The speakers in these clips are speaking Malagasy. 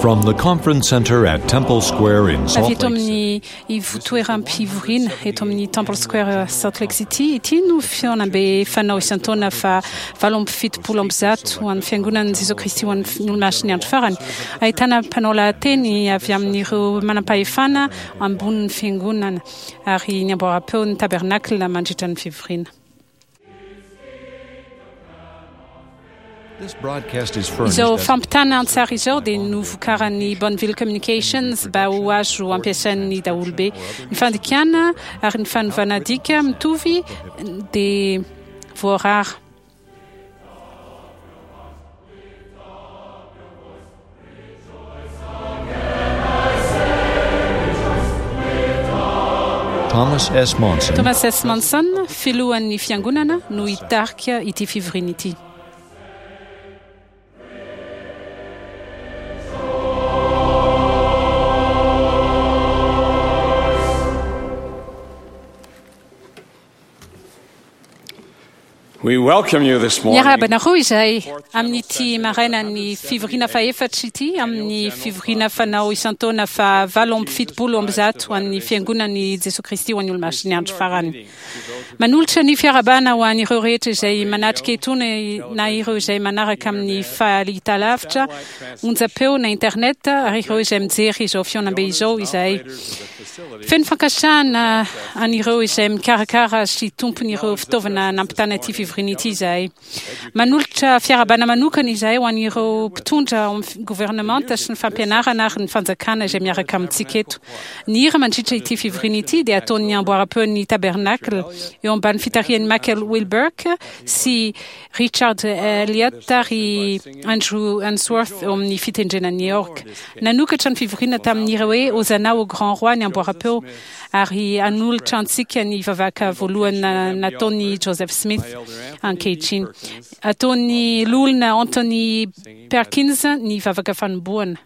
From the conference center at Temple Square in Salt Avy eto Lake City. amin'ny ivotoeram-pivoriana eto amin'ny Temple Square Salt Lake City ity no fihaonambe fanao isan-taona faha 178 ho an'ny Fiangonan'i Jesoa Kristy ho an'ny Olomasin'ny Andro Farany. Ahitana mpanao lahateny avy amin'ireo manampahefana ambonin'ny Fiangonana ary ny amboaram-peon'ny Tabernacle mandritra ny fivoriana. Izao fampitana an-tsary izao dia novokaran'ny Bonneville Communications mba ho azo ampiasain'ny daholobe. Ny fandikana ary ny fanovana dika mitovy dia voarara. Thomas S. Monson, Thomas S. Monson, filohan'ny Fiangonana, no hitarika ity fivoriana ity. Miarahaba anareo izahay amin'ity marainan'ny fivoriana fahefatra ity amin'ny fivoriana fanao isan-taona faha 178 an'ny Fiangonan'i Jesoa Kristy ho an'ny Olomasin'ny Andro Farany. Manolotra ny fiarahabana ho an'ireo rehetra izay manatrika etoana na ireo izay manaraka amin'ny fahitalavitra, onjam-peo na internet ary ireo izay mijery izao fihaonambe izao izahay. Feno fankasitrahana an'ireo izay mikarakara sy tompon'ireo fitaovana nampitana ity fivoriana ity izahay. Manolotra fiarahabana manokana izahay ho an'ireo mpitondra ao amin'ny governemanta sy ny fampianarana ary ny fanjakana izay miaraka amintsika eto. Ny hira mandritra ity fivoriana ity dia ataon'ny amboaram-peon'ny Tabernacle eo ambany fitarihan'i Michael Wilberk sy Richard Elliott ary Andrew Unsworth eo amin'ny fitendrena ny orgue. Nanokatra ny fivoriana tamin'ny hira hoe Hosanna au Grand Roi ny amboaram-peo ary hanolotra antsika ny vavaka voalohany nataon'i Joseph Smith ankehitriny. Ataon'ny Loholona Anthony Perkins ny vavaka fanombohana.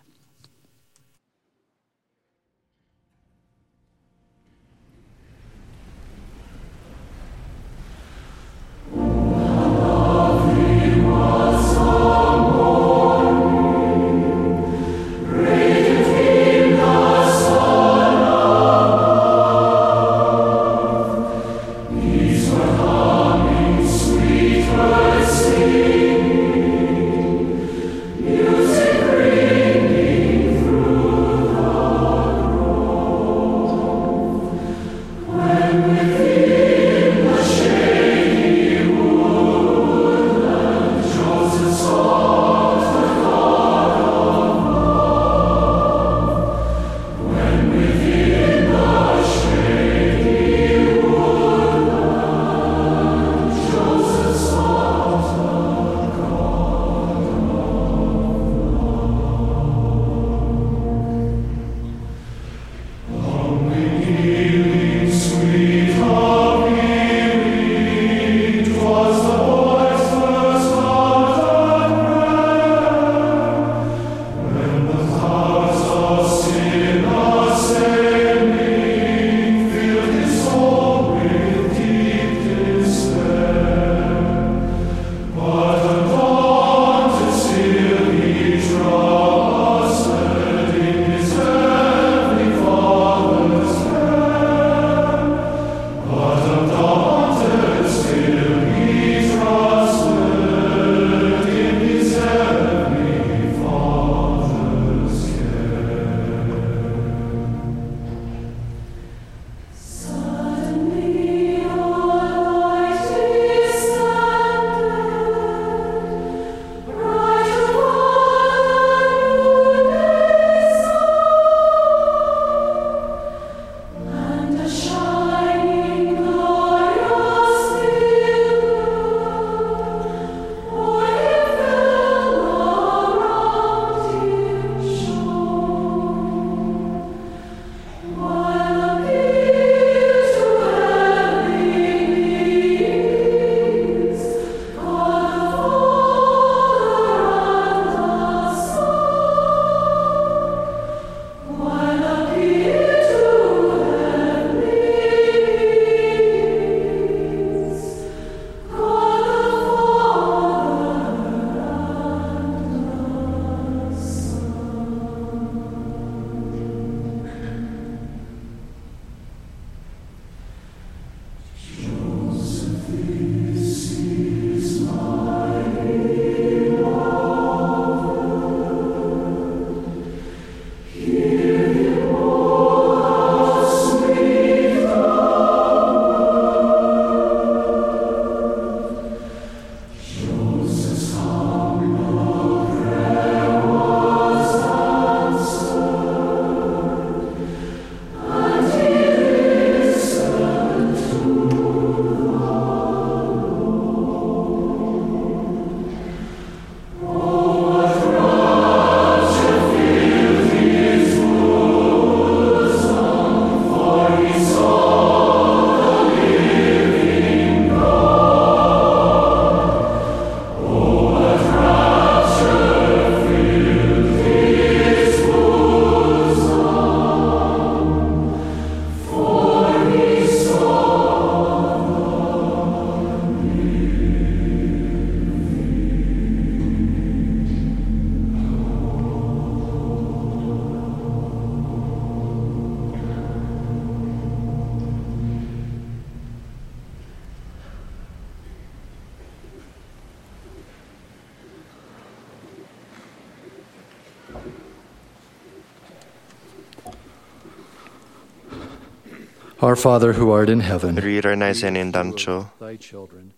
Our Father who art in heaven, Ry Rainay izay any an-danitra ô, thy children,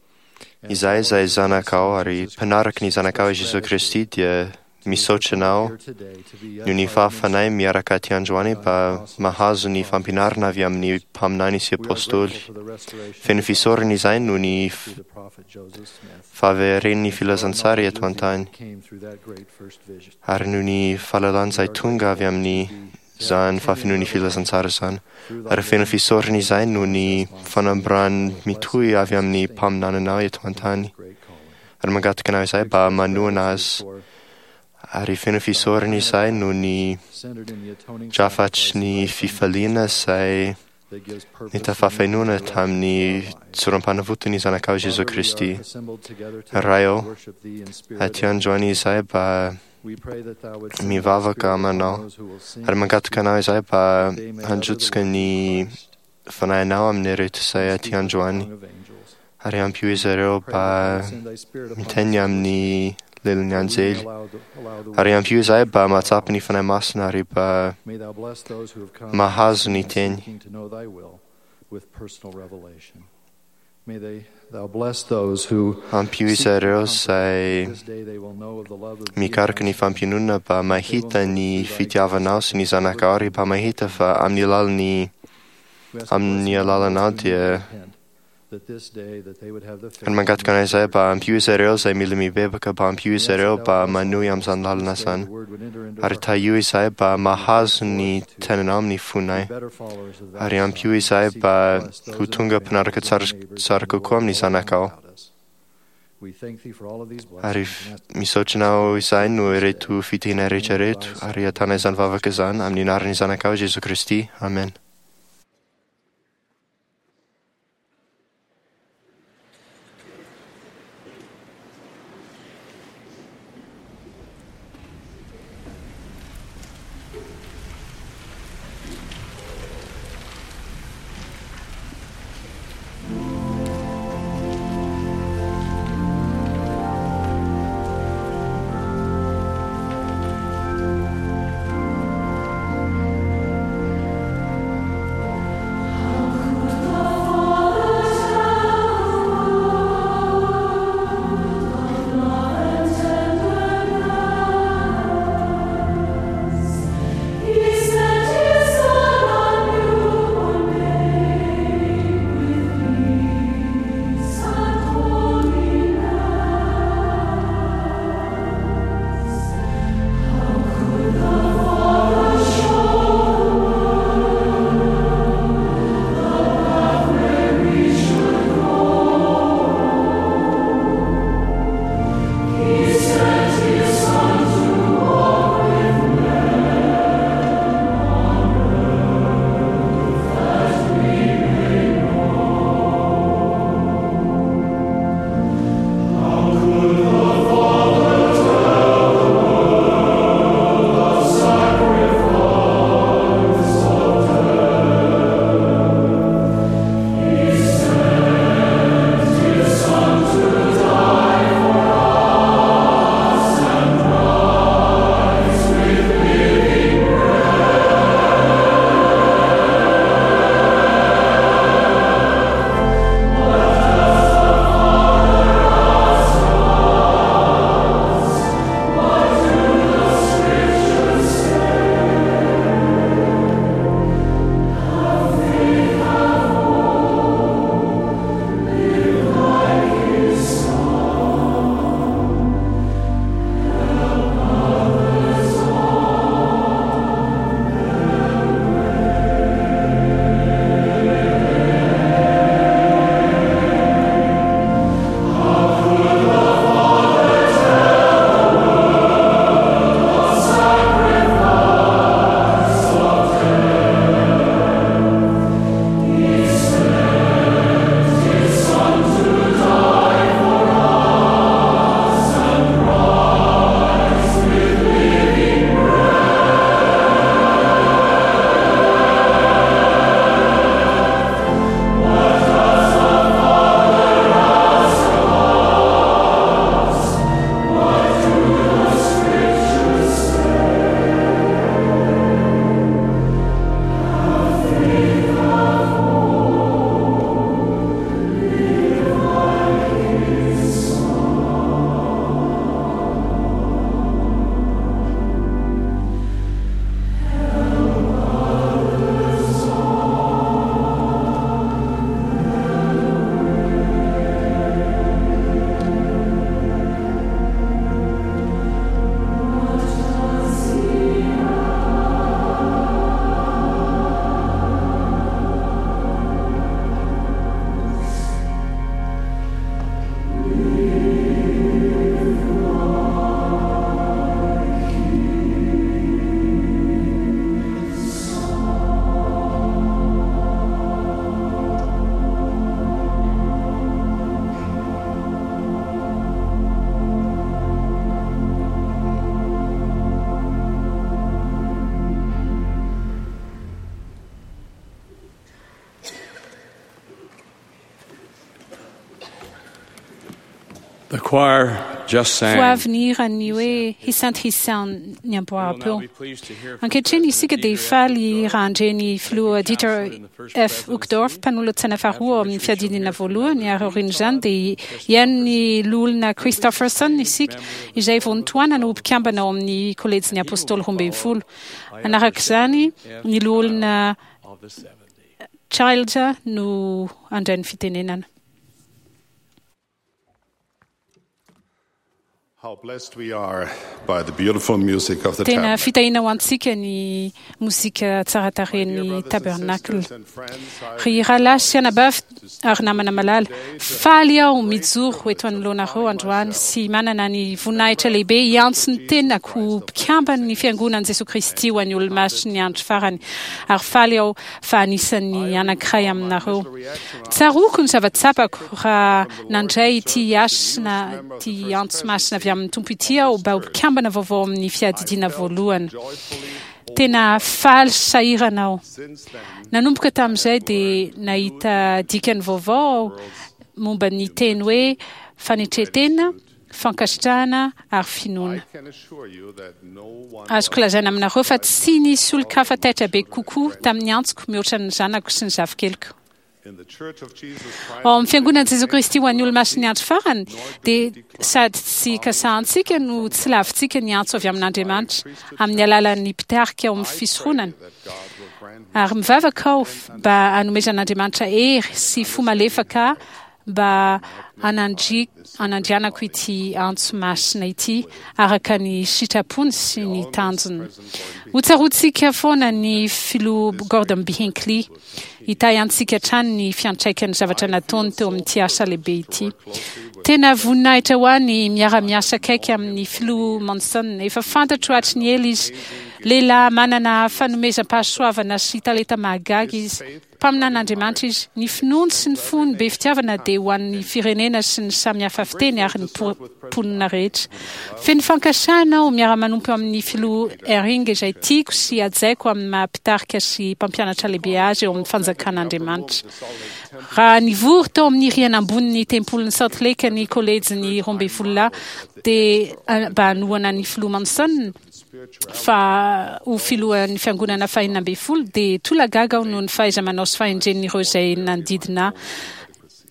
izahay izay zanakao ary mpanaraka ny zanakao i Jesoa Kristy dia misaotra anao noho ny fahafanay miaraka aty androany mba mahazo ny fampianarana avy amin'ny mpaminany sy apôstôly. Feno fisaorana izahay noho ny fahaveren'ny filazantsara eto an-tany ary noho ny fahalalana izay tonga avy amin'ny izany fahafenoan'ny filazantsara izany. Ary feno fisaorana izahay noho ny fanambarany mitohy avy amin'ny mpaminananao eto an-tany. Ary mangataka anao izahay mba manohana azy. Ary feno fisaorana izahay noho ny drafatry ny fifaliana izay nitafafenoana tamin'ny tsoram-panavotan'ny zanakao Jesoa Kristy. Ray ô, aty androany izahay mba mivavaka aminao ary mangataka anao izahay mba handrotsaka ny fanahinao amin'ireto izay aty androany ary ampio izy ireo mba miteny amin'ny lelan'ny anjely ary ampio izahay mba mahatsapa ny fanahy masina ary mba mahazo ny teny. Ampio izy ireo izay mikaroka ny fampiononana mba mahita ny fitiavanao sy ny zanakao ary mba mahita fa amin'ny alalan'ny amin'ny alalanao dia ary mangataka anay izahay mba ampio izy ireo izay mila mibebaka mba ampio izy ireo mba manohy amin'izany lalana izany ary tahio izahay mba mahazo ny tenanao amin'ny fonay ary ampio izahay mba ho tonga mpanaraka tsara tsara kokoa amin'ny zanakao ary misaotra anao izahay noho ireto fitahiana rehetra ireto ary ahitana izany vavaka izany amin'ny anaran'ny zanakao Jesoa Kristy. Amen. choir just sang. Vao avy nihira ny hoe He Sent His Son ny amboaram-peo. Ankehitriny isika dia hifaly raha handre ny Filoha Dieter F. Uchtdorf, mpanolotsaina faharoa ao amin'ny Fiadidiana Voalohany, ary aorian'izany dia hihaino ny Loholona Christofferson isika, izay vao notohanana ho mpikambana ao amin'ny Kolejin'ny Apôstôly Roambinifolo. Hanaraka izany, ny Loholona Childs no handray ny fitenenana. How blessed we are by the beautiful music of the Tena tabernacle. fitahiana ho antsika ny mozika tsara tarehin'ny Tabernacle. Ry rahalahy sy anabavy ary namana malala, faly aho mijoro eto anoloanareo androany sy manana ny voninahitra lehibe hiantso ny tenako ho mpikamban'ny Fiangonan'i Jesoa Kristy ho an'ny Olomasin'ny Andro Farany, ary faly aho fa anisan'ny anankiray aminareo. Tsaroako ny zava-tsapako raha nandray ity hasina, ity antso masina avy amin'ny Tompo ity aho mba ho mpikambana vaovao amin'ny Fiadidiana Voalohany. Tena faly sy sahirana aho. Nanomboka tamin'izay dia nahita dikany vaovao aho momba ny teny hoe fanetren-tena, fankasitrahana ary finoana. Azoko lazaina aminareo fa tsy nisy olon-kafa taitra be kokoa tamin'ny antsoko mihoatra ny zanako sy ny zafikeliko. Ao amin'ny Fiangonan'i Jesoa Kristy ho an'ny Olomasin'ny Andro Farany dia sady tsy kasahantsika no tsy lavintsika ny antso avy amin'Andriamanitra amin'ny alalan'ny mpitarika ao amin'ny fisoronana. Ary mivavaka aho mba hanomezan'Andriamanitra hery sy fo malefaka mba hanandrianako ity antso masina ity araka ny sitrapony sy ny tanjony. Hotsaroantsika foana ny Filoha Gordon B. Hinckley. Hitahy antsika hatrany ny fiantraikan'ny zavatra nataony teo amin'ity asa lehibe ity. Tena voninahitra ho ahy ny miara-miasa akaiky amin'ny Filoha Monson. Efa fantatro hatry ny ela izy. Lehilahy manana fanomezam-pahasoavana sy talenta mahagaga izy. Mpaminan'Andriamanitra izy. Ny finoany sy ny fony be fitiavana dia ho an'ny firenena sy ny samy hafa fiteny ary ny mponina rehetra. Feno fankasitrahana aho miara-manompo amin'ny Filoha Eyring izay tiako sy hajaiko amin'ny maha mpitarika sy mpampianatra lehibe azy eo amin'ny fanjakan'Andriamanitra. Raha nivory tao amin'ny rihana ambonin'ny Tempolin'i Salt Lake ny Kolejin'ny Roambinifololahy dia mba hanohana ny Filoha Monson, fa ho filohan'ny fiangonana fahenina ambin'ny folo dia tolagaga aho noho ny fahaiza-manao sy fahendren'ireo izay nanodidina ahy.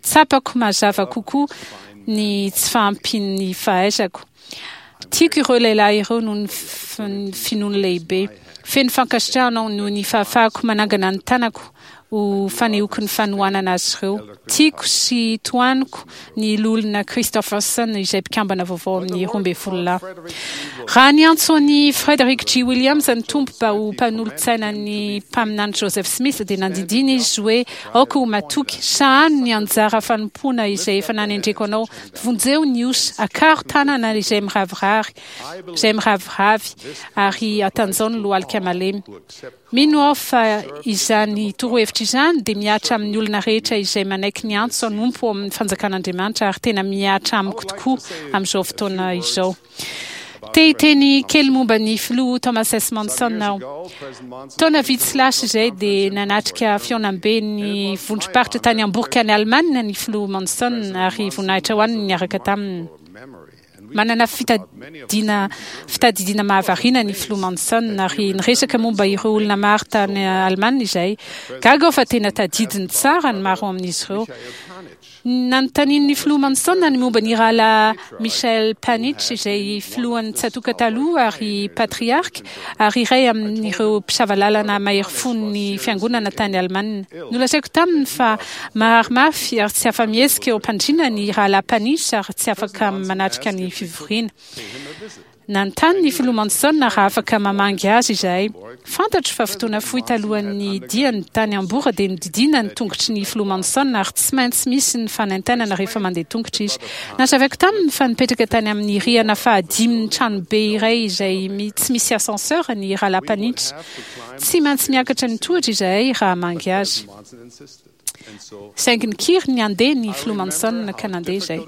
Tsapako mazava kokoa ny tsy fahampian'ny fahaizako. Tiako ireo lehilahy ireo noho ny finoany lehibe. Feno fankasitrahana aho noho ny fahafahako manangana ny tanako ho fanehoako ny fanohanana azy ireo. Tiako sy tohaniko ny Loholona Christofferson izay mpikambana vaovao amin'ny 12 lahy. Raha niantso an'i Frederick G. Williams ny Tompo mba ho mpanolotsainan'ny Mpaminany Joseph Smith dia nandidiana izy hoe, Aoka ho matoky, sahano ny anjara fanompoana izay efa nanendreko anao, vonjeo ny osa, akaro tanana izay miravirary, izay miraviravy, ary atanjao ny lohalika malemy. Mino aho fa izany torohevitra izany dia mihatra amin'ny olona rehetra izay manaiky ny antso hanompo ao amin'ny Fanjakan'Andriamanitra ary tena mihatra amiko tokoa amin'izao fotoana izao. Te hiteny kely momba ny Filoha Thomas S. Monson aho. Taona vitsy lasa izay dia nanatrika fihaonamben'ny vondrom-paritra tany Hambourg any Alemana ny Filoha Monson ary voninahitra ho any ny niaraka taminy. Manana fitadidiana fitadidiana mahavariana ny Filoha Monson ary niresaka momba ireo olona maro tany Alemana izahay. Gaga aho fa tena tadidiny tsara ny maro amin'izy ireo. Nanontanian'ny Filoha Monson ny momba ny Rahalahy Michael Panitch izay filohan'ny tsatòka taloha ary patriarka ary iray amin'ireo mpisava lalana mahery fon'ny Fiangonana tany Alemana. Nolazaiko taminy fa marary mafy ary tsy afa-mihetsika eo am-pandriana ny Rahalahy Panitch ary tsy afaka manatrika ny fivoriana. Nanontany ny Filoha Monson raha afaka mamangy azy izahay. Fantatro fa fotoana fohy talohan'ny diany tany Hambourg dia nodidiana ny tongotry ny Filoha Monson ary tsy maintsy misy ny fanaintainana rehefa mandeha tongotra izy. Nazavaiko taminy fa nipetraka tany amin'ny rihana fahadimin'ny tranobe iray izay tsy misy ascenseur ny Rahalahy Panitch. Tsy maintsy miakatra ny tohatra izahay raha hamangy azy. Saingy nikiry ny handeha ny Filoha Monson ka nandeha izay.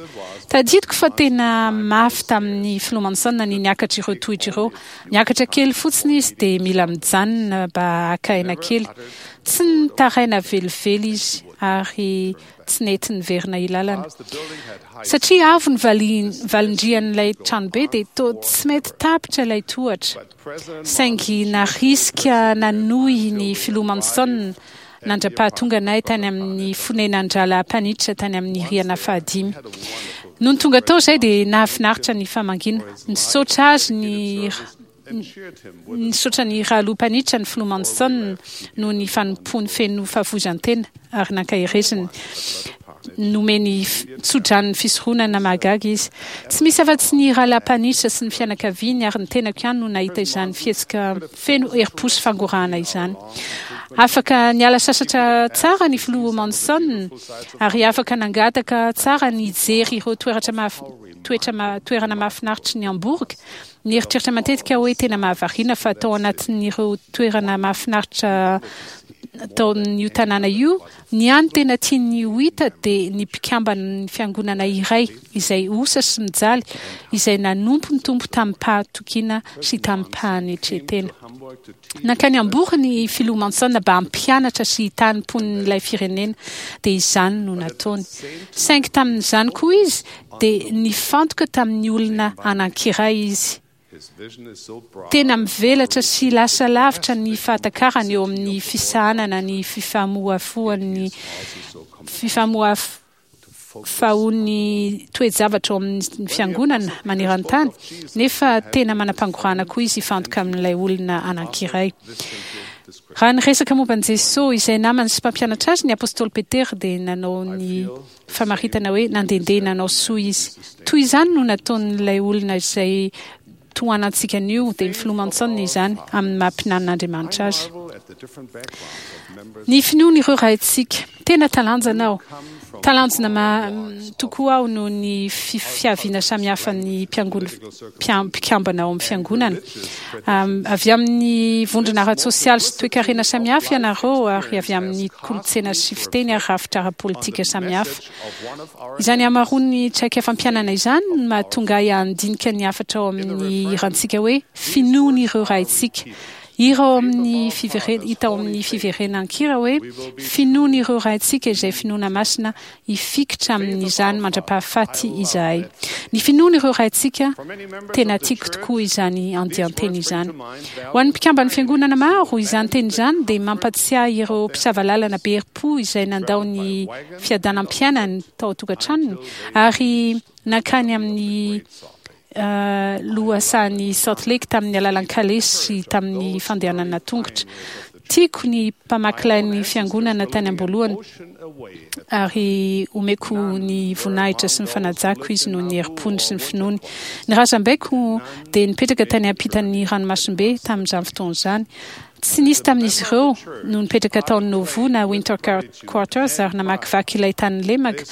Tadidiko fa tena mafy tamin'ny Filoha Monson ny niakatra ireo tohitra ireo. Miakatra kely fotsiny izy dia mila mijanona mba haka aina kely. Tsy nitaraina velively izy. ary tsy nety niverina ilalana. Satria avo ny valindrian'ilay tranobe dia toa tsy mety tapitra ilay tohatra. Saingy narisika nanohy ny Filoha Monson nandra-pahatonga anay tany amin'ny fonenan-dRahalahy Panitch tany amin'ny rihana fahadimy. Nony tonga tao izahay dia nahafinaritra ny famangiana. Nisaotra azy ny Nisaotra ny Rahaloha Panitch ny Filoha Monson noho ny fanompoany feno fahafoizan-tena ary nankahereziny. Nomeny tso-dranon'ny fisoronana mahagaga izy. Tsy misy afa-tsy ny Rahalahy Panitch sy ny fianakaviany ary ny tenako ihany no nahita izany fihetsika feno herim-po sy fangorahana izany. Afaka niala sasatra tsara ny Filoha Monson ary afaka nangataka tsara ny hijery ireo toerana mahafinaritry ny Hambourg. Nieritreritra matetika aho hoe tena mahavariana fa tao anatin'ireo toerana mahafinaritra tao amin'io tanàna io, ny hany tena tiany ho hita dia ny mpikamban'ny fiangonana iray izay osa sy mijaly, izay nanompo ny Tompo tamim-pahatokiana sy tamim-panetren-tena. Nankany Hambourg ny Filoha Monson mba hampianatra sy hitaha ny mponin'ilay firenena, dia izany no nataony. Saingy tamin'izany koa izy dia nifantoka tamin'ny olona anankiray izy. Tena mivelatra sy lasa lavitra ny fahatakarany eo amin'ny fisahanana ny fifamohafohan'ny fifamohafahoan'ny toe-javatra ao amin'ny fiangonana maneran-tany, nefa tena manam-pangorahana koa izy hifantoka amin'ilay olona anankiray. Raha niresaka momba an'i Jesosy, izay namany sy mpampianatra azy, ny apostoly Petera dia nanao ny famaritana hoe nandehandeha nanao soa izy. Toy izany no nataon'ilay olona izay tohanantsika anio, dia ny Filoha Monson izany, amin'ny maha mpinanin'Andriamanitra azy. Ny finoan'ireo raintsika. Tena talanjana aho. Talanjona tokoa aho noho ny fiaviana samihafan'ny mpikambana ao amin'ny fiangonana. Avy amin'ny vondrona ara-tsosialy sy toekarena samihafa ianareo ary avy amin'ny kolontsaina sy fiteny ary rafitra ara-politika samihafa. Izany hamaroan'ny traikefam-piainana izany no mahatonga ahy handinika ny hafatra ao amin'ny hirantsika hoe Finoan'ireo Raintsika. Hira ao amin'ny hita ao amin'ny fiverenan-kira hoe Finoan'ireo Raintsika izay finoana masina Hifikitra amin'izany mandra-pahafaty izahay. Ny finoan'ireo raintsika, tena tiako tokoa izany andian-teny izany. Ho an'ny mpikamban'ny Fiangonana maro, izany teny izany dia mampatsiahy ireo mpisava lalana be herim-po izay nandao ny fiadanam-piainany tao an-tokantranony ary nankany amin'ny lohasahan'i Salt Lake tamin'ny alalan'ny kalesy sy tamin'ny fandehanana tongotra. Tiako ny mpamaky lay ny fiangonana tany am-boalohany ary omeko ny voninahitra sy ny fanajako izy noho ny herim-pony sy ny finoany. Ny razambeko dia nipetraka tany ampitan'ny ranomasimbe tamin'izany fotoana izany. Tsy nisy tamin'izy ireo no nipetraka tao Nauvoo na Winter Quarters ary namakivaky ilay tany lemaka.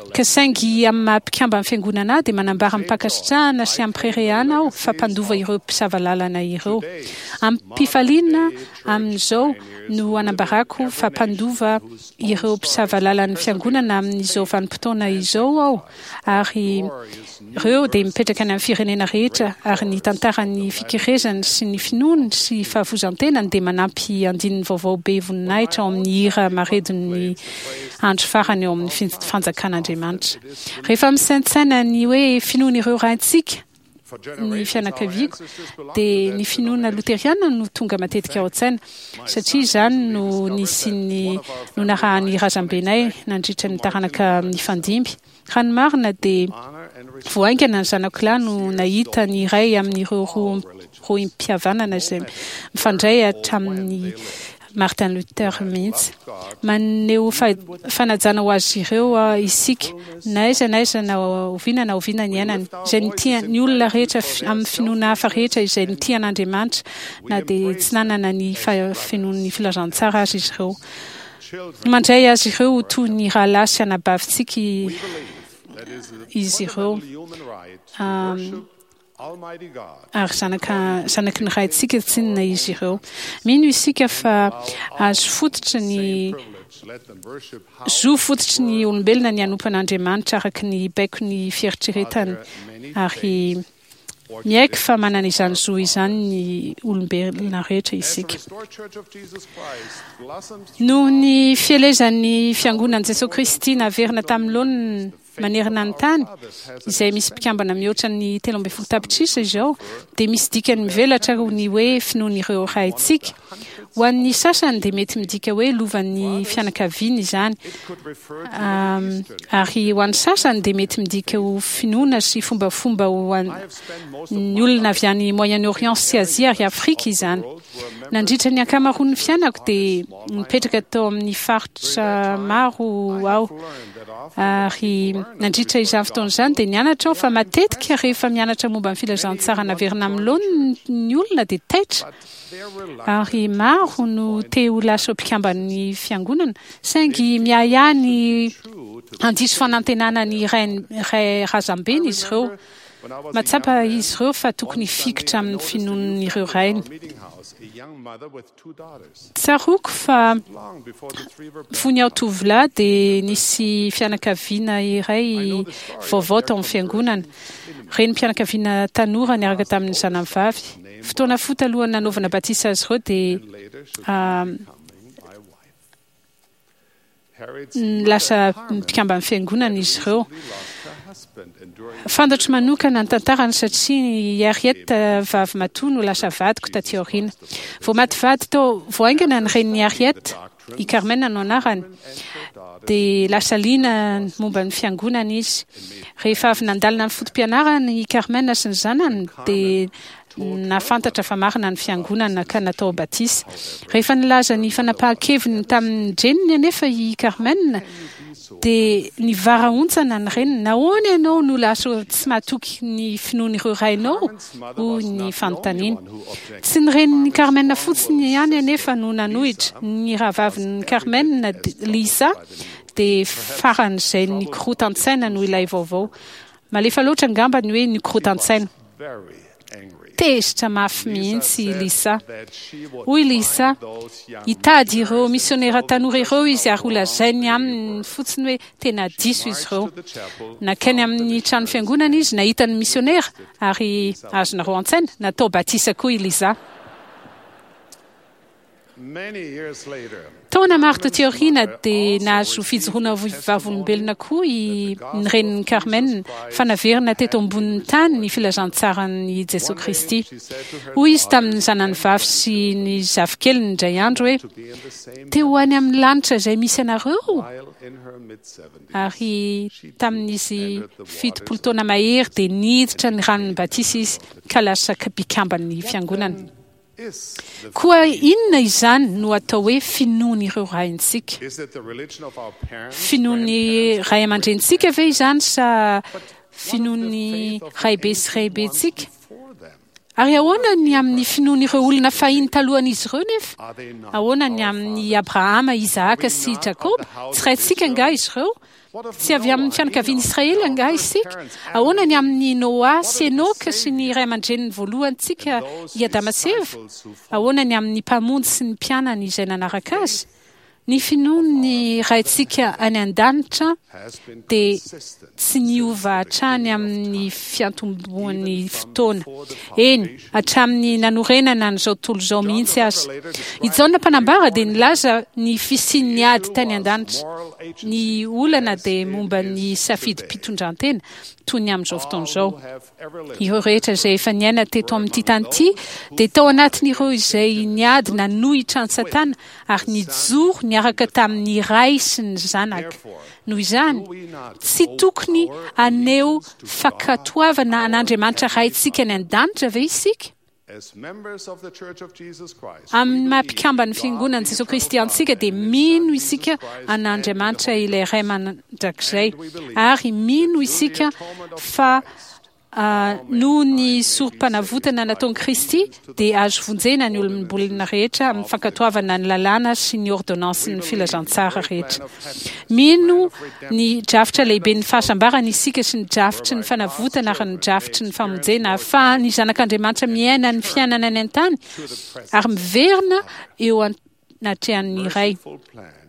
Ka saingy amin'ny maha mpikamban'ny Fiangonana ahy dia manambara amim-pankasitrahana sy amim-pireharehana aho fa mpandova ireo mpisava lalana ireo. Amim-pifaliana amin'izao no anambarako fa mpandova ireo mpisava lalan'ny Fiangonana amin'izao vanim-potoana izao aho ary ireo dia mipetraka any amin'ny firenena rehetra ary ny tantaran'ny fikerezany sy ny finoany sy fahavozan-tenany dia manampy andininy vaovao be voninahitra ao amin'ny hira maredon'ny andro farany ao amin'ny fanjakan'Andriamanitra. Rehefa misaintsaina ny hoe finoan'ireo raintsika ny fianakaviako dia ny finoana loteriana no tonga matetika ao an-tsaina satria izany no nisian'ny no narahan'ny razambenay nandritra ny taranaka nifandimby. Raha ny marina dia vao haingana ny zanako lahy no nahita ny iray amin'ireo rohim-pihavanana izay mifandray hatramin'i Martin Luther mihitsy. Maneho fanajana ho azy ireo isika, na aiza na aiza na oviana na oviana niainany, izay nitia ny olona rehetra amin'ny finoana hafa rehetra izay nitia an'Andriamanitra na dia tsy nanana ny fahafenoan'ny filazantsara aza izy ireo. Mandray azy ireo ho toy ny rahalahy sy anabavintsika izy ireo, ary zanaka, zanaky ny Raintsika tsinona izy ireo. Mino isika fa azo fototry ny zo fototry ny olombelona ny hanompo an'Andriamanitra araka ny baikon'ny fieritreretany ary. Miaiky fa manana izany zo izany ny olombelona rehetra isika. Noho ny fielezan'ny Fiangonan'i Jesoa Kristy naverina tamin'ny laoniny manerana ny tany, izay misy mpikambana mihoatra ny 13 tapitrisa izao, dia misy dikany mivelatra ny hoe finoan'ireo raintsika. Ho an'ny sasany dia mety midika hoe lovan'ny fianakaviana izany, ary ho an'ny sasany dia mety midika ho finoana sy fombafomba ho an'ny olona avy any Moyen-Orient sy Azia ary Afrika izany. Nandritra ny ankamaroan'ny fiainako dia nipetraka tao amin'ny faritra maro aho, ary nandritra izany fotoana izany dia nianatra aho fa matetika rehefa mianatra momba ny filazantsara naverina amin'ny laoniny ny olona dia taitra. Ary maro no te ho lasa mpikamban'ny fiangonana, saingy miahiahy ny handiso fanantenana ny ray razambeny izy ireo. Mahatsapa izy ireo fa tokony hifikitra amin'ny finoan'ireo rainy. Tsaroako fa fony aho tovolahy dia nisy fianakaviana iray vaovao tao amin'ny fiangonana. Renim-pianakaviana tanora niaraka tamin'ny zanany vavy. Fotoana fohy talohan'ny nanaovana batisa azy ireo dia lasa mpikamban'ny fiangonana izy ireo. Fantatro manokana ny tantarany satria i Harriet vavy matoa no lasa vadiko taty aoriana. Vao maty vady tao vao haingana ny renin'i Harriet, i Carmen no anarany, dia lasa liana momba ny fiangonana izy. Rehefa avy nandalina ny foto-pianarany i Carmen sy ny zanany dia nahafantatra fa marina ny fiangonana ka natao batisa. Rehefa nilaza ny fanapahan-keviny tamin-dreniny anefa i Carmen dia nivarahontsana ny reniny. Nahoana ianao no lasa tsy matoky ny finoan'ireo rainao? hoy ny fanontaniany. Tsy ny renin'i Carmen fotsiny ihany anefa no nanohitra. Ny rahavavin'i Carmen, Lisa, dia faran'izay nikorotan-tsaina noho ilay vaovao. Malefa loatra angamba ny hoe nikorotan-tsaina. Tezitra mafy mihitsy i Lisa. Hoy Lisa, Hitady ireo misionera tanora ireo izy ary holazainy aminy fotsiny hoe tena diso izy ireo. Nankany amin'ny trano fiangonana izy, nahita ny misionera, ary azonareo an-tsaina, natao batisa koa i Lisa. Taona maro taty aoriana dia nahazo fijoroana ho vavolombelona koa i ny renin'i Carmen fa naverina teto ambonin'ny tany ny filazantsaran'i Jesoa Kristy. Hoy izy tamin'ny zanany vavy sy ny zafikeliny indray andro hoe, Te ho any amin'ny lanitra izay misy anareo? Ary tamin'izy 70 taona mahery dia niditra ny ranon'ny batisa izy ka lasa mpikamban'ny fiangonana. Koa inona izany no atao hoe finoan'ireo raintsika? Finoan'ny ray aman-drenintsika ve izany sa finoan'ny raibe sy raibentsika? Ary ahoana ny amin'ny finoan'ireo olona fahiny talohan'izy ireo nefa? Ahoana ny amin'i Abrahama, Isahaka sy Jakoba? Tsy raintsika angaha izy ireo? Tsy avy amin'ny fianakavian'i Israely angaha isika? Ahoana ny amin'i Noa sy Enoka sy ny ray aman-dreniny voalohantsika i Adama sy Eva? Ahoana ny amin'ny Mpamonjy sy ny mpianany izay nanaraka azy? Ny finoan'ny Raintsika any An-danitra dia tsy niova hatrany amin'ny fiantombohan'ny fotoana, eny, hatramin'ny nanorenana an'izao tontolo izao mihitsy aza. I Jaona Mpanambara dia nilaza ny fisian'ny ady tany an-danitra. Ny olana dia momba ny safidim-pitondrantena, toy ny amin'izao fotoana izao. Ireo rehetra izay efa niaina teto amin'ity tany ity dia tao anatin'ireo izay niady nanohitra an'i Satana ary nijoro niaraka tamin'ny Ray sy ny Zanaka. Noho izany, tsy tokony haneho fankatoavana an'Andriamanitra Raintsika any an-danitra ve isika? Amin'ny maha mpikamban'ny Fiangonan'i Jesoa Kristy antsika dia mino isika an'Andriamanitra ilay Ray Mandrakizay ary mino isika fa noho ny sorom-panavotana nataon'i Kristy dia azo vonjena ny olombolona rehetra amin'ny fankatoavana ny lalàna sy ny ôrdônansin'ny filazantsara rehetra. Mino ny drafitra lehiben'ny fahasambarana isika sy ny drafitry ny fanavotana ary ny drafitry ny famonjena ahafahan'ny zanak'Andriamanitra miaina ny fiainana any an-tany ary miverina eo anatrehan'ny Ray.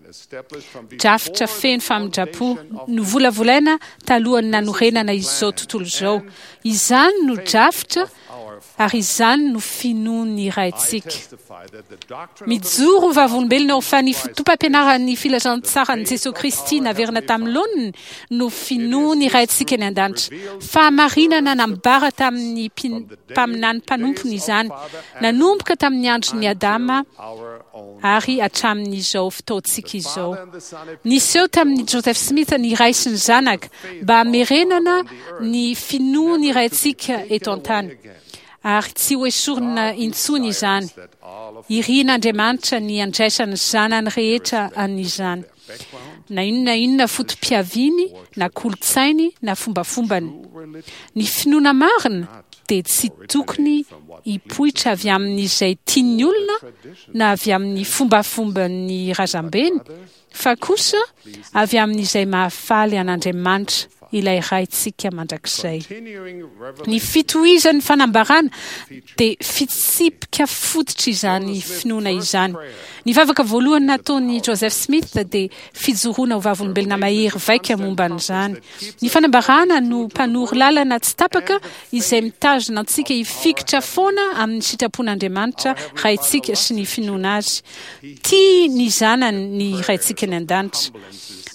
Drafitra feno famindram-po novolavolaina talohan'ny nanorenana izao tontolo izao. Izany no drafitra ary izany no finoan'ny Raintsika. Mijoro ho vavolombelona aho fa ny fotoam-pampianaran'ny filazantsaran'i Jesoa Kristy naverina tamin'ny laoniny no finoan'ny Raintsika any an-danitra. Fahamarinana nambara tamin'ny mpaminany mpanompony izany, nanomboka tamin'ny andron'i Adama ary hatramin'izao fotoantsika izao. Niseho tamin'i Joseph Smith ny Ray sy ny Zanaka mba hamerenana ny finoan'ny Raintsika eto an-tany, ary tsy hoesorina intsony izany. Irian'Andriamanitra ny handraisan'ny zanany rehetra an'izany, na inona na inona foto-piaviany, na kolontsainy, na fombafombany. Ny finoana marina dia tsy tokony hipoitra avy amin'izay tian'ny olona na avy amin'ny fombafomban'ny razambeny, fa kosa avy amin'izay mahafaly an'Andriamanitra, ilay Raintsika mandrakizay. Ny fitohizan'ny fanambarana dia fitsipika fototra izany finoana izany. Ny vavaka voalohany nataon'i Joseph Smith dia fijoroana ho vavolombelona mahery vaika momba an'izany. Ny fanambarana no mpanoro lalana tsy tapaka izay mitazona antsika hifikitra foana amin'ny sitrapon'Andriamanitra Raintsika sy ny finoana Azy. Tia ny zanany ny Raintsika any An-danitra.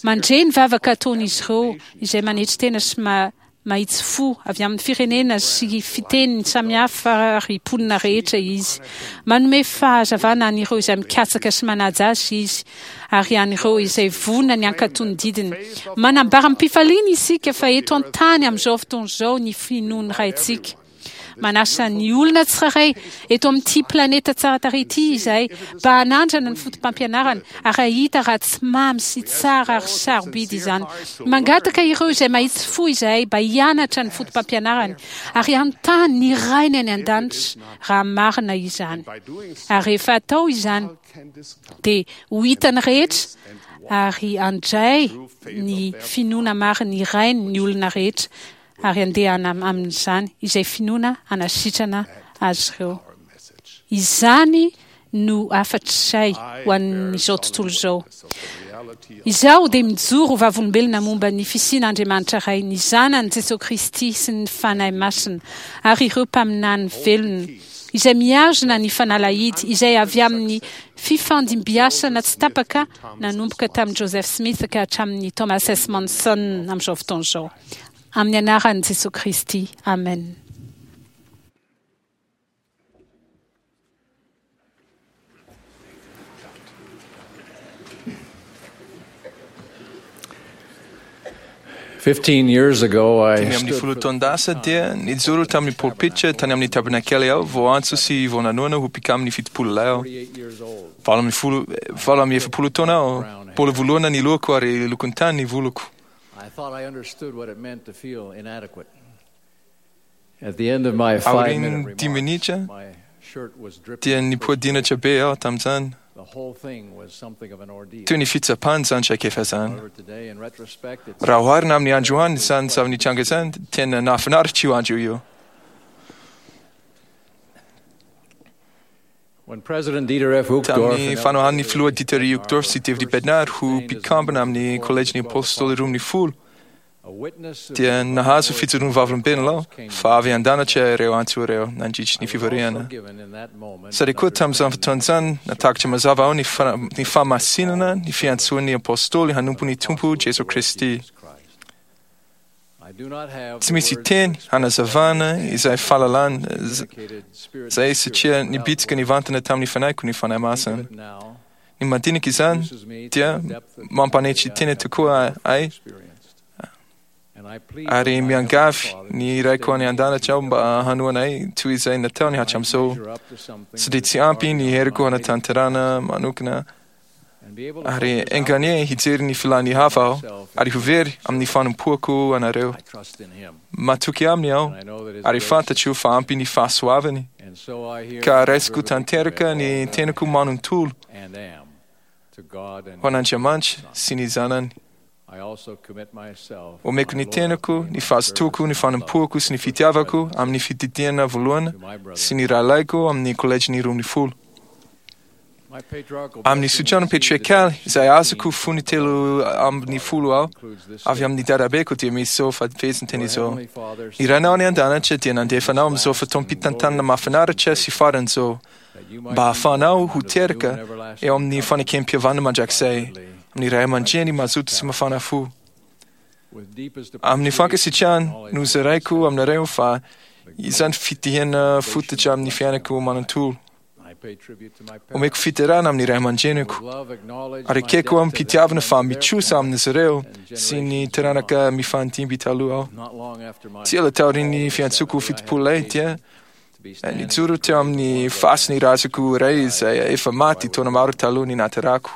Mandre ny vavaka ataon'izy ireo izay manetry tena sy mahitsy fo avy amin'ny firenena sy fiteny samihafa ary mponina rehetra Izy. Manome fahazavana an'ireo izay mikatsaka sy manaja Azy Izy, ary an'ireo izay vonona ny hankatò ny didiny. Manambara amim-pifaliana isika fa eto an-tany amin'izao fotoana izao ny finoan'ny Raintsika. Manasa ny olona tsirairay eto amin'ity planeta tsara tarehy ity izahay mba hanandrana ny fotopampianarana ary hahita raha tsy mamy sy tsara ary sarobidy izany. Mangataka ireo izay mahitsy fo izahay mba hianatra ny fotopampianarany ary hanontany ny Rainy any An-danitra raha marina izany. Ary rehefa atao izany dia ho hitan'ny rehetra ary handray ny finoana marin'ny Rainy ny olona rehetra ary handeha amin'izany izay finoana hanasitrana azy ireo. Izany no hafatray ho an'izao tontolo izao. Izaho dia mijoro ho vavolombelona momba ny fisian'Andriamanitra Ray, ny Zanany Jesoa Kristy sy ny Fanahy Masina ary ireo mpaminany velona izay mihazona ny fanalahidy izay avy amin'ny fifandimbiasana tsy tapaka nanomboka tamin'i Joseph Smith ka hatramin'i Thomas S. Monson amin'izao fotoana izao. Amin'ny anaran'i Jesoa Kristy, amen. 15 taon-dasa dia nijoro tamin'ny polpitra tany amin'ny tabernakely aho voantso sy voananona ho mpikamin'ny 70 lahy aho. 48 taona aho, mbola voloana ny lohako ary lokon-tany ny voloko. Aorian'ny dimy minitra dia nipoa-dinatra be aho tamin'izany. Toy ny fitsapana izany traikefa izany. Raha oharina amin'ny androany izany zava-nitranga izany, tena nahafinaritra io andro io. Tamin'ny fanohanan'ny filoha Dieter Uchtdorf sy David Bednar ho mpikambana amin'ny Kolejin'ny Apôstôly 12, dia nahazo fijoroan'ny vavolombelona aho fa avy an-danitra ireo antso ireo nandritry ny fivoriana. Sady koa tamin'izany fotoana izany, nahatakatra mazava aho ny fahamasinana ny fiantsoan'ny Apôstôly hanompo ny Tompo Jesoa Kristy. Tsy misy teny hanazavana izay fahalalana izay satria nibitsika nivantana tamin'ny fanahiko ny Fanahy Masina. Ny mandinika izany dia mampanetry tena tokoa ahy ary miangavy ny Raiko any an-danitra aho mba hanohana ahy toy izay nataony hatramin'izao. Satria tsy ampy ny heriko hanatanterahana manokana ary enganie hijery ny filan'ny hafa aho ary ho very amin'ny fanompoako anareo. Matoky aminy aho ary fantatro fa ampy ny fahasoavany ka raisiko tanteraka ny tenako manontolo ho an'Andriamanitra sy ny Zanany. Omeko ny tenako, ny fahazotoako, ny fanompoako sy ny fitiavako amin'ny fididiana voalohany sy ny rahalahiko amin'ny kolejin'ny 12. Amin'ny tsodrano patriarkaly izay azoko fony 13 aho, avy amin'ny dadabeko dia misy izao fehezanteny izao: Ny Rainao any an-danitra dia nandefa anao amin'izao fotoam-pitantanana mahafinaritra sy farany izao, mba hahafahanao ho teraka eo amin'ny fanekem-pihavanana mandrakizay amin'ny ray aman-dreny mazoto sy mafana fo. Amin'ny fankasitrahana no zaraiko aminareo fa izany fitihana fototra amin'ny fiainako manontolo. Omeko fiderana amin'ny ray aman-dreniko ary ekeko amim-pitiavana fa mitrosa amin'izy ireo sy ny taranaka mifandimby taloha aho. Tsy ela taorian'ny fiantsoako 70 lahy dia nijoro teo amin'ny fasin'ny razako iray izay efa maty taona maro taloha ny naterako.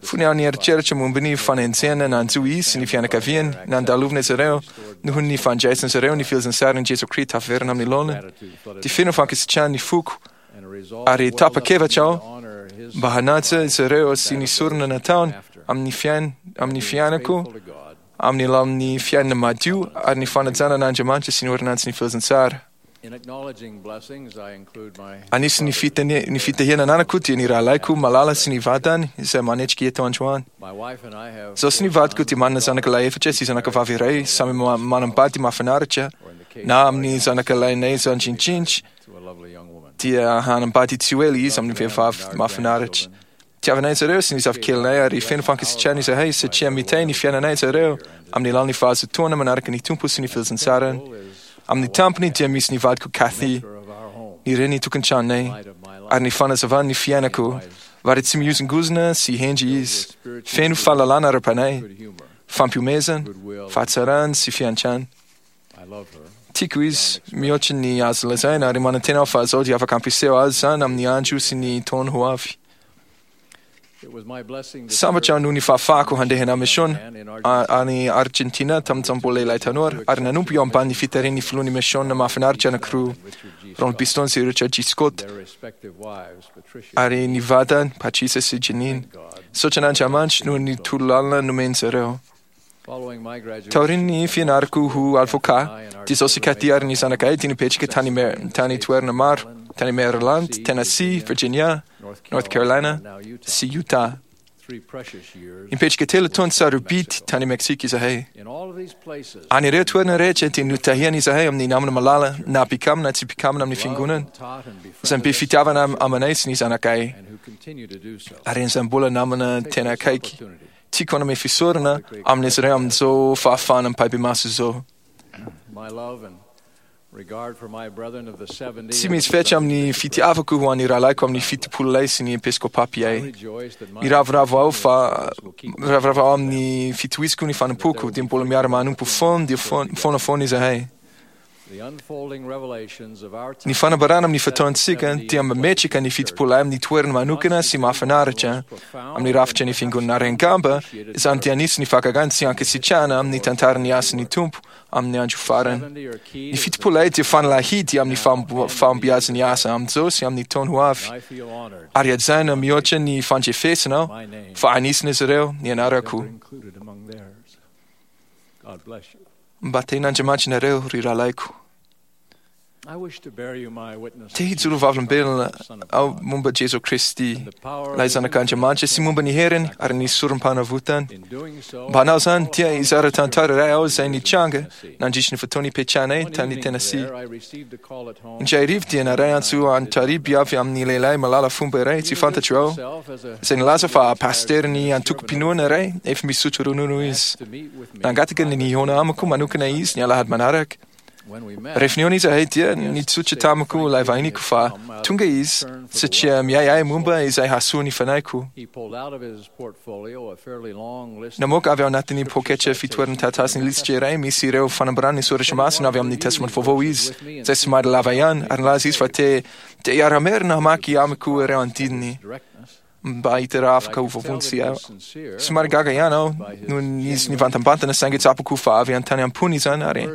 Fony aho nieritreritra momba ny fanenjehana nanjo izy sy ny fianakaviany, nandalovana izy ireo noho ny fandraisan'izy ireo ny filazantsaran'i Jesoa Kristy tafaverina amin'ny laoniny, dia feno fankasitrahana ny foko ary tapa-kevitra aho mba hanaja izy ireo sy ny sorona nataony amin'ny fiain amin'ny fiainako amin'ny alalan'ny fiainana madio ary ny fanajana an'Andriamanitra sy ny ôrdônansin'ny filazantsara. Anisan'ny ny fitahiana ananako dia ny rahalahiko malala sy ny vadiny izay manetrika eto androany. Izaho sy ny vadiko dia manana zanaka lahy efatra sy zanaka vavy iray, samy manambady mahafinaritra, na amin'ny zanaka lahinay zandrindrindra dia hanambady tsy ho ela izy amin'ny vehivavy mahafinaritra. Tiavanay zareo sy ny zafikelinay ary feno fankasitrahana izahay satria mitahy ny fiainanay zareo amin'ny alalan'ny fahazotoana manaraka ny Tompo sy ny filazantsarany. Amin'ny tampony dia misy ny vadiko Kathy, ny reny tokantranonay, ary ny fanazavany ny fiainako, vary tsy mihozongozona sy hendry izy, feno fahalalana ara-panahy, fampihomezana, fahatsarana sy fiantrana. Tiako izy mihoatra ny azo lazaina ary manantena aho fa izao dia afaka hampiseho azy izany amin'ny andro sy ny taona ho avy. Sambatra aho noho ny fahafahako handeha Mission any Argentina tamin'izaho mbola lehilahy tanora ary nanompo eo ambanin'ny fitarihan'ny filohan'ny Mission mahafinaritra anankiroa, Ron Biston sy Richard G. Scott, ary ny vadiny, Patricia sy Janine. Misaotra an'Andriamanitra noho ny torolalana nomen'izy ireo. Taorian'ny fianarako ho avocat, dia izaho sy Kathy ary ny zanakay dia nipetraka tany tany toerana maro, tany Maryland, Tennessee, Virginia, North Carolina sy Utah. Nipetraka telo taona sarobidy tany Mexique izahay. Any ireo toerana rehetra dia notahiana izahay amin'ny namana malala, na mpikambana na tsy mpikambana amin'ny fiangonana, izay be fitiavana amanay sy ny zanakay, ary izay mbola namana tena akaiky. Tiako hanome fisaorana amin'izy ireo amin'izao fahafahana ampahibemaso izao. Tsy misy fetra amin'ny fitiavako ho an'ny rahalahiko amin'ny 70 lahy sy ny episkopapi ahy. Miravoravo aho fa miravoravo aho amin'ny fitohizako ny fanompoako dia mbola miara-manompo foana dia foana foana izahay. Ny fanambarana amin'ny fotoantsika dia mametraka ny 70 lahy amin'ny toerana manokana sy mahafinaritra amin'ny rafitra ny fiangonana ary angamba izany dia anisan'ny fakagana tsy ankasitrahana amin'ny tantaran'ny asan'ny Tompo amin'ny andro farany. Ny 70 lahy dia fanalahidy amin'ny fahombiazan'ny asa amin'izao sy amin'ny taona ho avy. Ary hajaina mihoatra ny fandrefesana aho fa anisan'izy ireo ny anarako. Mba tehin'Andriamanitra nareo, ry rahalahiko. Te hijoro vavolombelona aho momba Jesoa Kristy, ilay Zanak'Andriamanitra, sy momba ny heriny ary ny sorom-panavotany. Mba hanao izany, dia hizara tantara iray aho izay nitranga nandritry ny fotoana nipetrahanay tany Tennessee. Indray hariva dia naray antso an-tariby avy amin'ny lehilahy malala fomba iray tsy fantatro aho, izay nilaza fa pasiterin'ny antokom-pinoana iray efa misotro ronono izy. Nangataka ny nihaona amiko manokana izy ny alahady manaraka. Rehefa nihaona izahay dia nitsotra tamiko ilay vahiniko fa tonga izy satria miahiahy momba izay hahasoa ny fanahiko. Namoaka avy ao anatin'ny poketra fitoeran-taratasy ny lisitra iray misy ireo fanambarana ny soratra masina avy amin'ny Testamenta Vaovao izy, izay somary lava ihany, ary nilaza izy fa te te hiara-merina hamaky amiko ireo andininy. Mba hahita raha afaka ho voavonjy aho. Somary gaga ihany aho noho izy nivantambantana saingy tsapako fa avy tany am-pony izany ary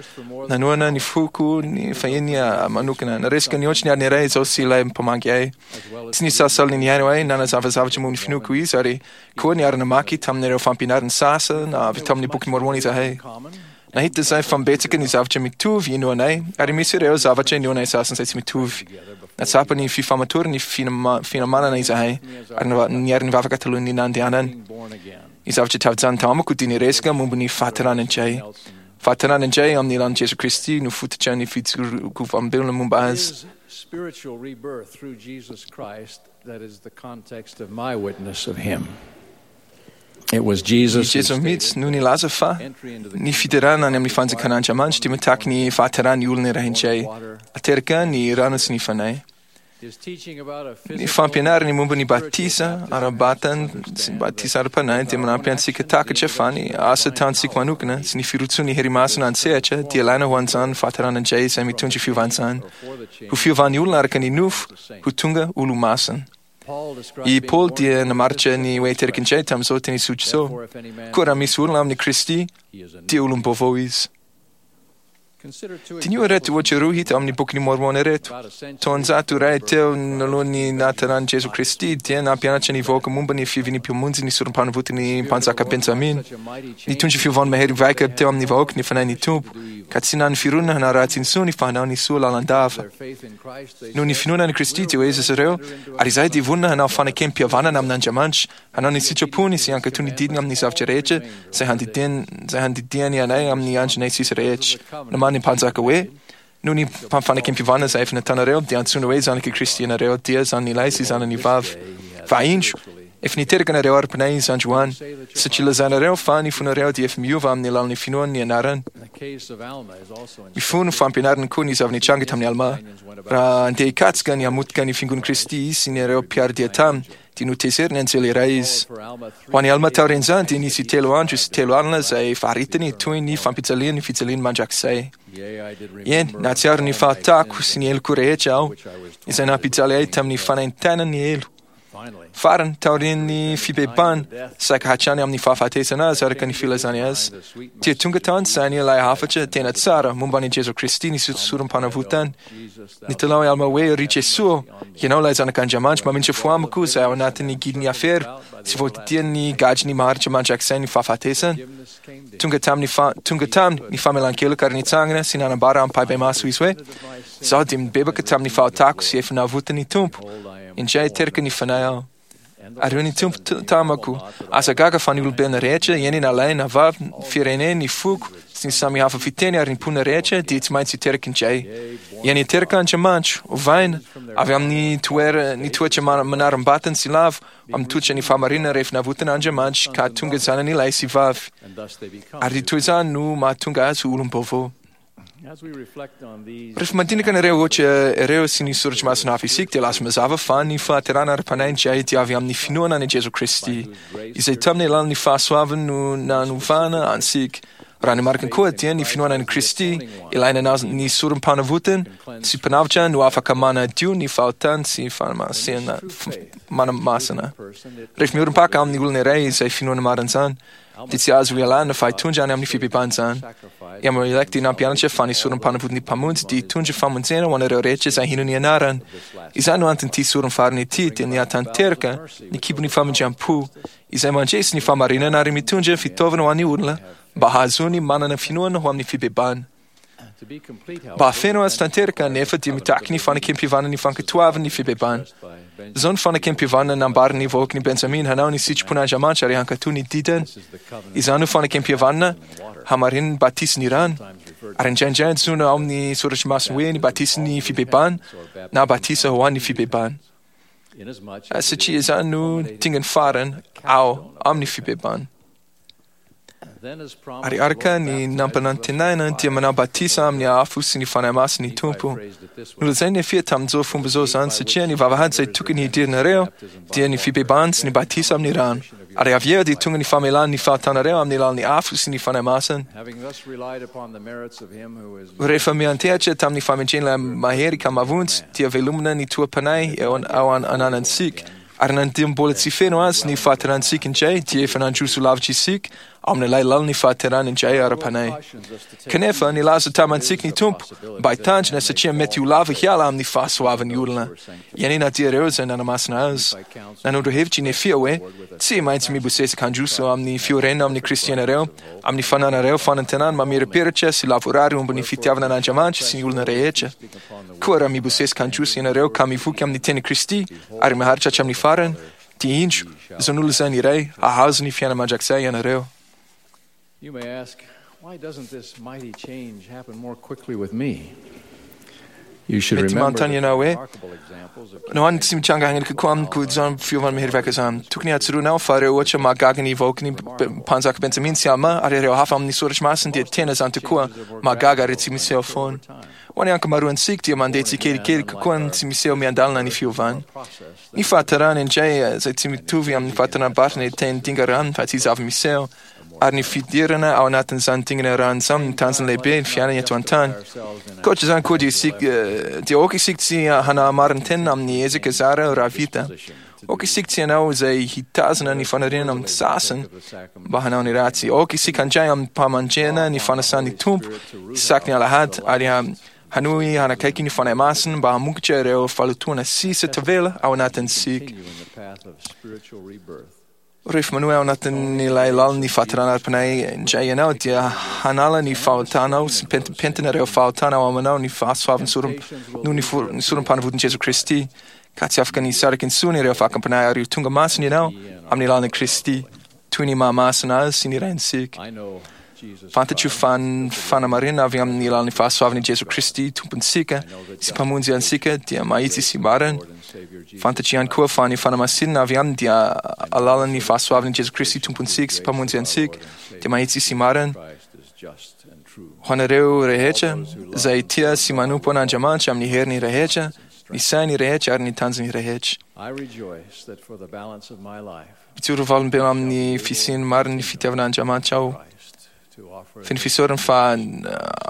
nanohana ny foko ny fahiny manokana. Naresaka nihoatra ny adiny iray izaho sy ilay mpamangy ahy. Tsy nisalasala ny nihaino ahy nanazava zavatra momba ny finoako izy ary koa niara-namaky tamin'ireo fampianarana sasany avy tamin'ny Bokin'i Môrmôna izahay. Nahita izahay fa betsaka ny zavatra mitovy inoanay ary misy ireo zavatra inoanay sasany izay tsy mitovy. Nahatsapa ny fifamatoran'ny finamanana izahay ary niara-nivavaka talohan'ny nandehanany. Ny zavatra tafajanona tao amiko dia ny resaka momba ny fahaterahana indray. Fahaterahana indray amin'ny alalan'i Jesoa Kristy no fototra ny fijoroako vavolombelona momba Azy. Spiritual rebirth through Jesus Christ that is the context of my witness of him. It was Jesus I Jesoa mihitsy no nilaza fa ny fiderana any amin'ny fanjakan'Andriamanitra dia mitaky ny fahateran'ny olona iray indray, ateraka ny rano sy ny fanahy. Ny fampianarany momba ny batisa ara-batana sy ny batisa ara-panahy dia manampy antsika takatra fa ny asa ataontsika manokana sy ny firotsoan'ny hery masina an-tsehatra dia ilaina ho an'izany fahaterana indray izay mitondra fiovana izany, ho fiovan'ny olona araka ny nofo ho tonga olo-masina. I Paoly dia namaritra ny hoe teraka indray tamin'izao teny tsotra izao, Koa raha misy olona amin'i Kristy, dia olom-baovao izy. Diniho ireto ohatra roa hita ao amin'ny Bokin'i Môrmôna ireto. Taonjato iray teo alohan'ny nahateran'i Jesoa Kristy, dia nampianatra ny vahoaka momba ny fiavian'ny Mpamonjy ny Sorompanavotan'ny Mpanjaka Benjamina. Nitondra fiovana mahery vaika teo amin'ny vahoaka ny Fanahin'ny Tompo, ka tsy nanana fironana hanao ratsy intsony fa hanao ny soa lalandava. Noho ny finoana an'i Kristy dia hoy izy ireo, Ary izahay dia vonona hanao fanekem-pihavanana amin'Andriamanitra, hanao ny sitrapony sy hankatò ny didiny amin'ny zavatra rehetra izay handidiany, izay handidiany anay amin'ny andronay sisa rehetra. Namaly ny mpanjaka hoe, Noho ny fanekem-pihavanana izay efa nataonareo, dia antsoina hoe zanak'i Kristy ianareo, dia zanany lahy sy zanany vavy. Fa indro, efa niteraka anareo ara-panahy izy androany, satria lazainareo fa ny fonareo dia efa miova amin'ny alalan'ny finoana ny anarany. Mifono fampianarana koa ny zava-nitranga tamin'i Almà. Raha handeha hikatsaka ny hamotika ny Fiangonan'i Kristy izy sy ny ireo mpiara-dia taminy, dia notezerin'ny anjely iray izy. Ho an'i Almà taorian'izany dia nisy telo andro sy telo alina izay faritany toy ny fampijalian'ny fijaliany mandrakizay. Eny, nahatsiaro ny fahotako sy ny heloko rehetra aho, izay nampijaly ahy tamin'ny fanaintainan'ny helo. Farany, taorian'ny fibebahana, saika hatrany amin'ny fahafatesana azy araka ny filazany azy, dia tonga tao an-tsainy ilay hafatra tena tsara momba an'i Jesoa Kristy ny sorom-panavotany. Nitalaho i Alma hoe, Ry Jesoa ô, Ianao ilay Zanak'Andriamanitra, mamindra fo amiko izay ao anatin'ny gidin'ny afero sy voadidian'ny gadrin'ny maharitra mandrakizay ny fahafatesana. Tonga tamin'ny fa, tonga taminy ny famelan-keloka ary nitsangana sy nanambara ampahibemaso izy hoe, Izaho dia nibebaka tamin'ny fahotako sy efa navotan'ny Tompo. Indray teraka ny fanahy aho. Ary hoy ny Tompo tamako, Aza gaga fa ny olombelona rehetra, eny na lahy na vavy, ny firenena, ny foko, sy ny samy hafa fiteny ary ny mponina rehetra dia tsy maintsy hiteraka indray. Eny hiteraka Andriamanitra, ovaina, avy amin'ny toera, ny toetra manaram-batana sy lavo, amin'ny toetra ny fahamarinana rehefa navotana Andriamanitra ka tonga zanany lahy sy vavy. Ary toy izany no mahatonga azy ho olom-baovao. Rehefa mandinika an'ireo ohatra ireo sy ny soratra masina hafa isika, dia lasa mazava fa ny fahaterahana ara-panahy indray dia avy amin'ny finoana an'i Jesoa Kristy, izay tamin'ny alalan'ny fahasoavany no nanovana antsika. Raha ny marina koa dia ny finoana an'i Kristy, ilay nanao ny sorom-panavotany sy Mpanavotra no afaka manadio ny fahotany sy manamasina. Rehefa miorim-paka amin'ny olona iray izay finoana marina izany, dia tsy azo ialana fa hitondra any amin'ny fibebahana izany. I Amulek dia nampianatra fa ny sorom-panavot'ny Mpamonjy dia hitondra famonjena ho anareo rehetra izay hino ny anarany. Izany no anton'ity sorom-farany ity, dia ny hahatanteraka ny kibon'ny famindram-po, izay mandresy ny fahamarinana ary mitondra fitaovana ho an'ny olona mba hahazoany manana finoana ho amin'ny fibebahana. Mba hahafeno azy tanteraka anefa dia mitaky ny fanekem-pihavanana ny fankatoavany ny fibebahana. Izao no fanekem-pihavanana nambaran'ny vahoakan'i Benjamina hanao ny sitrapon'Andriamanitra ary hankatò ny didiny. Izany no fanekem-pihavanana hamarinin'ny batisin'ny rano, ary indraindray antsoina ao amin'ny Soratra Masina hoe ny batisin'ny fibebahana na batisa ho an'ny fibebahana, satria izany no dingana farany ao amin'ny fibebahana. Ary araka ny nampanantenaina dia manao batisa amin'ny afo sy ny Fanahy Masina ny Tompo. Nolazain'i Nefia tamin'izao fomba izao izany satria ny vavahady izay tokony hidiranareo dia ny fibebahana sy ny batisa amin'ny rano, ary avy eo dia tonga ny famelana ny fahotanareo amin'ny alalan'ny afo sy ny Fanahy Masina. Rehefa miantehatra tamin'ny fahendren'ilay Mahery ka mahavonjy, dia velomina ny toa-panahy eo ao ananantsika. Ary na dia mbola tsy feno azy ny fahaterantsika indray, dia efa nandroso lavitra isika. ao amin'ilay lalan'ny fahaterahana indray ara-panahy. Kanefa nilaza tamintsika ny Tompo mba hitandrina satria mety ho lava hiala amin'ny fahasoavan'ny olona. Eny na dia ireo izay nanamasina azy. Nanondro hevitra i Nefia hoe tsy maintsy mibosesika handroso amin'ny fiorenana amin'ny Kristy ianareo, amin'ny fananareo fanantenana mamirapiratra sy lavorary momba ny fitiavana an'Andriamanitra sy ny olona rehetra. Koa raha mibosesika handroso ianareo ka mivoky amin'ny teny Kristy ary maharitra hatramin'ny farany, dia indro, izao nolazainy iray, hahazo ny fiainana mandrakizay ianareo. You may ask, why doesn't this mighty change happen more quickly with me? You should Mety remember manontany ianao hoe remarkable examples of no any tsy mitranga haingana kokoa amiko izany fiovana mahery vaika izany. Tokony hatsoronao fa ireo ohatra mahagaga ny vahoaky ny mpanjaka Benjamin sy Alma ary ireo hafa amin'ny soratra masina dia tena izany tokoa mahagaga ary tsy miseho foana. Ho an'ny ankamaroantsika dia mandeha tsikelikely kokoa ny tsy miseho miandalana ny fiovana. Ny fahatarana indray izay tsy mitovy amin'ny fahatarana-batana ny teny dinga rano fa tsy zava-miseho ary ny fidirana ao anatin'izany dingana rano izany no tanjona lehibe ny fiainana eto an-tany. Ankoatra izany koa dia isika dia aoka isika tsy hanamarin-tena amin'ny ezaka zara raha vita. Aoka isika tsy hanao izay hitazona ny faniriana amin'ny sasany mba hanao ny ratsy. Aoka isika handray amim-pahamendrehana ny fanasan'ny Tompo isaky ny alahady ary hanohy hanakaiky ny Fanahy Masina mba hamokatra ireo fahalotoana sisa tavela ao anatintsika. continue in the path of spiritual rebirth. Rehefa manohy ao anatin'ilay lalan'ny fahaterahana ara-panahy indray ianao dia hanala ny fahotanao sy pentimpentina ireo fahotana ao aminao ny fahasoavan'ny sorom- noho ny for- ny sorom-panavotan'i Jesoa Kristy ka tsy afaka ny hisaraka intsony ireo fakam-panahy ary ho tonga masina ianao amin'ny alalan'i Kristy toy ny mahamasina azy sy ny Raintsika. I know Jesus Fantatro fa ny fanamarinana avy amin'ny alalan'ny fahasoavan'i Jesoa Kristy Tompontsika sy Mpamonjy antsika dia mahitsy sy marina. Lord and Savior Jesus. Fantatro ihany koa fa ny fanamasinana avy aminy dia alalan'ny fahasoavan'i Jesoa Kristy Tompontsika sy Mpamonjy antsika dia mahitsy sy marina. Christ is just and true. Ho anareo rehetra izay tia sy manompo an'Andriamanitra amin'ny heriny rehetra, ny sainy rehetra ary ny tanjony rehetra. I rejoice that for the balance of my life, Mijoro vavolombelona amin'ny fisian'ny marin'ny fitiavan'Andriamanitra aho. Christ to offer Feno fisaorana fa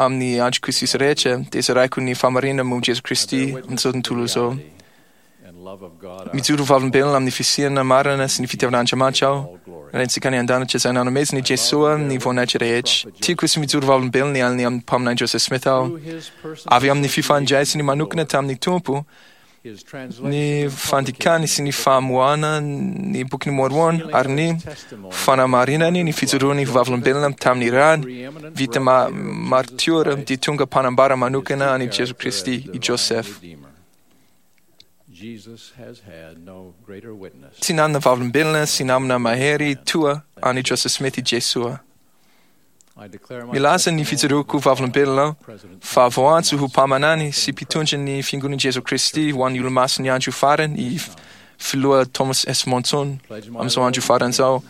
amin'ny androko sisa rehetra dia zaraiko ny fahamarinana momba Jesoa Kristy amin'izao tontolo izao. and love of God our Mijoro vavolombelona amin'ny fisiana marina sy ny fitiavan'Andriamanitra aho. Raintsika any an-danitra izay nanomezana i Jesoa ny voninahitra rehetra. Tiako sy mijoro vavolombelona ny amin'ny mpaminany Joseph Smith aho. through his personal Avy amin'ny fifandraisany manokana tamin'ny Tompo, his translation ny and fandikany sy ny famoahana ny bokin'i Mormon ary ny fanamarinany ny fijoroany vavolombelona tamin'ny rany preeminent vita martiora dia tonga mpanambara manokana an'i Jesoa Kristy i Joseph. Redeemer. Jesus has had no greater witness. Tsy nanana vavolombelona sy namana mahery toa an'i Joseph Smith i Jesoa. I declare my Milaza ny testimony fijoroako vavolombelona aho President fa voantso ho mpaminany sy mpitondra ny fiangonan'i Jesoa Kristy ho an'ny olomasin'ny andro farany i filoha Thomas S. Monson pledge my amin'izao andro farany izao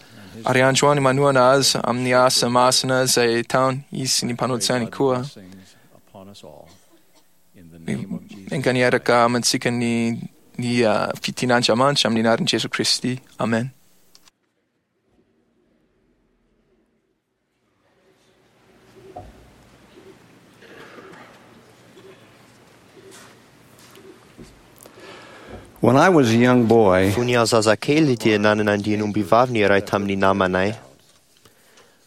ary androany manohana azy amin'ny asa masina izay ataony izy sy ny mpanao-tsainy koa. blessings upon us all. In the name of Jesus. Enga niaraka amintsika ny ny fitian'Andriamanitra amin'ny anaran'i Jesoa Kristy. Amen. When I was a young boy, Fony aho zazakely dia nanana andian'ombivavy ny iray tamin'ny namanay.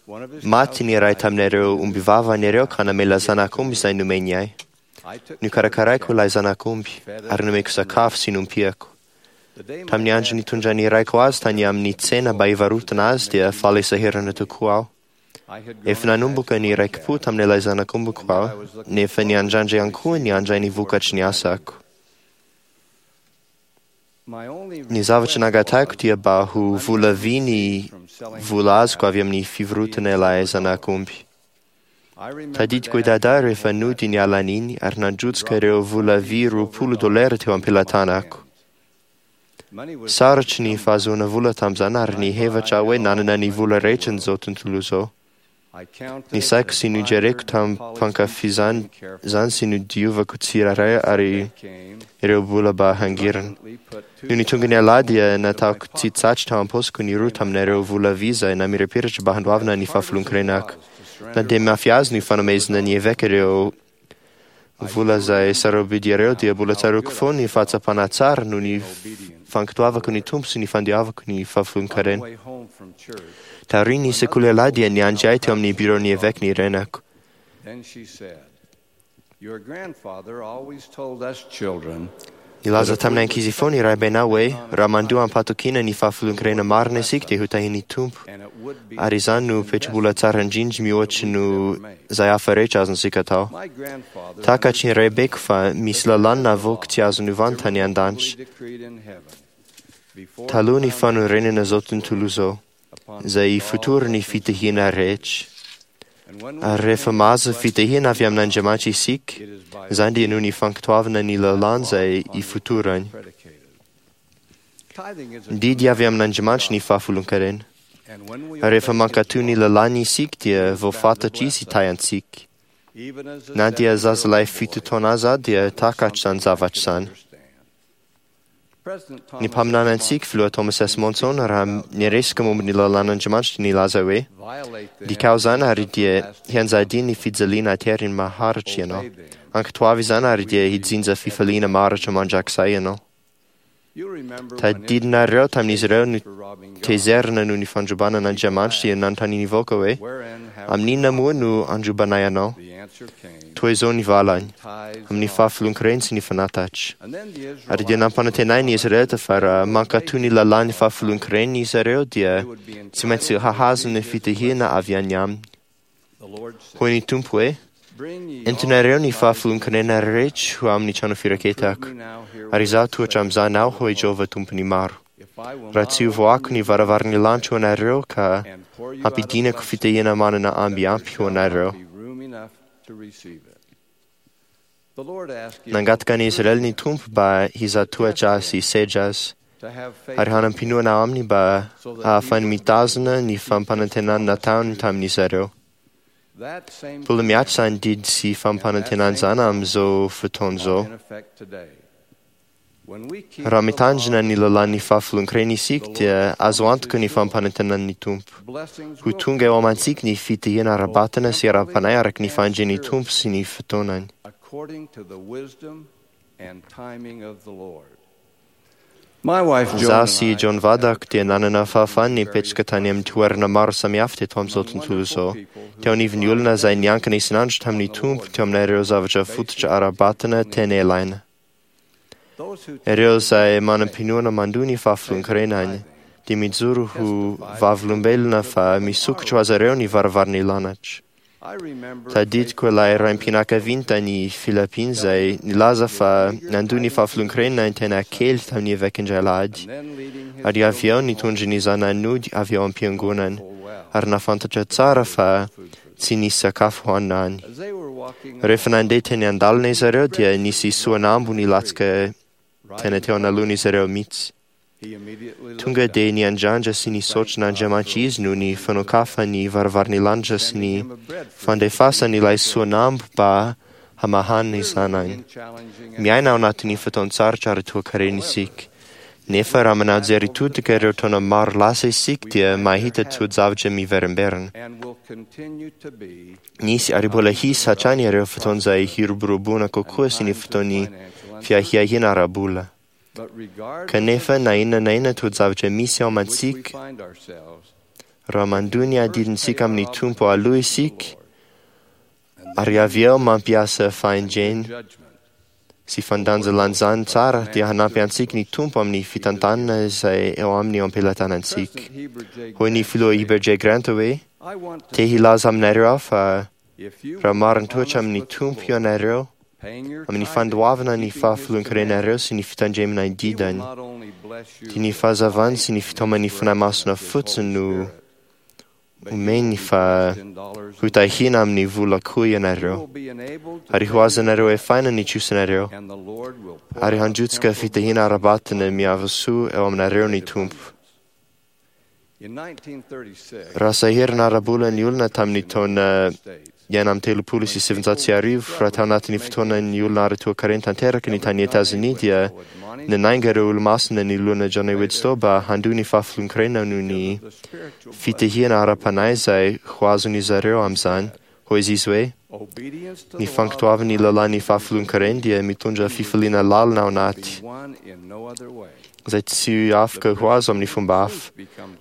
one of his Maty ny iray tamin'ireo ombivavany ireo ka namela zanak'omby izay nomeny ahy. I took Nokarakaraiko ilay zanak'omby ary nomeko sakafo sy nompiako. the day my Tamin'ny andro nitondran'ny raiko azy tany amin'ny tsena mba hivarotana azy dia faly sahirana tokoa aho. I had grown Efa nanomboka ny raiki-po tamin'ilay zanak'ombiko aho, nefa niandrandra ihany koa ny handray ny vokatry ny asako. my only Ny zavatra nangatahiko dia mba ho vola vy ny vola azoko avy amin'ny fivarotana ilay zanak'omby. I remember Tadidiko i Dad Dada rehefa nody ny alan'iny ary nandrotsaka ireo vola vy $20 teo am-pelatanako. money was Sarotry ny fahazoana vola tamin'izany ary nihevitra aho hoe nanana ny vola rehetra n'izao tontolo izao. I counted Ny saiko sy and nojereko admired, tamin'ny polished mpankafizany and carefully. izany sy nodiovako tsirairay ary Came, ireo vola mba hangirana. reluctantly put two Nony tonga ny alahady dia nataoko tsy tsatry tao am-paosiko ny roa tamin'ireo vola vy izay namirapiratra mba handoavana ny fahafolon-karenako. Na dia mafy azy ny fanomezana ny eveka ireo vola izay sarobidy ireo dia mbola tsaroako foana ny fahatsapana tsara noho ny fankatoavako ny Tompo sy ny fandiavako ny On the fahafolon-karena. way home Taorian'ny sekoly alahady dia niandry ahy teo amin'ny biraon'ny eveka ny renako. Nilaza tamin'ny ankizy foana i raibenao hoe raha mandoa am-pahatokiana ny fahafolon-karena marina isika dia ho tahian'ny Tompo, ary izany no petrabola tsara indrindra mihoatra noho izay hafa rehetra azontsika atao. Takatry ny raibeko fa misy lalàna navoaka tsy azo novana tany an-danitra taloha ny fanorenana izao tontolo izao, izay ifotoran'ny fitahiana rehetra. Ary rehefa mahazo fitahiana avy amin'Andriamanitra isika, izany dia noho ny fankatoavana ny lalàna izay ifotorany. Ny didy avy amin'Andriamanitra ny fahafolon-karena. Ary rehefa mankatò ny lalàny isika dia voafantatra izy hitahy antsika. Na dia zazalahy 7 taona aza dia takatry izany zavatra izany. Ny mpaminany antsika, filoha Thomas S. Monson, raha niresaka momba ny lalàn'Andriamanitra dia nilaza hoe dikao izany ary dia hianjadian'ny fijaliana ateriny maharitra ianao. Ankatoavy izany ary dia hijinja fifaliana maharitra mandrakizay ianao. Tadidinareo tamin'izy ireo no tezerina noho ny fandrobana an'Andriamanitra dia nanontaniany vahoaka hoe amin'inona moa no androbanay anao? Toy izao ny valany, amin'ny fahafolon-karena sy ny fanatatra. Ary dia nampanantenainy izy ireo fa raha mankatò ny lalàn'ny fahafolon-karena izy ireo dia tsy maintsy hahazo ny fitahiana avy any aminy. Hoy ny Tompo hoe entinareo ny fahafolon-karena rehetra ho amin'ny trano firaketako, ary izaho tohatra amin'izany aho, hoy Jehovah Tompon'ny maro. Raha tsy hovoahako ny varavaran'ny lanitra ho anareo ka hampidinako fitahiana manana amby ampy ho anareo. Nangataka ny Israely ny Tompo mba hizatohatra azy sy hisedra azy, ary hanam-pinoana aminy mba hahafahany mitazona ny fampanantenana nataony tamin'izy ireo. Mbola mihatra izany didy sy fampanantenana izany amin'izao fotoana izao. Raha mitandrina ny lalàn'ny fahafolon-karena isika dia azo antoka ny fampanantenan'ny Tompo. Ho tonga eo amintsika ny fitahiana ara-batana sy ara-panahy araka ny fahendren'ny Tompo sy ny fotoanany. Izaho sy John vadako dia nanana fahafahana nipetraka tany amin'ny toerana maro samihafa teto amin'izao tontolo izao, teo anivon'ny olona izay niankina isan'andro tamin'ny Tompo teo amin'ireo zavatra fototra ara-batana tena ilaina. Ireo izay manam-pinoana mandoa ny fahafolon-karenany dia mijoro ho vavolombelona fa misokatra ho azy ireo ny varavaran'ny lanitra. Tadidiko ilay raim-pianakaviana tany Philippines izay nilaza fa nandoa ny fahafolon-karena tena kely tamin'ny eveka indray alahady, ary avy eo nitondra ny zanany nody avy ao am-piangonana, ary nahafantatra tsara fa tsy nisy sakafo hohanina any. Rehefa nandeha teny an-dalana izy ireo dia nisy soanambo nilatsaka tena teo anoloan'izy ireo mihitsy. Tonga dia niandrandra sy nisaotra an'Andriamanitra izy noho ny fanokafany ny varavaran'ny lanitra sy ny fandefasany ilay soanambo mba hamahana ny zanany. Miaina ao anatin'ny fotoan-tsarotra ary toa-karena isika. Nefa raha manao jery todika ireo taona maro lasa isika dia mahita toe-javatra miverimberina. Nisy ary mbola hisy hatrany ireo fotoana izay hiroboroboana kokoa sy ny fotoan'ny fiahiahiana ara-bola. Kanefa na inona na inona toe-javatra misy ao amintsika, raha mandoa ny adidintsika amin'ny Tompo aloha isika, ary avy eo mampiasa fahendrena sy fandanjalanjana tsara, dia hanampy antsika ny Tompo amin'ny fitantanana izay eo aminy eo am-pelatanantsika. Hoy ny filoha Heber J. Grant hoe, te hilaza aminareo aho fa raha marin-toetra amin'ny Tompo ianareo, amin'ny fandoavana ny fahafolon-karenareo sy ny fitandremana ny didany, dia ny fahazavany sy ny fitaoman'ny Fanahy Masina fotsiny no omeny fa ho tahiana amin'ny vola koa ianareo, ary ho azonareo efaina ny trosanareo, ary handrotsaka fitahiana ara-batana miavasoa eo aminareo ny Tompo. Raha sahirana ara-bola ny olona tamin'ny taona 1936, raha tao anatin'ny fotoanan'ny olona ara-toekarena tanteraka ny tany Etazonia dia nanainga ireo olo-masina ny lohana John A. Widtsoe mba handoa ny fahafolon-karena noho ny fitahiana ara-panahy izay ho azon'izy ireo amin'izany. Hoy izy hoe, ny fankatoavan'ny lalàn'ny fahafolon-karena dia mitondra fifaliana lalina ao anaty. izay tsy afaka ho azo amin'ny fomba hafa.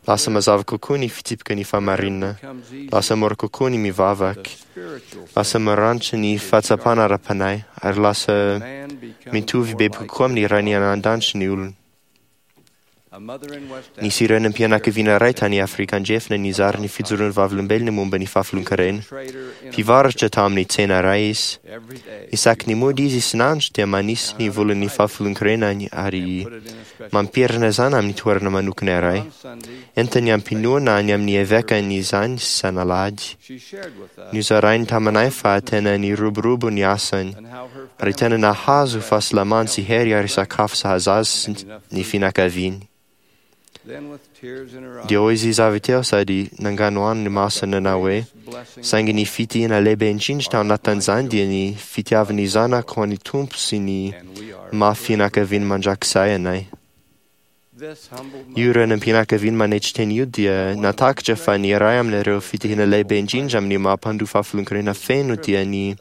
Lasa mazava kokoa ny fitsipika ny fahamarinana. Lasa mora kokoa ny mivavaka. Lasa maranitra ny fahatsapana ara-panahy ary lasa mitovy bebe kokoa amin'ny Rainy any an-danitra ny olona. Nisy renim-pianakaviana iray tany Afrika Andrefana nizara ny fijoroan'ny vavolombelona momba ny fahafolonkarena. Mpivarotra tamin'ny tsena iray izy. Isaky ny mody izy isan'andro dia manisy ny volan'ny fahafolonkarenany ary mampirina izany amin'ny toerana manokana iray. Entiny am-pinoana any amin'ny evekany izany isan'alahady. Nozarainy taminay fa tena niroborobo ny asany ary tena nahazo fahasalamana sy hery ary sakafo sahaza azy ny fianakaviany. Dia hoy izy avy teo sady nanganohano ny masony nanao hoe, saingy ny fitahiana lehibe indrindra tao anatin'izany dia ny fitiavan'ny zanako ho an'ny Tompo sy ny maha fianakaviany mandrakizay anay. Io renim-pianakaviana manetry tena io dia nahatakatra fa ny iray amin'ireo fitahiana lehibe indrindra amin'ny maha mpandoa fahafolonkarena feno dia ny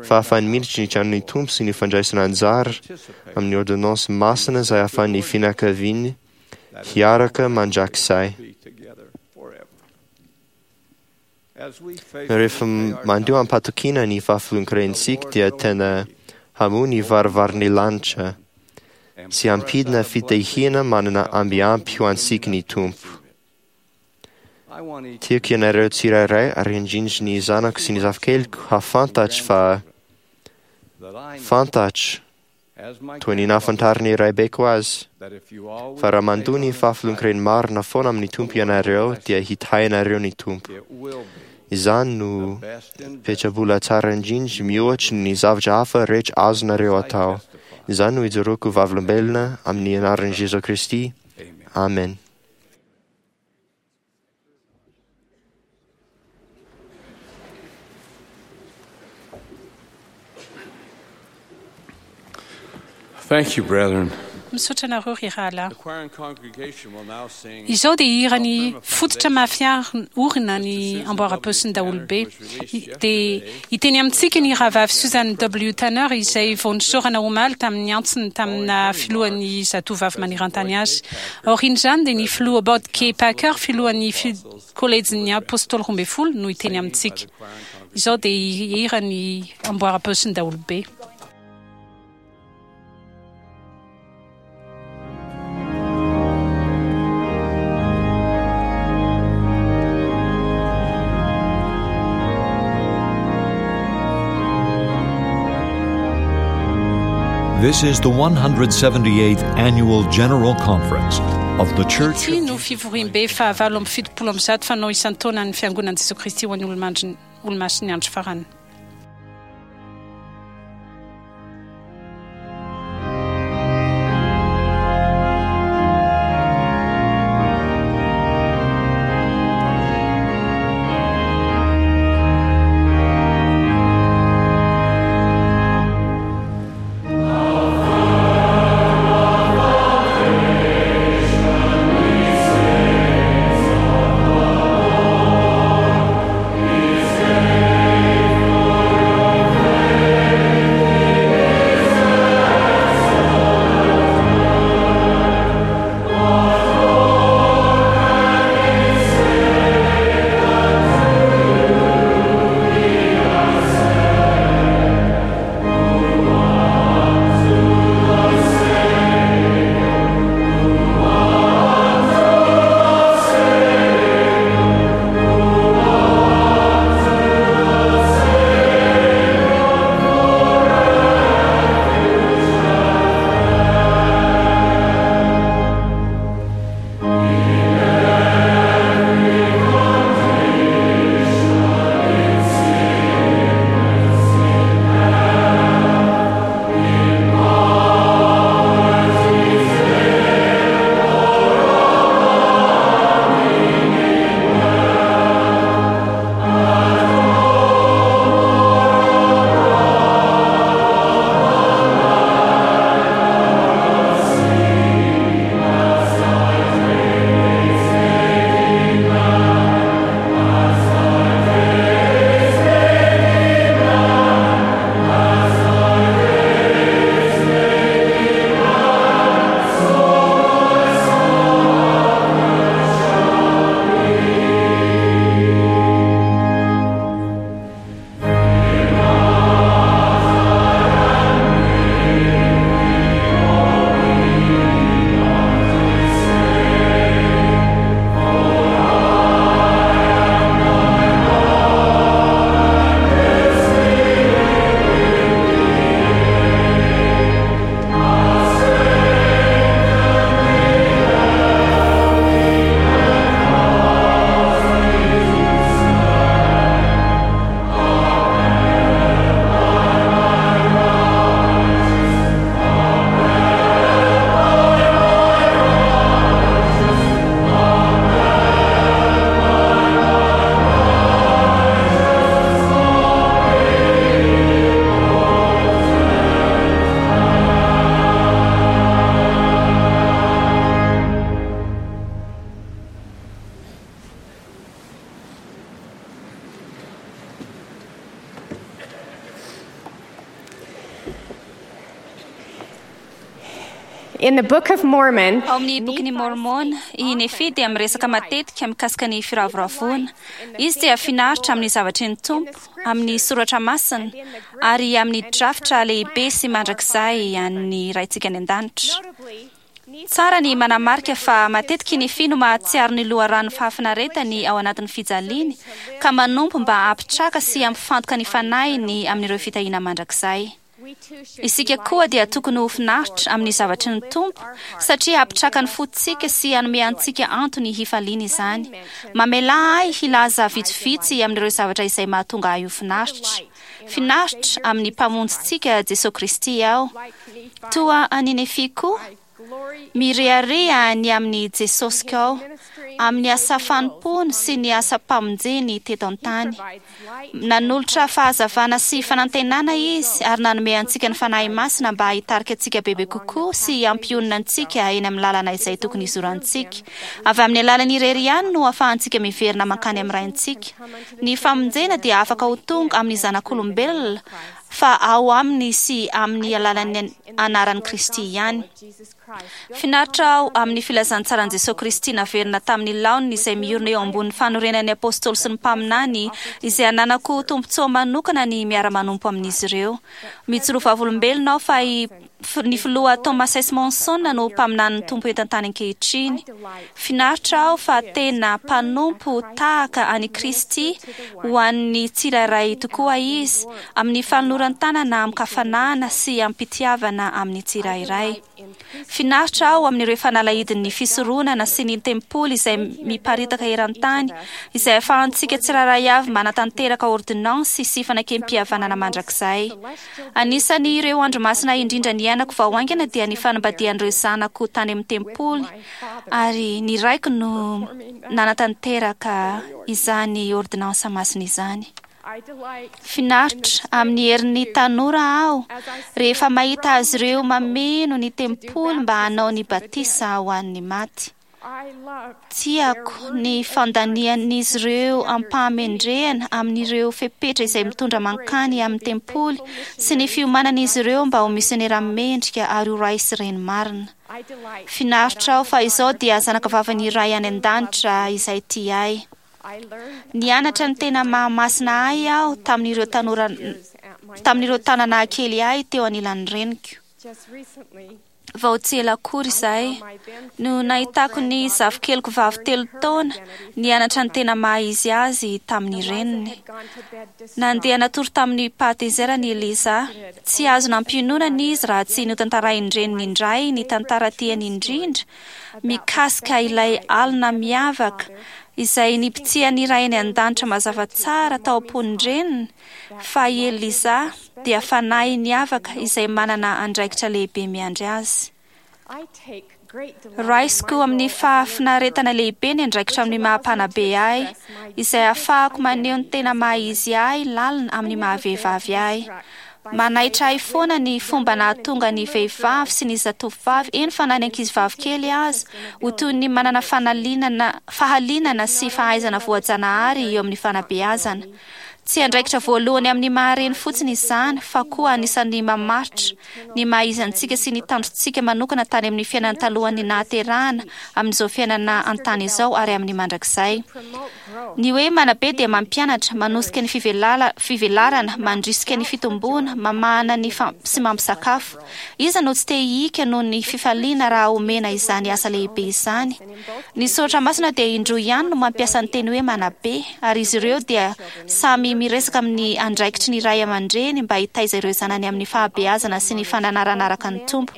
fahafahany miditra ny tranon'ny Tompo sy ny fandraisana anjara amin'ny ôrdônansy masina izay ahafahan'ny fianakaviany hiaraka mandrakizay. Rehefa mandoa am-patokiana ny fahafolonkarentsika dia tena hamoha ny varavaran'ny lanitra sy hampidina fitahiana manana ambiampy ho antsika ny Tompo. Tiako ianareo tsirairay ary indrindra ny zanako sy ny zafikeliko hahafantatra fa fantatro toy ny nahafantaran'ny raibeko azy fa raha mandoa ny fahafolonkarena marina foana amin'ny Tompo ianareo dia hitahy anareo ny Tompo. Izany no petrabola tsara indrindra mihoatra ny zavatra hafa rehetra azonareo atao. Izany no ijoroako vavolombelona amin'ny anaran'i Jesoa Kristy. Amen. Thank you, brethren. Misaotra anareo ry rahalahy. Izao dia hira ny fototra mafy orina ny amboaram-paosin'ny daholobe. Dia hiteny amintsika ny rahavavy Susan W. Tanner izay vao nisaorana omaly tamin'ny antsony tamina filohan'ny Zatovavy maneran-tany azy. Aorian'izany dia ny filoha Bob K. Packer, filohan'ny Kolejin'ny Apôstôly 12 no hiteny amintsika. Izao dia hira ny amboaram-paosin'ny daholobe. This is the 178th Annual General Conference of the Church Ity no fivoriambe fahavalo amby 170 fanao isan-taonan'ny Fiangonan'i Jesoa Kristy ho an'ny Olomasiny Olomasin'ny Andro Farany. This In the Book of Mormon, Ao amin'ny bokin'i Mormon, i Nefia dia miresaka matetika mikasika ny firavoravoana. Izy dia finaritra amin'ny zavatry ny Tompo, amin'ny soratra masina, ary amin'ny drafitra lehibe sy mandrakizay an'ny Raintsika any an-danitra. Tsara ny manamarika fa matetika i Nefia no mahatsiaro ny loharanon'ny fahafinaretany ao anatin'ny fijaliany, ka manompo mba hampitraka sy hampifantoka ny fanahiny amin'ireo fitahiana mandrakizay. Isika koa dia tokony ho finaritra amin'ny zavatry ny Tompo, satria hampitraka ny fontsika sy hanome antsika antony hifaliana izany. Mamelà ahy hilaza vitsivitsy amin'ireo zavatra izay mahatonga ahy ho finaritra. Finaritra amin'ny Mpamonjintsika Jesoa Kristy aho. Toa an'i Nefia koa, mirehareha ny amin'i Jesosiko aho, amin'ny asa fanompoany sy ny asam-pamonjeny teto an-tany. Nanolotra fahazavana sy fanantenana Izy ary nanome antsika ny Fanahy Masina mba hitarika antsika bebe kokoa sy hampionona antsika eny amin'ny lalana izay tokony hizorantsika. Avy amin'ny alalany irery ihany no ahafahantsika miverina mankany amin'ny Raintsika. Ny famonjena dia afaka ho tonga amin'ny zanak'olombelona fa ao aminy sy amin'ny alalan'ny anaran'i Kristy ihany. Finaritra aho amin'ny filazantsaran'i Jesoa Kristy naverina tamin'ny laoniny izay miorina eo ambonin'ny fanorenan'ny Apôstôly sy ny mpaminany izay ananako tombontsoa manokana ny miara-manompo amin'izy ireo. Mijoro vavolombelona aho fa i ny filoha Thomas S. Monson no mpaminanin'ny Tompo eto an-tany ankehitriny. Finaritra aho fa tena mpanompo tahaka an'i Kristy ho an'ny tsirairay tokoa izy, amin'ny fanoloran-tanana amin-kafanana sy amim-pitiavana amin'ny tsirairay. Finaritra aho amin'ireo fanalahidin'ny fisoronana sy ny tempoly izay miparitaka eran-tany, izay ahafahantsika tsirairay avy manatanteraka ôrdônansy sy fanekempihavanana mandrakizay. Anisan'ny ireo andro masina indrindra niainako vao haingana dia ny fanambadian'ireo zanako tany amin'ny tempoly, ary ny raiko no nanatanteraka izany ôrdônansa masina izany. Finaritra amin'ny herin'ny tanora aho rehefa mahita azy ireo mameno ny tempoly mba hanao ny batisa ho an'ny maty. Tiako ny fandanian'izy ireo am-pahamendrehana amin'ireo fepetra izay mitondra mankany amin'ny tempoly sy ny fiomanan'izy ireo mba ho misionera mendrika ary ho ray sy reny marina. Finaritra aho fa izao dia zanakavavin'ny Ray any An-danitra izay tia ahy. Nianatra ny tena maha-masina ahy aho tamin'ireo tanora tamin'ireo taona nahakely ahy teo anilan'ny reniko. Vao tsy ela akory izay no nahitako ny zafikeliko vavy 3 taona nianatra ny tena maha-izy azy tamin'ny reniny. Nandeha natory tamin'ny pahatezerany i Eliza. Tsy azo nampiononana izy raha tsy notantarain-dreniny indray ny tantara tiany indrindra mikasika ilay alina miavaka izay nipitsihan'ny Ray any An-danitra mazava tsara tao am-pon-dreniny fa i Eliza dia fanahy niavaka izay manana andraikitra lehibe miandry azy. Raisiko amin'ny fahafinaretana lehibe ny andraikitra amin'ny maha-mpanabe ahy, izay ahafahako maneho ny tena maha-izy ahy lalina amin'ny maha-vehivavy ahy. Manaitra ahy foana ny fomba nahatonga ny vehivavy sy ny zatovovavy, eny fa na ny ankizivavy kely aza, ho toy ny manana fanalinana, fahalinana sy fahaizana voajanahary eo amin'ny fanabeazana. Tsy andraikitra voalohany amin'ny maha-reny fotsiny izany fa koa anisan'ny mamaritra ny maha-izy antsika sy ny tanjontsika manokana tany amin'ny fiainana talohan'ny nahaterahana, amin'izao fiainana an-tany izao ary amin'ny mandrakizay. Ny hoe manabe dia mampianatra, manosika ny fivelarana, mandrisika ny fitomboana, mamahana ny sy mampisakafo. Iza no tsy te hihika noho ny fifaliana raha omena izany asa lehibe izany? Ny soratra masina dia indroa ihany no mampiasa ny teny hoe manabe, ary izy ireo dia samy miresaka amin'ny andraikitry ny ray aman-dreny mba hitaiza ireo zanany amin'ny fahabeazana sy ny fananarana araka ny Tompo.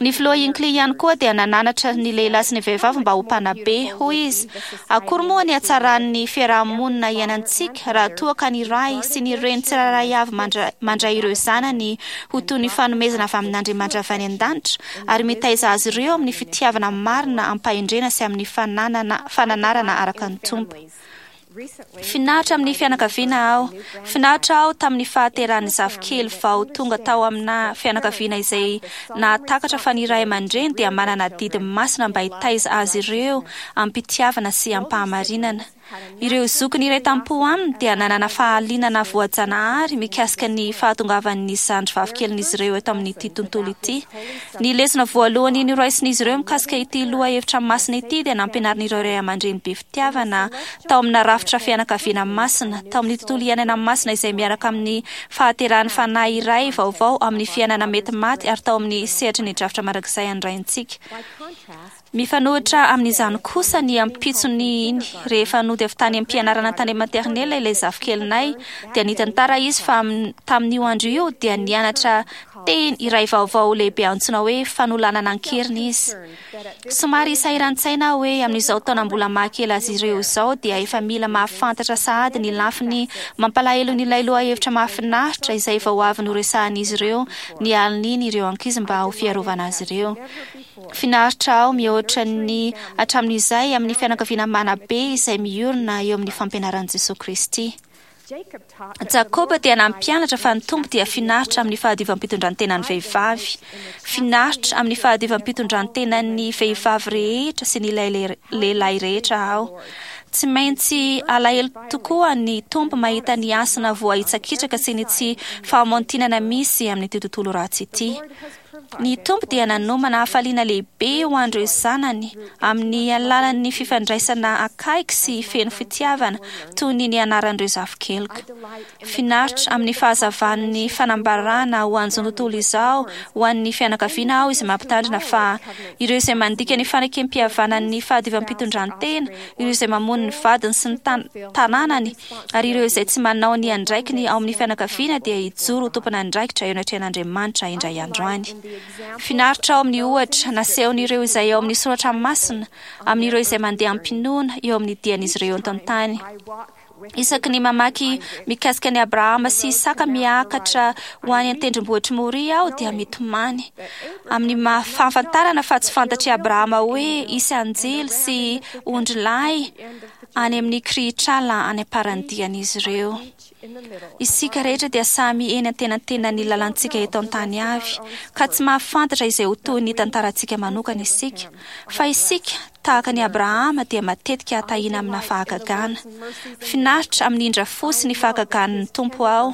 Ny filoha Hinckley ihany koa dia nananatra ny lehilahy sy ny vehivavy mba ho mpanabe. Hoy izy, Akory moa ny hatsaran'ny fiaraha-monina iainantsika raha toa ka ny ray sy ny reny tsirairay avy mandray ireo zanany ho toy ny fanomezana avy amin'Andriamanitra avy any an-danitra ary mitaiza azy ireo amin'ny fitiavana marina am-pahendrena sy amin'ny fananana fananarana araka ny Tompo. Finaritra amin'ny fianakaviana aho. Finaritra aho tamin'ny fahaterahan'ny zafikely vao tonga tao amina fianakaviana izay nahatakatra fa ny ray aman-dreny dia manana adidy masina mba hitaiza azy ireo am-pitiavana sy am-pahamarinana. Ireo zokiny iray tampo aminy dia nanana fahalinana voajanahary mikasika ny fahatongavan'ny zandry vavikelin'izy ireo eto amin'ity tontolo ity. Ny lesona voalohany noraisin'izy ireo mikasika ity lohahevitra masina ity dia nampianarin'ireo ray aman-dreny be fitiavana tao amina rafitra fianakaviana masina, tao amin'ny tontolo iainana masina izay miaraka amin'ny fahaterahan'ny fanahy iray vaovao amin'ny fiainana mety maty ary tao amin'ny sehatry ny drafitra mandrakizay an'ny Raintsika. Mifanohitra amin'izany kosa ny ampitsony iny, rehefa nody avy tany am-pianarana tany maternelle ilay zafikelinay, dia nitantara izy fa tamin'io andro io dia nianatra teny iray vaovao lehibe antsoina hoe fanolanana an-keriny izy. Somary sahiran-tsaina aho hoe amin'izao taona mbola mahakely azy ireo izao dia efa mila mahafantatra sahady ny lafiny mampalahelon'ilay lohahevitra mahafinaritra izay vao avy noresahan'izy ireo ny alin'iny ireo ankizy mba ho fiarovana azy ireo. Finaritra aho mihoatra ny hatramin'izay amin'ny fianakaviana manabe izay miorina eo amin'ny fampianaran'i Jesoa Kristy. Jakoba dia nampianatra fa ny Tompo dia finaritra amin'ny fahadiovam-pitondrantenan'ny vehivavy. Finaritra amin'ny fahadiovam-pitondrantenan'ny vehivavy rehetra sy ny lehilahy rehetra aho. Tsy maintsy alahelo tokoa ny Tompo mahita ny hasina voahitsakitsaka sy ny tsy fahamontinana misy amin'ity tontolo ratsy ity. Ny Tompo dia nanomana hafaliana lehibe ho an'ireo zanany amin'ny alalan'ny fifandraisana akaiky sy feno fitiavana toy ny nianaran'ireo zafikeliko. Finaritra amin'ny fahazavan'ny fanambarana ho an'izao tontolo izao ho an'ny fianakaviana aho izay mampitandrina fa ireo izay mandika ny fanekem-pihavanan'ny fahadiovam-pitondrantena, ireo izay mamono ny vadiny sy ny tanànany, ary ireo izay tsy manao ny andraikiny ao amin'ny fianakaviana dia hijoro ho tompon'andraikitra eo anatrehan'Andriamanitra indray andro any. Finaritra ao amin'ny ohatra nasehon'ireo izay ao amin'ny soratra masina amin'ireo izay mandeha am-pinoana eo amin'ny dian'izy ireo eto an-tany. Isaky ny mamaky mikasika an'i Abrahama sy Isaka miakatra ho any an-tendrombohitr'i Moria aho dia mitomany amin'ny maha fahafantarana fa tsy fantatr'i Abrahama hoe hisy anjely sy ondrilahy any amin'ny kirihitr'ala any am-paran'ny dian'izy ireo. Isika rehetra dia samy eny antenantenan'ny lalantsika eto an-tany avy, ka tsy mahafantatra izay ho tohin'ny tantarantsika manokana isika. Fa isika, tahaka an'i Abrahama, dia matetika tahiana amina fahagagana. Finaritra amin'ny indra fo sy ny fahagagan'ny Tompo aho.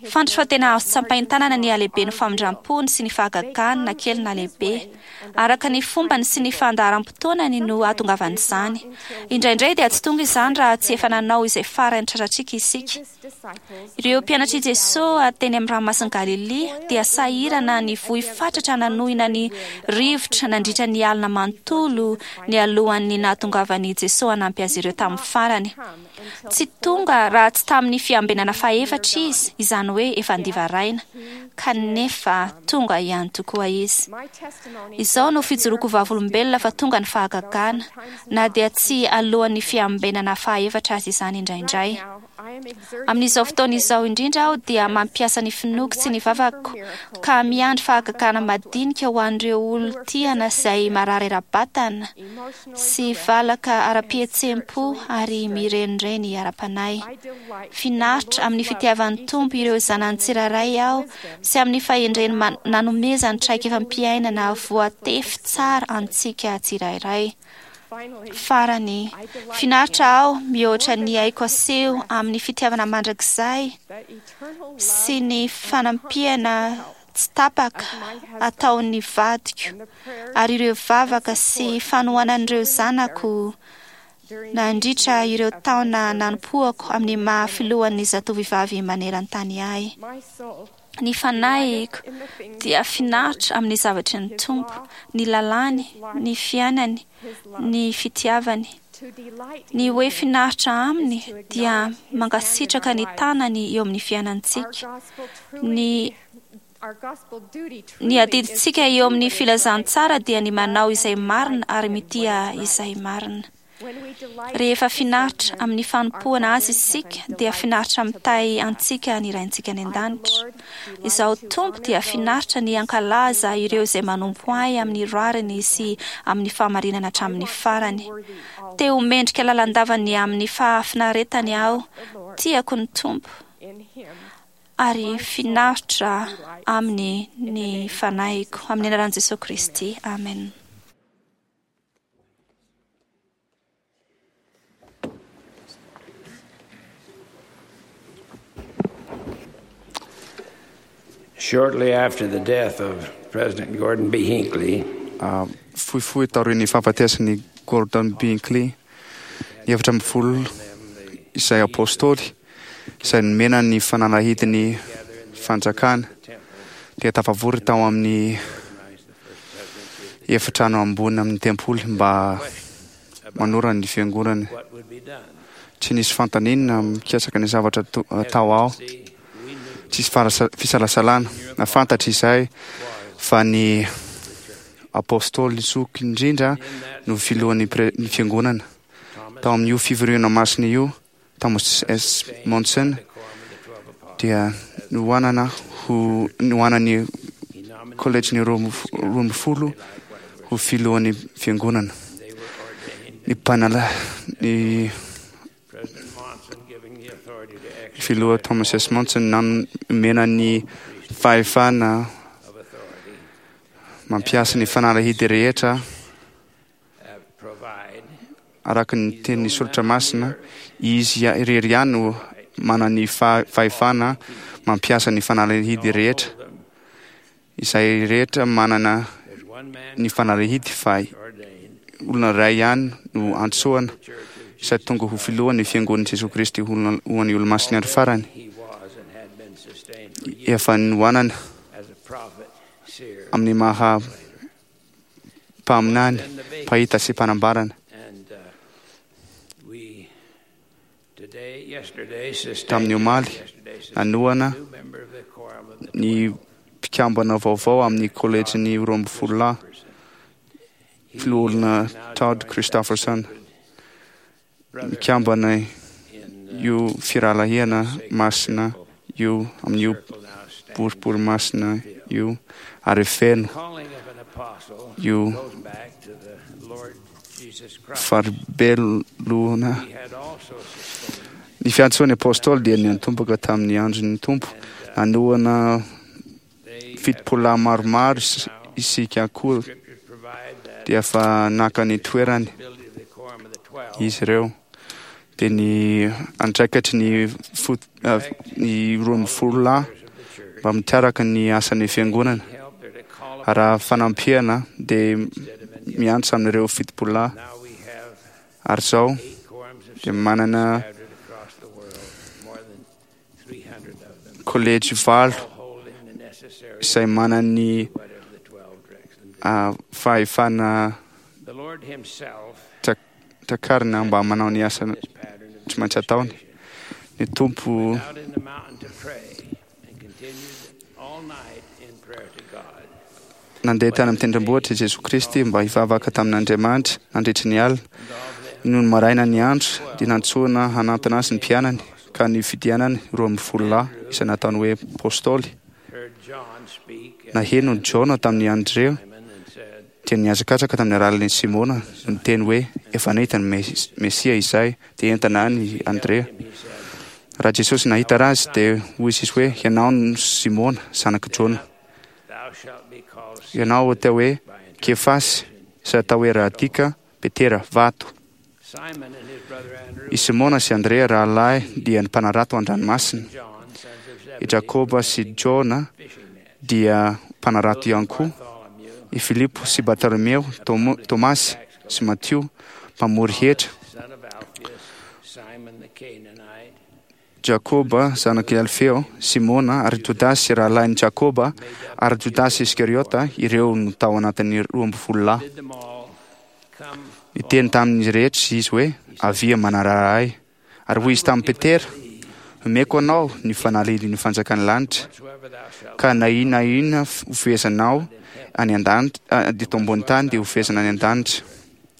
Fantatro fa tena azo tsapain-tanana ny halehiben'ny famindram-pony sy ny fahagagany na kely na lehibe. Araka ny fombany sy ny fandaharam-potoanany no ahatongavan'izany. Indraindray dia tsy tonga izany raha tsy efa nanao izay farany tratratsika isika. Ireo mpianatr'i Jesoa teny amin'ny ranomasin'i Galilia dia sahirana nivoy fatratra nanohina ny rivotra nandritra ny alina manontolo nialohan'ny nahatongavan'i Jesoa hanampy azy ireo tamin'ny farany. Tsy tonga raha tsy tamin'ny fiambenana fahefatra izy, izany hoe efa andivaraina. Kanefa tonga ihany tokoa izy. Izao no fijoroako vavolombelona fa tonga ny fahagagana, na dia tsy alohan'ny fiambenana fahaefatra aza izany indraindray. Amin'izao fotoana izao indrindra aho dia mampiasa ny finoako sy ny vavako ka miandry fahagagana madinika ho an'ireo olon-tiana izay marary ara-batana, sy valaka ara-pihetseham-po ary mirenireny ara-panahy. Finaritra amin'ny fitiavan'ny Tompo ireo zanany tsirairay aho sy amin'ny fahendreny nanomezany traikefam-piainana voatefy tsara antsika tsirairay. Farany, finaritra aho mihoatra ny aiko aseho amin'ny fitiavana mandrakizay sy ny fanampiana tsy tapaka ataon'ny vadiko ary ireo vavaka sy fanohanan'ireo zanako nandritra ireo taona nanompoako amin'ny maha filohan'ny zatovovavy maneran-tany ahy. Ny fanahiko dia finaritra amin'ny zavatry ny Tompo, ny lalàny, ny fiainany, ny fitiavany. Ny hoe finaritra aminy dia mankasitraka ny tanany eo amin'ny fiainantsika. Ny Ny adidintsika eo amin'ny filazantsara dia ny manao izay marina ary mitia izay marina. Rehefa finaritra amin'ny fanompoana Azy isika dia finaritra mitahy antsika ny Raintsika any an-danitra. Izaho Tompo dia finaritra ny hankalaza ireo izay manompo Ahy amin'ny rariny sy amin'ny fahamarinana hatramin'ny farany. Te ho mendrika lalandava ny amin'ny fahafinaretany aho. Tiako ny Tompo ary finaritra aminy ny fanahiko. Amin'ny anaran'i Jesoa Kristy. Amen. Shortly after the death of President Gordon B. Hinckley, Fohifohy taorian'ny fahafatesan'i Gordon B. Hinckley, ny 14 izay apôstôly izay nomena ny fanalahidin'ny fanjakana dia tafavory tao amin'ny efitrano ambony amin'ny tempoly mba manorana ny fiangonana. Tsy nisy fanontaniana mikasika ny zavatra atao ao. Tsisy fisalasalana. Nahafantatra izay fa ny apôstôly zoky indrindra no filohan'ny ny fiangonana. Tao amin'io fivoriana masina io, Thomas S. Monson dia nohanana ho nohanan'ny kolejin'ny 12 ho filohan'ny fiangonana. Ny mpanala ny filoha Thomas S. Monson nanomena ny fahefana mampiasa ny fanalahidy rehetra araka ny tenin'ny soratra masina. Izy irery ihany no manana ny fahefana mampiasa ny fanalahidy rehetra. Izay rehetra manana ny fanalahidy fa olona iray ihany no antsoana izay tonga ho filohan'ny fiangonan'i Jesoa Kristy ho an'ny Olomasin'ny Andro Farany. Efa nohanana amin'ny maha mpaminany, mpahita sy mpanambarana. Tamin'ny omaly, nanohana ny mpikambana vaovao amin'ny kolejin'ny 12 lahy, filoha Todd Christofferson. Mikambana io firahalahiana masina io amin'io boribory masina io ary feno io faribelona. Ny fiantsoan'ny apôstôly dia niantomboka tamin'ny andron'ny Tompo. Nanohana 70 lahy maromaro isika koa dia fa naka ny toerany izy ireo. Dia ny andraikitry ny fot, ny 12 lahy mba mitaraka ny asan'ny fiangonana. Raha fanampiana dia miantso amin'ireo 70 lahy. Ary izao dia manana kolejy 8 izay manana ny fahefana takarina mba manao ny asa tsy maintsy ataony. Ny Tompo nandeha tany amin'ny tendrombohitra i Jesoa Kristy mba hivavaka tamin'Andriamanitra nandritry ny alina. Nony maraina ny andro dia nantsoina hanantona azy ny mpianany, ka nifidianany 12 lahy izay nataony hoe apôstôly. Naheno ny Jaona tamin'i Andrea dia nihazakazaka tamin'ny alalan'i Simona no niteny hoe efa nahita ny Mesia izay, dia entana any i Andrea. Raha Jesosy nahita azy dia hoy izy hoe ianao no Simona zanak'i Jona. Ianao atao hoe Kefasy izay atao hoe Radika, Petera, vato. I Simona sy Andrea rahalahy dia ny mpanarato an-dranomasina. I Jakoba sy Jona dia mpanarato ihany koa. I Filipo sy Bartolomeo, Tomasy sy Matio mpamory hetra. Jakoba zanak'i Alfeo, Simona ary Jodasy rahalahin'i Jakoba ary Jodasy Iskariota, ireo no tao anatin'ny 12 lahy. Niteny tamin'izy rehetra izy hoe avia manarara ahy. Ary hoy izy tamin'i Petera, omeko anao ny fanalahidin'ny fanjakan'ny lanitra, ka na inona na inona hofehezanao any an-danitra, eto ambony tany dia hofehezana any an-danitra,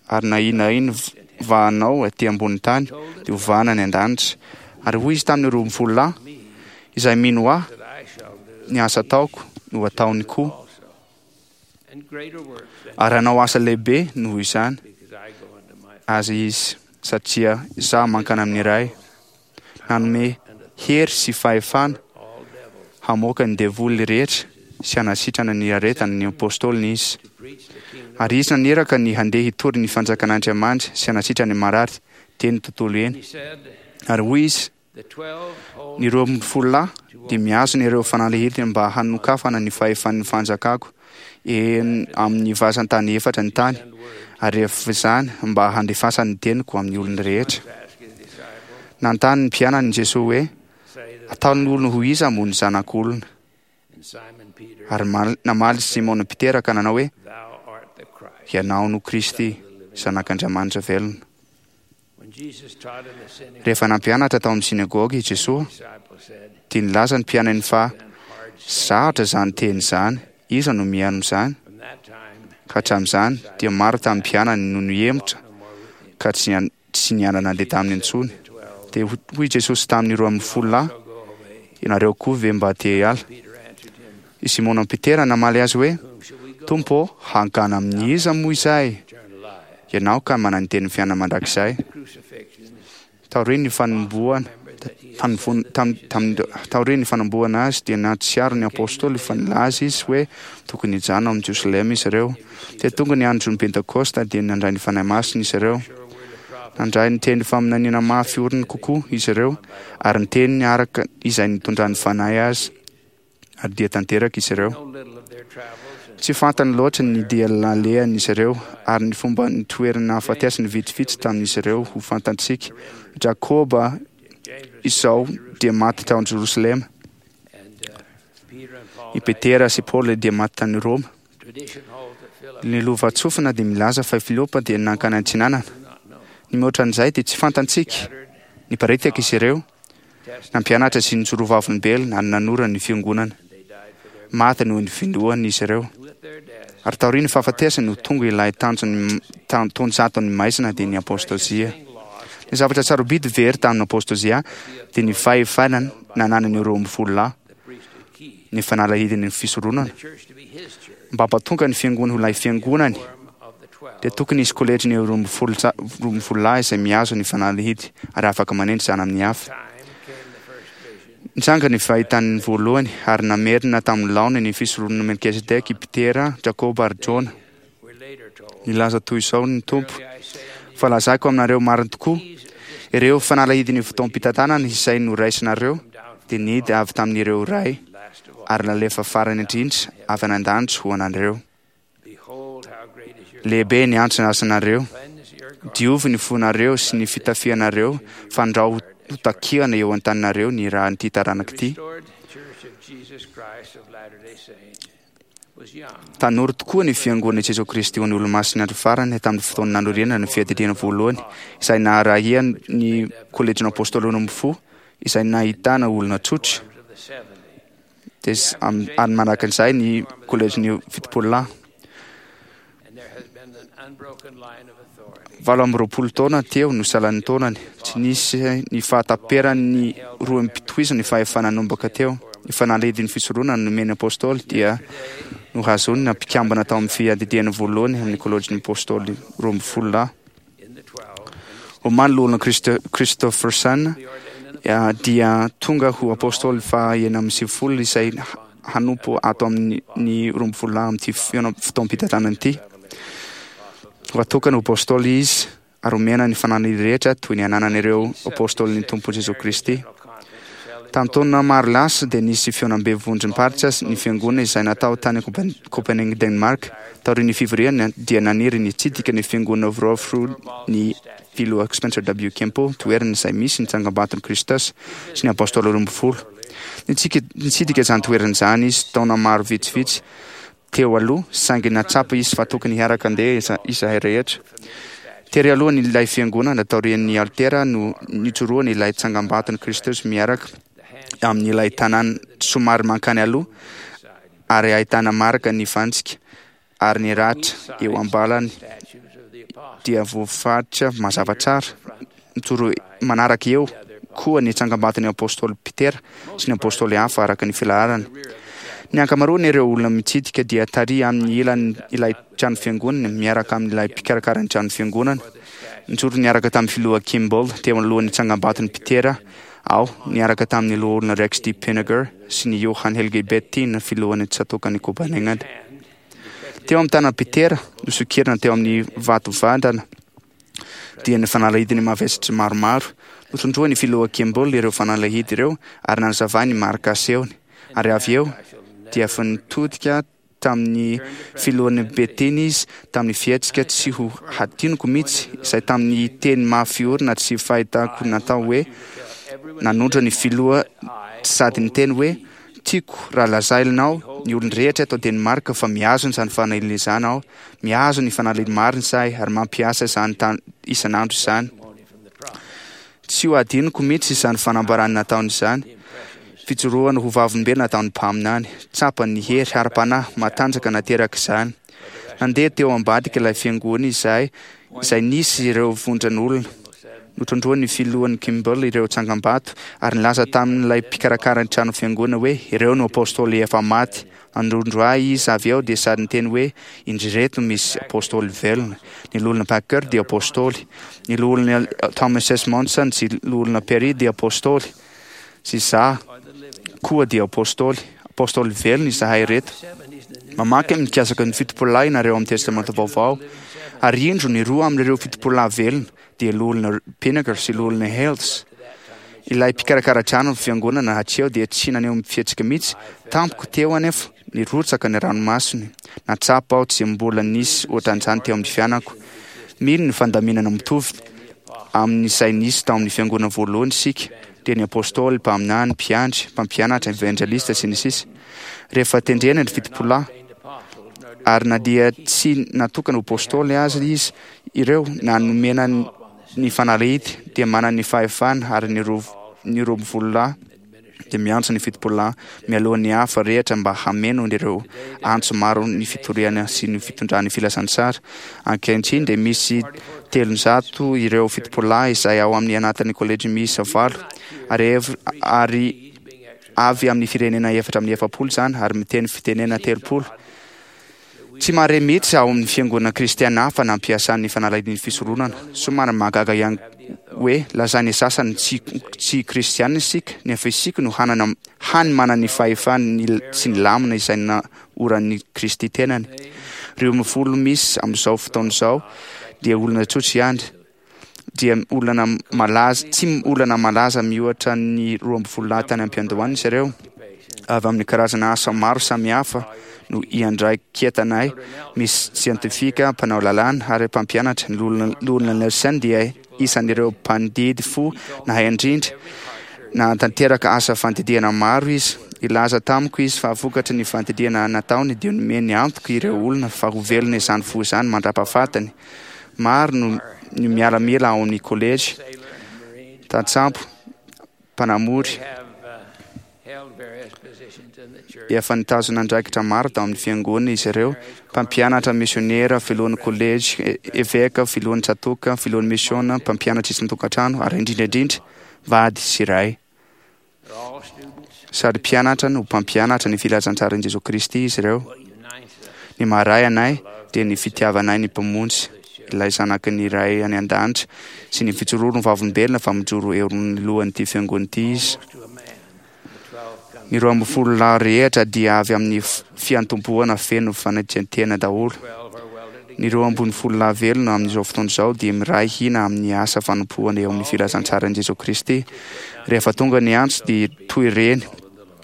ary na inona na inona vahanao aty ambony tany dia hovahana any an-danitra. Ary hoy izy tamin'ny 12 lahy, izay mino ahy, ny asa ataoko no ataony koa, ary hanao asa lehibe noho izany aza izy, satria izaho mankany amin'ny Ray. Nanome hery sy fahefana hamoaka ny devoly rehetra sy hanasitrana ny aretany ny apôstôliny izy. Ary izy naniraka ny handeha hitory ny fanjakan'Andriamanitra sy hanasitrana ny marary teny tontolo eny. Ary hoy izy, Ny 12 lahy dia mihazona ireo fanalahidiny mba hanokafana ny fahefan'ny fanjakako eny amin'ny vazan-tany efatra ny tany, ary rehefa izany mba handefasany ny teniko amin'ny olona rehetra. Nanontany ny mpianany i Jesoa hoe, Ataon'ny olona ho iza moa ny Zanak'olona? Ary namaly Simona Petera ka nanao hoe, Ianao no Kristy, Zanak'Andriamanitra velona. Rehefa nampianatra tao amin'ny synagoga i Jesoa, dia nilaza ny mpianany fa sarotra izany teny izany, iza no mihaino izany? Ka hatramin'izany, dia maro tamin'ny mpianany no nihemotra ka tsy niara-nandeha taminy intsony. Dia hoy Jesosy tamin'ny 12 lahy, Ianareo koa ve mba te hiala? I Simona Petera namaly azy hoe, Tompo ô, hankany amin'iza moa izahay? Ianao ka manana ny tenin'ny fiainana mandrakizay. Taorian'ny fanombohana taorian'ny fanombohana azy dia nahatsiaro ny apostoly fa nilaza izy hoe tokony hijanona ao amin'i Jerosalema izy ireo. Dia tonga ny andron'ny Pentekosta dia nandray ny Fanahy Masina izy ireo. Nandray ny teny faminaniana mafy orina kokoa izy ireo ary niteny araka izay nitondran'ny Fanahy azy. Ary dia tanteraka izy ireo. Tsy fantany loatra ny dia nalehan'izy ireo ary ny fomba nitoerany nahafatesany vitsivitsy tamin'izy ireo ho fantantsika. Jakoba izao dia maty tao Jerosalema. I Petera sy Paoly dia maty tany Roma. Ny lovantsofina dia milaza fa i Filipo dia nankany antsinanana. Ny mihoatra an'izay dia tsy fantantsika. Niparitaka izy ireo. Nampianatra sy nijoro vavolombelona ary nanorina ny fiangonana. Maty noho ny finoany izy ireo. Ary taorian'ny fahafatesany no tonga ilay tanjon'ny taonjaton'ny maizina dia ny apostozia. Ny zavatra sarobidy very tamin'ny apostozia dia ny fahefana nananan'ny 12 lahy, ny fanalahidin'ny fisoronana. Mba hampatonga ny fiangonana ho ilay fiangonany, dia tokony hisy kolejin'ny 12 lahy izay mihazo ny fanalahidy ary afaka manendry izany amin'ny hafa. Nitranga ny fahitany voalohany ary namerina tamin'ny laoniny ny fisoronana Melkizedeka i Petera, Jakoba ary Jona. Nilaza toy izao ny Tompo, Fa lazaiko aminareo marina tokoa, ireo fanalahidin'ny fotoam-pitantanana izay noraisinareo dia nidy avy tamin'ireo Ray ary nalefa farany indrindra avy any an-danitra ho anareo. Lehibe ny antso asanareo. Diovy ny fonareo sy ny fitafianareo, fandrao ho takiana eo an-taninareo ny ràn'ity taranaka ity. Tanora tokoa ny Fiangonan'i Jesoa Kristy ho an'ny Olomasin'ny Andro Farany tamin'ny fotoana nanorenana ny Fiadidiana Voalohany, izay naharahiany ny Kolejin'ny Apôstôly Roambinifolo, izay nahitana olona tsotra. Dia ary manaraka an'izay ny Kolejin'ny 70 lahy. 28 taona teo no salan'ny taonany. Tsy nisy ny fahataperan'ny rohim-pitohizana ny fahefana nanomboka teo. Ny fanalahidin'ny fisoronana nomen'ny Apôstôly dia nohazonina mpikambana tao amin'ny fiadidiana voalohany amin'ny Kolejin'ny Apôstôly 12 lahy. Omaly Loholona Christofferson dia tonga ho Apôstôly faha 96 izay hanompo ato amin'ny 12 lahy amin'ity fotoam-pitantanana ity. Ho atokana ho Apôstôly izy ary omena ny fananany rehetra toy ny ananan'ireo Apôstôlin'ny Tompo Jesoa Kristy. Tamin'ny taona maro lasa dia nisy fihaonambe vondrom-paritra ny fiangonana izay natao tany Copenhague, Denmark. Taorian'ny fivoriana dia naniry ny hitsidika ny fiangonana Vrofru ny Filoha Spencer W. Kempo, toerana izay misy ny tsangambaton'i Kristus sy ny Apôstôly 12. Nitsidika izany toerana izany izy taona maro vitsivitsy teo aloha, saingy nahatsapa izy fa tokony hiaraka handeha izahay rehetra. Tery alohan' ilay fiangonana, taorian' ny alitera no nijoroan' ilay tsangambaton' i Kristus miaraka amin' ilay tanàna somary mankany aloha ary ahitana marika ny fantsika ary ny ratra eo am-balany dia voafaritra mazava tsara. Mijoro manaraka eo koa ny tsangambaton' ny Apôstôly Petera sy ny Apôstôly hafa araka ny filaharany. Ny ankamaroan' ireo olona mitsidika dia tary amin' ny ilan' ilay trano fiangonana miaraka amin' ilay mpikarakara ny trano fiangonana. Nijoro niaraka tamin'ny Filoha Kimball teo anoloan'ny tsangambaton'i Petera aho, niaraka tamin'ny Loholona Rex D. Pinegar sy ny Johan Helge Bettin, filohan'ny tsatòkan'i Copenhagen. Teo amin'ny tanan'i Petera, nosokirina teo amin'ny vato vandana, dia ny fanalahidiny mavesatra maromaro. Notondroin'ny filoha Kimball ireo fanalahidy ireo ary nanazavany ny marika asehony, ary avy eo dia efa nitodika tamin'ny filohan'ny Beteny izy tamin'ny fihetsika tsy ho hadinoko mihitsy, izay tamin'ny teny mafy orina tsy fahitako natao hoe nanondro ny filoha sady niteny hoe, Tiako raha lazainao ny olon-drehetra eto Danemark fa mihazona izany fanahiliana izany aho, mihazona ny fanahiliana marina izahay ary mampiasa izany isan'andro izany. Tsy ho adinoko mihitsy izany fanambarana nataony izany, fijoroana ho vavolombelona nataon'ny mpaminany. Tsapany ny hery ara-panahy matanjaka naterak'izany. Nandeha teo ambadik'ilay fiangonana izahay, izay nisy ireo vondron'olona. Notondroin'ny filohan'ny Kimball ireo tsangambato ary nilaza tamin'ilay mpikarakara ny trano fiangonana hoe ireo no apostoly efa maty. Nanondro ahy izy avy eo dia sady niteny hoe indry ireto misy apostoly velona. Ny loholona Packer dia apostoly. Ny loholona Thomas S. Monson sy loholona Perry dia apostoly. Sy izaho koa dia apostoly. Apostoly velona izahay ireto. Mamaky amin'ny mikasika ny fitopololahy ianareo amin'ny Testamenta Vaovao. Ary indro ny roa amin'ireo fitopololahy velona dia Loholona Pinnacle sy Loholona Hales. Ilay mpikarakara trano ny fiangonana hatreo dia tsy naneho fihetsika mihitsy. Tampoka teo anefa, nirotsaka ny ranomasony. Nahatsapa aho tsy mbola nisy ohatran'izany teo amin'ny fiainako. Mino ny fandaminana mitovy amin'izay nisy tao amin'ny fiangonana voalohany isika, dia ny apostoly, mpaminany, mpiandry, mpampianatra, evanjelista, sy ny sisa Rehefa tendrena ny fitopolahy, ary na dia tsy natokana ho apostoly aza izy ireo na nomena ny fanalahidy dia manana ny fahefana ary ny ny 12 dia miantso ny 70 mialoha ny hafa rehetra mba hameno ireo antso maro ny fitoriana sy ny fitondran'ny filazantsara. Ankehitriny dia misy 300 ireo 70 izay ao amin'ny anatin'ny kolejy miisa valo ary ary avy amin'ny firenena 44 izany ary miteny fitenena 30. Tsy mahare mihitsy ao amin'ny fiangonana kristiana hafa nampiasany ny fanalahidin'ny fisoronana. Somary mahagaga ihany hoe lazain'ny sasany tsy tsy kristiana isika, nefa isika no hanana hany manana ny fahefany sy ny lamina izay naoran'i Kristy tenany. Ireo mifolo misy amin'izao fotoana izao dia olona tsotra ihany, dia olana malaza, tsy olana malaza mihoatra ny 12 lahy tany am-piandohana izy ireo. Avy amin'ny karazana asa maro samihafa no iandraiketanay, misy siantifika, mpanao lalàna ary mpampianatra. Ny Loholona Nelson dia isan'ireo mpandidy fo nahay indrindra. Nahatanteraka asa fandidiana maro izy. Nilaza tamiko izy fa vokatry ny fandidiana nataony dia nomeny antoka ireo olona fa ho velona izany fo izany mandra-pahafatiny. Maro no ny miaramila ao amin'ny kolejy, tantsambo, mpanamory. Efa nitazona andraikitra maro tao amin'ny fiangonana izy ireo, mpampianatra, misionera, filohan'ny kolejy, eveka, filohan'ny tsatòka, filohan'ny misiona, mpampianatra isan-tokantrano, ary indrindra indrindra, vady sy ray. Sady mpianatra no mpampianatra ny filazantsaran'i Jesoa Kristy izy ireo. Ny maha-ray anay dia ny fitiavanay ny Mpamonjy, ilay Zanaky ny Ray any An-danitra, sy ny fijoroany ho vavolombelona fa mijoro eo anoloan'ity fiangonana ity Izy. Ny 12 lahy rehetra dia avy amin'ny fiantombohana feno fanetren-tena daholo. Ny 12 lahy velona amin'izao fotoana izao dia miray hina amin'ny asa fanompoana eo amin'ny filazantsaran'i Jesoa Kristy. Rehefa tonga ny antso dia toy ireny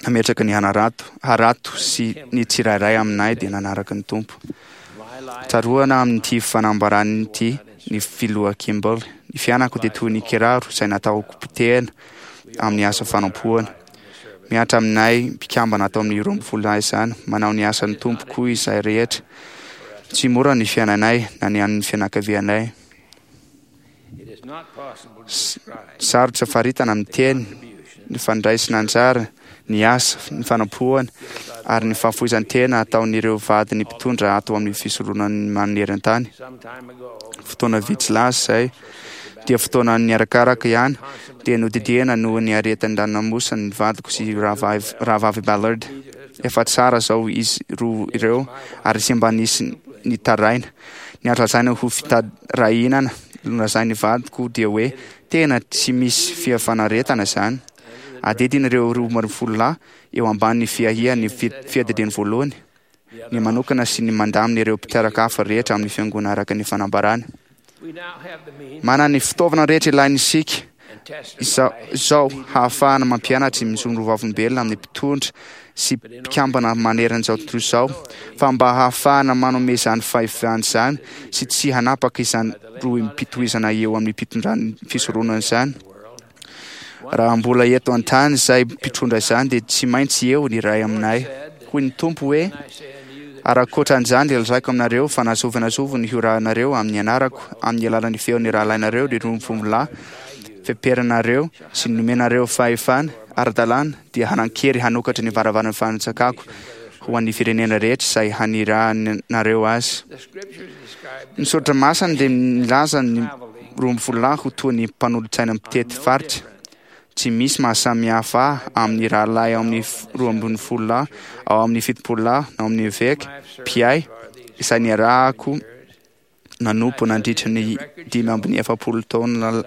nametraka ny hanarato, harato sy ny tsirairay aminay dia nanaraka ny Tompo. Tsaroana amin'ity fanambarana ity ny Filoha Kimball, Ny fiainako dia toy ny kiraro izay natao hopotehina amin'ny asa fanompoana. Mihatra aminay mpikambana ato amin'ny 12 lahy izany. Manao ny asan'ny Tompo koa izahay rehetra. Tsy mora ny fiainanay na ny an'ny fianakavianay. Sarotra faritana amin'ny teny ny fandraisana anjara, ny asa, ny fanompoana ary ny fahafoizan-tena ataon'ireo vadin'ny mpitondra ato amin'ny fisoronan'ny maneran-tany. Fotoana vitsy lasa izay, dia fotoana niarakaraka ihany, dia nodidiana noho ny aretin-dranomasina ny vadiko sy rahavavy Ballard. Efa tsara izao izy roa ireo ary tsy mba nisy nitaraina. Ny azo lazaina ho fitarainana nolazain'ny vadiko dia hoe tena tsy misy fifanaretana izany. Adidin'ireo 12 lahy eo ambany fiahian'ny fiadidiany voalohany ny manokana sy ny mandamina ireo mpitaraka hafa rehetra amin'ny fiangonana araka ny fanambarana. Manana ny fitaovana rehetra ilaina isika. Izao hahafahana mampianatra mijoro ho vavolombelona amin'ny mpitondra sy mpikambana manerana izao tontolo izao, fa mba hahafahana manome izany fahefana izany sy tsy hanapaka izany rohim-pitohizana eo amin'ny mpitondran'ny fisoronana izany. Raha mbola eto an-tany izay mpitondra izany dia tsy maintsy eo ny iray aminay. Hoy ny Tompo hoe, Ary ankoatra an'izany dia lazaiko aminareo fa na zovy na zovy no hiorahanareo amin'ny anarako amin'ny alalan'ny feon'ny rahalahinareo ry rombovombilahy feperanareo sy nomenareo fahefana ara-dalàna dia hanan-kery hanokatra ny varavaran'ny fanjakako ho an'ny firenena rehetra izay hanirahanareo azy. Ny soratra masina dia milaza ny 12 lahy ho toy ny mpanolotsaina mpitety faritra. Tsy misy mahasamihafa ahy amin'ny rahalahy ao amin'ny 12 lahy, ao amin'ny 70 lahy, na ao amin'ny eveka, mpiahy, izay niarahako nanompo nandritra ny 45 taona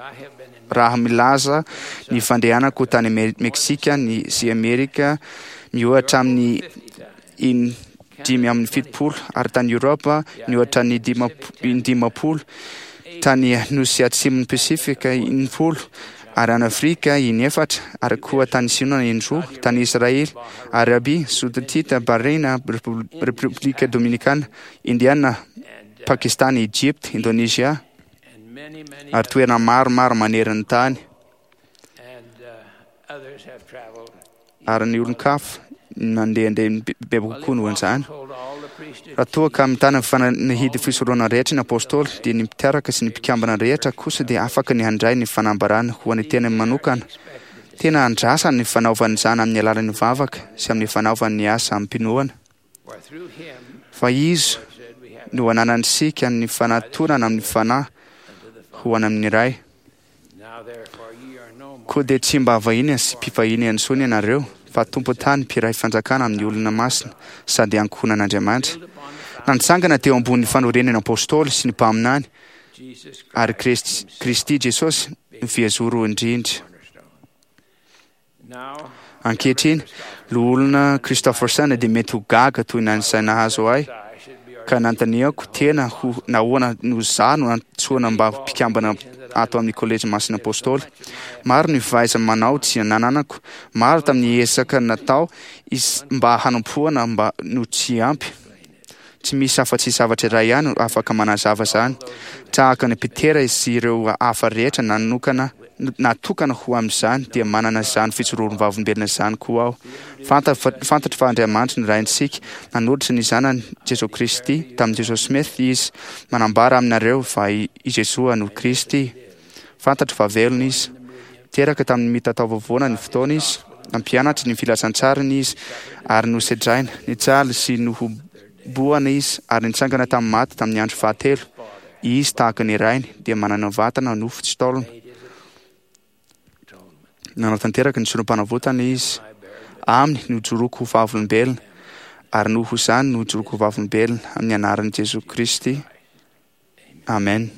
raha milaza ny fandehanako tany Meksika ny sy Amerika miohatra amin'ny in 75 ary tany Europa nihoatra ny 50, tany Nosy Atsimon'ny Pasifika 60 ary any Afrika inefatra ary koa tany Sina indroa, tany Israely, Arabia Saodita, Bahrain, Repoblika Dominikana, Indiana, Pakistan, Egypta, Indonezia ary toerana maromaro manerana ny tany. Ary ny olon-kafa nandehandeha bebe kokoa noho an'izany. Raha toa ka mitana ny fanahidy fisoronana rehetra ny apôstôly, dia ny mpitarika sy ny mpikambana rehetra kosa dia afaka ny handray ny fanambarana ho an'ny tenany manokana. Tena andrasana ny fanaovana izany amin'ny alalan'ny vavaka sy amin'ny fanaovana ny asa amim-pinoana. Fa Izy no ananantsika ny fanatonana amin'ny Fanahy ho any amin'ny Ray. Koa dia tsy mba vahiny sy mpivahiny intsony ianareo, fa tompon-tany mpiray fanjakana amin'ny olona masina sady ankohonan'Andriamanitra. Nantsangana teo ambony fanorenana apôstôly sy ny mpaminany ary Kristy Jesosy no fihazoro indrindra. Ankehitriny, Loholona Christofferson dia mety ho gaga toy ny an'izay nahazo ahy, ka nanontaniako tena ho nahoana no izaho no nantsoina mba ho mpikambana ato amin'ny Kolejy Masin'ny Apôstôly. Maro ny fahaiza-manao tsy nananako, maro tamin'ny ezaka natao mba hanompoana mba no tsy ampy. Tsy misy afa-tsy zavatra iray ihany afaka manazava izany. Tahaka an'i Petera sy ireo hafa rehetra nanokana natokana ho amin'izany, dia manana izany fijoroam-vavolombelona izany koa aho. Fantatro fa Andriamanitra no Raintsika. Nanolotra ny Zanany, Jesoa Kristy, tamin'i Joseph Smith Izy. Manambara aminareo fa i Jesoa no Kristy. Fantatro fa velona Izy. Teraka tamin'ny mitataovovona ny fotoana Izy. Nampianatra ny filazantsarany Izy ary nosedraina, nijaly sy nohobohana Izy ary nitsangana tamin'ny maty tamin'ny andro fahatelo. Izy, tahaka ny Rainy, dia manana vatana nofo tsy taolana. Nanao tanteraka ny sorom-panavotana Izy. Aminy no ijoroako ho vavolombelona, ary noho izany no ijoroako ho vavolombelona amin'ny anaran'i Jesoa Kristy. Amen.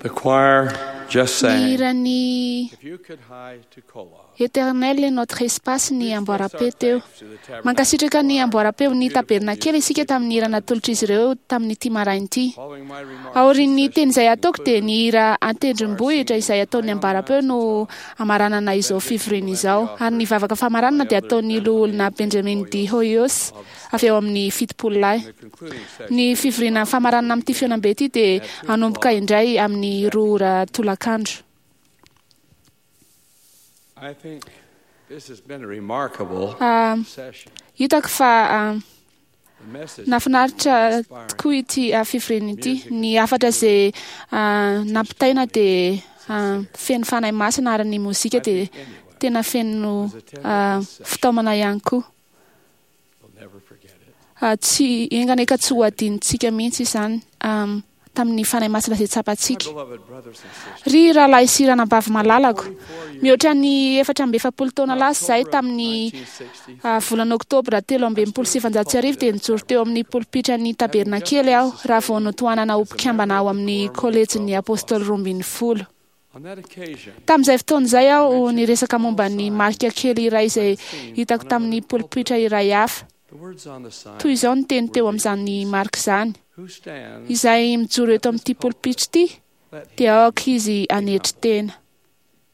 The choir just Ny sang. hiran'ny If you could hie to Kolob. Éternel est notre espace ny amboaram-peo teo. Mankasitraka ny amboaram-peo ny tabernakely isika tamin'ny hira natolotr'izy ireo tamin'ity maraina ity. Aorian'ny teny izay ataoko dia ny hira an-tendrombohitra izay ataon'ny amboaram-peo no amaranana izao fivoriana izao. Ary ny vavaka famaranana dia ataon'ny loholona Benjamin D. Hoyos avy eo amin'ny 70 lahy. Ny fivoriana famaranana amin'ity fihaonambe ity dia hanomboka indray amin'ny 2 ora tolakandro. I think this has been a remarkable Ah, session. hitako fa The message nahafinaritra tokoa ity fivoriana ity. Ny hafatra izay nampitaina dia feno fanahy masina ary ny mozika dia tena feno fitaomana ihany koa. will never forget it. Tsy engana eka tsy ho adinontsika mihitsy izany tamin'ny fanahy masina izay tsapantsika. My beloved brothers and sisters, Ry rahalahy sy ranabavy malalako, mihoatra ny 44 taona lasa izahay tamin'ny volana oktobra 1963 dia nijoro teo amin'ny polipitran'ny tabernakely aho raha vao notohanana ho mpikambana ao amin'ny kolejin'ny apôstôly 12. on that occasion, Tamin'izay fotoana izay aho niresaka momba ny marika kely iray izay hitako tamin'ny polipitra iray hafa. the words on the sign Toy izao ny teny teo amin'izany marika izany. who stands Izay mijoro eto amin'ity polipitra ity dia aoka izy hanetry tena.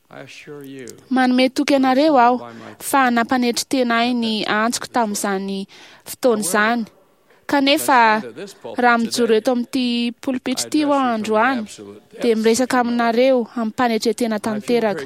I assure you Manome toky anareo aho fa nampanetry tena ahy ny antsoko tamin'izany fotoana izany. Kanefa raha mijoro eto amin'ity polipitra ity aho androany dia miresaka aminareo amin'ny-panetren-tena tanteraka.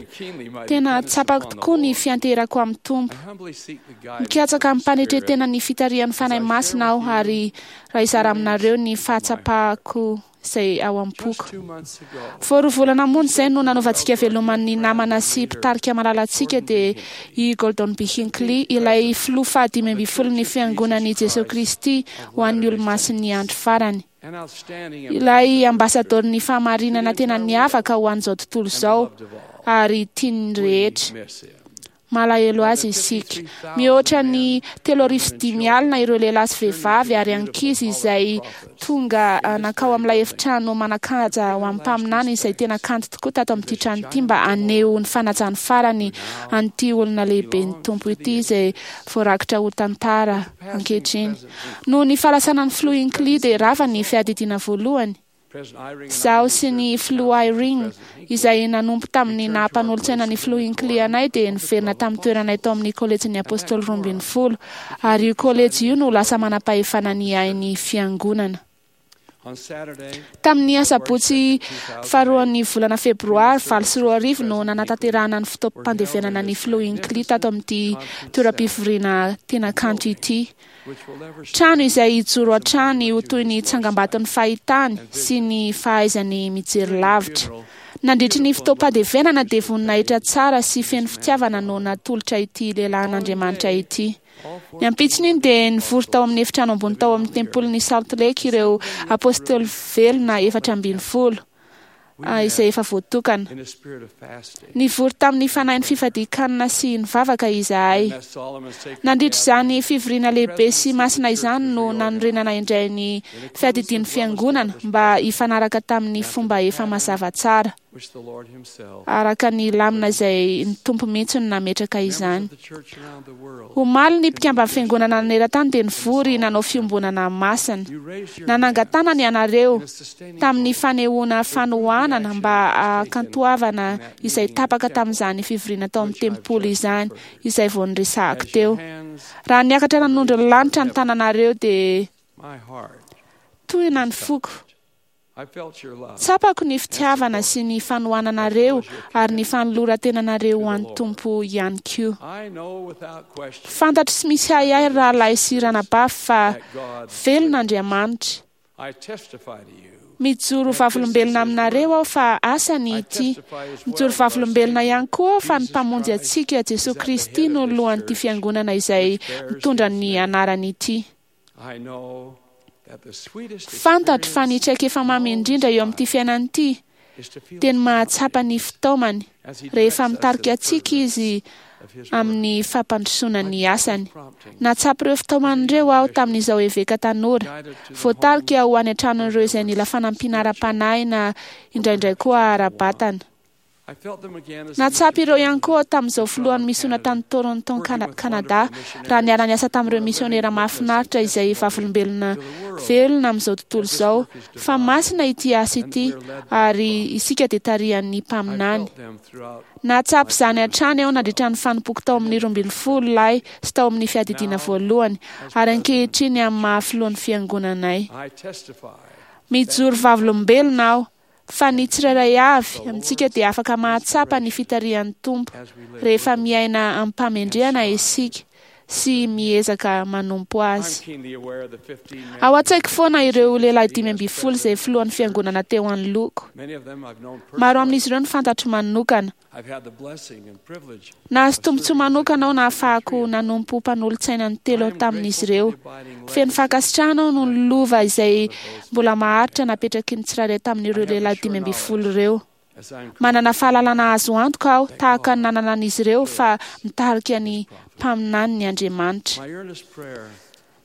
Tena tsapako tokoa ny fianteherako amin'ny Tompo. I humbly seek the guidance Mikatsaka amin'ny-panetren-tena ny fitarihan'ny Fanahy Masina aho ary raha hizara aminareo ny fahatsapako izay ao am-poko. 2 months ago. Vao 2 volana monja izay no nanaovantsika veloman'ny namana sy mpitarika malalantsika dia i Gordon B. Hinckley, ilay filoha faha-15 ny fiangonan'i Jesoa Kristy ho an'ny olomasin'ny andro farany. An outstanding Ilay ambasadorin'ny fahamarinana tena niavaka ho an'izao tontolo izao ary tian'ny rehetra. miss him. Malahelo azy isika. Mihoatra ny 305 ireo lehilahy sy vehivavy ary ankizy izay tonga nankao amin'ilay efitrano manan-kaja ho amin'ny mpaminany izay tena kanto tokoa tato amin'ity trano ity mba haneho ny fanajany farany an'ity olona lehibe ny Tompo ity izay voarakitra ho tantara ankehitriny. Noho ny fahalasanan'ny filoha Hinckley dia rava ny fiadidiana voalohany. President Eyring and I Izaho sy ny filoha Eyring izay nanompo tamin'ny naha-mpanolotsaina ny filoha Hinckley anay dia niverina tamin'ny toeranay tao amin'ny kolejin'ny apôstôly 12 ary io kolejy io no lasa manam-pahefana ny ainy fiangonana. on Saturday Tamin'ny asabotsy faharoan'ny volana febroary 2008 no nanatanterahana ny fotoam-pandevenana ny filoha Hinckley tato amin'ity toeram-pivoriana tena kanto ity. which will ever Trano izay hijoro hatrany ho toy ny tsangambaton'ny fahitany sy ny fahaizany mijery lavitra. Nandritry ny fotoam-pandevenana dia voninahitra tsara sy feno fitiavana no natolotra ity lehilahin'Andriamanitra ity. Ny ampitsony iny dia nivory tao amin'ny efitrano ambony tao amin'ny tempolin'ny Salt Lake ireo apôstôly velona 14 izay efa voatokana. in a spirit of fasting. Nivory tamin'ny fanahin'ny fifadian-kanina sy nivavaka izahay. That solemn and sacred Nandritra izany fivoriana lehibe sy masina izany no nanorenana indray ny fiadidian'ny fiangonana mba hifanaraka tamin'ny fomba efa mazava tsara which the Lord himself araka ny lamina izay ny Tompo mihitsy no nametraka izany. the church around the world Omaly ny mpikamban'ny fiangonana naneran-tany dia nivory nanao fiombonana masina. Nanangan-tanana ianareo tamin'ny fanehoana fanohanana mba hakantoavana izay tapaka tamin'izany fivoriana tao amin'ny tempoly izany izay vao niresahako teo. Raha niakatra nanondro ny lanitra ny tananareo dia my heart tohina ny foko. I felt your love Tsapako ny fitiavana sy ny fanohananareo ary ny fanoloran-tenanareo ho an'ny Tompo ihany koa. I know without question Fantatro sy misy ahiahy rahalahy sy ranabavy fa velona Andriamanitra. I testify to you Mijoro vavolombelona aminareo aho fa asany ity. Mijoro vavolombelona ihany koa aho fa ny mpamonjy antsika Jesoa Kristy no lohan'ity fiangonana izay mitondra ny anarany ity. I know that the sweetest Fantatro fa ny traikefa mamy indrindra eo amin'ity fiainana ity dia ny mahatsapa ny fitaomany rehefa mitarika antsika izy amin'ny fampandrosoana ny asany. Nahatsapa ireo fitaomana ireo aho tamin'izao eveka tanora. Voatarika ho any an-tranon'ireo izay nila fanampiana ara-panahy na indraindray koa ara-batana. Nahatsapa ireo ihany koa aho tamin'izao filohan'ny misiona tany Toronto, Canada, raha niara-niasa tamin'ireo misionera mahafinaritra izay vavolombelona velona amin'izao tontolo izao, fa masina ity asa ity ary isika dia tarihan'ny mpaminany. Nahatsapa izany hatrany aho nandritra ny fanompoako tao amin'ny 12 lahy sy tao amin'ny fiadidiana voalohany, ary ankehitriny amin'ny maha filohan'ny fiangonanay. Mijoro vavolombelona aho fa ny tsirairay avy amintsika dia afaka mahatsapa ny fitarihan'ny Tompo rehefa miaina amim-pahamendrehana isika sy miezaka manompo azy. Ao an-tsaiko foana ireo lehilahy 15 izay filohan'ny fiangonana teo anoloako. Maro amin'izy ireo no fantatro manokana. Nahazo tombontsoa manokana aho nahafahako nanompo mpanolotsaina ny telo tamin'izy ireo. Feno fankasitrahana aho noho ny lova izay mbola maharitra napetraky ny tsirairay tamin'ireo lehilahy 15 ireo. Manana fahalalana azo antoka aho tahaka ny nananan'izy ireo fa mitarika ny mpaminaniny Andriamanitra.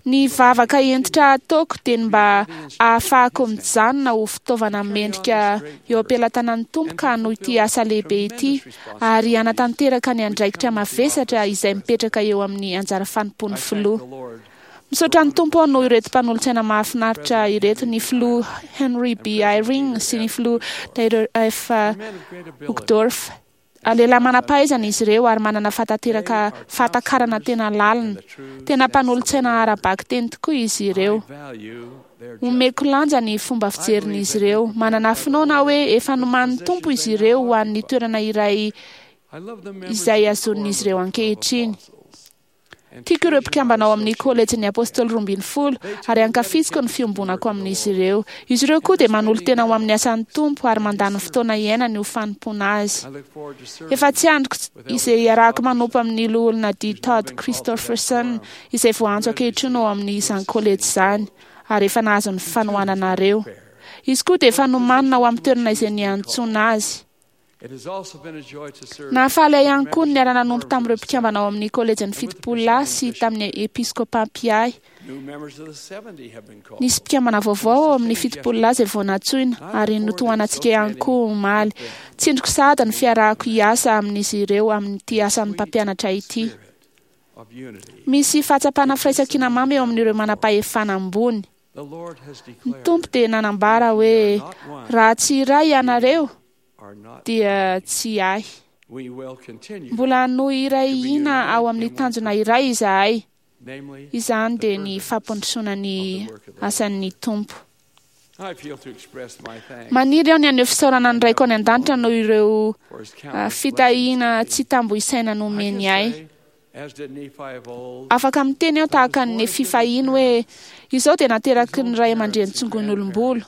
Ny vavaka hentitra ataoko dia ny mba ahafahako mijanona ho fitaovana mendrika eo am-pelatanan'ny Tompo ka hanohy ity asa lehibe ity ary hanatanteraka ny andraikitra mavesatra izay mipetraka eo amin'ny anjara fanompoan'ny filoha. Misaotra ny Tompo aho noho ireto mpanolotsaina mahafinaritra ireto, ny filoha Henry B. Eyring sy ny filoha Dieter F. Uchtdorf. Lehilahy manam-pahaizana izy ireo ary manana fahatanteraka fahatakarana tena lalina. Tena mpanolotsaina ara-bakiteny tokoa izy ireo. Omeko lanja ny fomba fijerin'izy ireo. Manana finoana aho hoe efa nomanin'ny Tompo izy ireo ho an'ny toerana iray izay azon'izy ireo ankehitriny. Tiako ireo mpikambana ao amin'ny kolejin'ny Apôstôly 12 ary ankafiziko ny fiombonako amin'izy ireo. Izy ireo koa dia manolo-tena ho amin'ny asan'ny Tompo ary mandany fotoana iainany ho fanompoana azy. Efa tsy andriko izay iarahako manompo amin'ny loholona D. Todd Christofferson izay voaantso ankehitriny ao amin'izany kolejy izany ary efa nahazo ny fanohananareo. Izy koa dia efa nomanina ho amin'ny toerana izay niantsoana azy. Nahafaly ahy ihany koa ny niara-nanompo tamin'ireo mpikambana ao amin'ny kolejin'ny 70 lahy sy tamin'ny episkôpa mpiahy. Nisy mpikambana vaovao ao amin'ny 70 lahy izay vao nantsoina ary notohanantsika ihany koa omaly. Tsindriko sahady ny fiarahako hiasa amin'izy ireo amin'ity asan'ny mpampianatra ity. Misy fahatsapana firaisankina mamy eo amin'ireo manam-pahefana ambony. Ny Tompo dia nanambara hoe raha tsy iray ianareo dia tsy ahy. Mbola hanohy iray hina ao amin'ny tanjona iray izahay. Izany dia ny fampandrosoana ny asan'ny Tompo. Maniry aho ny haneho fisaorana ny Raiko any an-danitra noho ireo fitahiana tsy tambo isaina nomeny ahy. Afaka miteny aho tahaka ny Nefy fahiny hoe izao dia nateraky ny ray aman-dreny tsongoin'olom-bolo.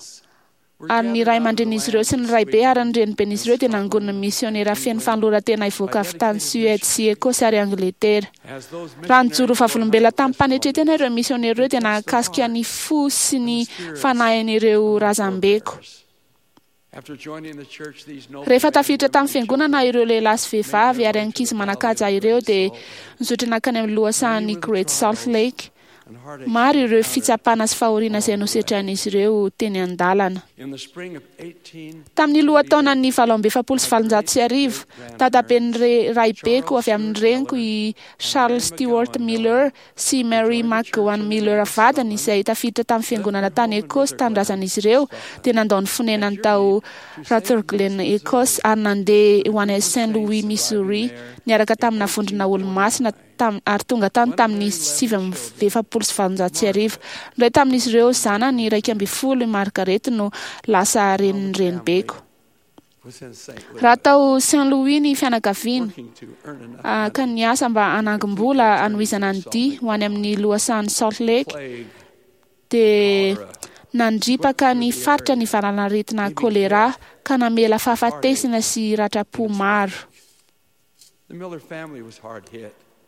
Ary ny ray aman-drenin'izy ireo sy ny raibe ary ny reniben'izy ireo dia nangonin'ny misionera feno fanoloran-tena hivoaka avy tany Suède sy Écosse ary Angletera. Raha nijoro vavolombelona tamim-panetren-tena ireo misionera ireo dia nahakasika ny fo sy ny fanahin'ireo razambeko. Rehefa tafiditra tamin'ny fiangonana ireo lehilahy sy vehivavy ary ankizy manan-kaja ireo dia nizotra nankany amin'ny lohasahan'ny Great Salt Lake. Maro ireo fitsapana sy fahoriana izay nosedrain'izy ireo teny an-dalana. Tamin'ny lohataonan'ny 1848, dadaben'ny raibeko avy amin'ny reniko i Charles Stewart Miller sy Mary McGowan Miller vadiny izay tafiditra tamin'ny fiangonana tany Écosse tanindrazan'izy ireo dia nandao ny fonenany tao Rutherglen, Écosse ary nandeha ho any Saint Louis, Missouri niaraka tamina vondrona olomasina ary tonga tany tamin'ny 1849. Indray tamin'izy ireo zanany 11 i Margaret no lasa renin'ny renibeko. Raha tao Saint Louis ny fianakaviana ka niasa mba hanangom-bola hanohizana ny dia ho any amin'ny lohasahan'ny Salt Lake dia nandripaka ny faritra ny valanaretina choléra ka namela fahafatesana sy ratram-po maro.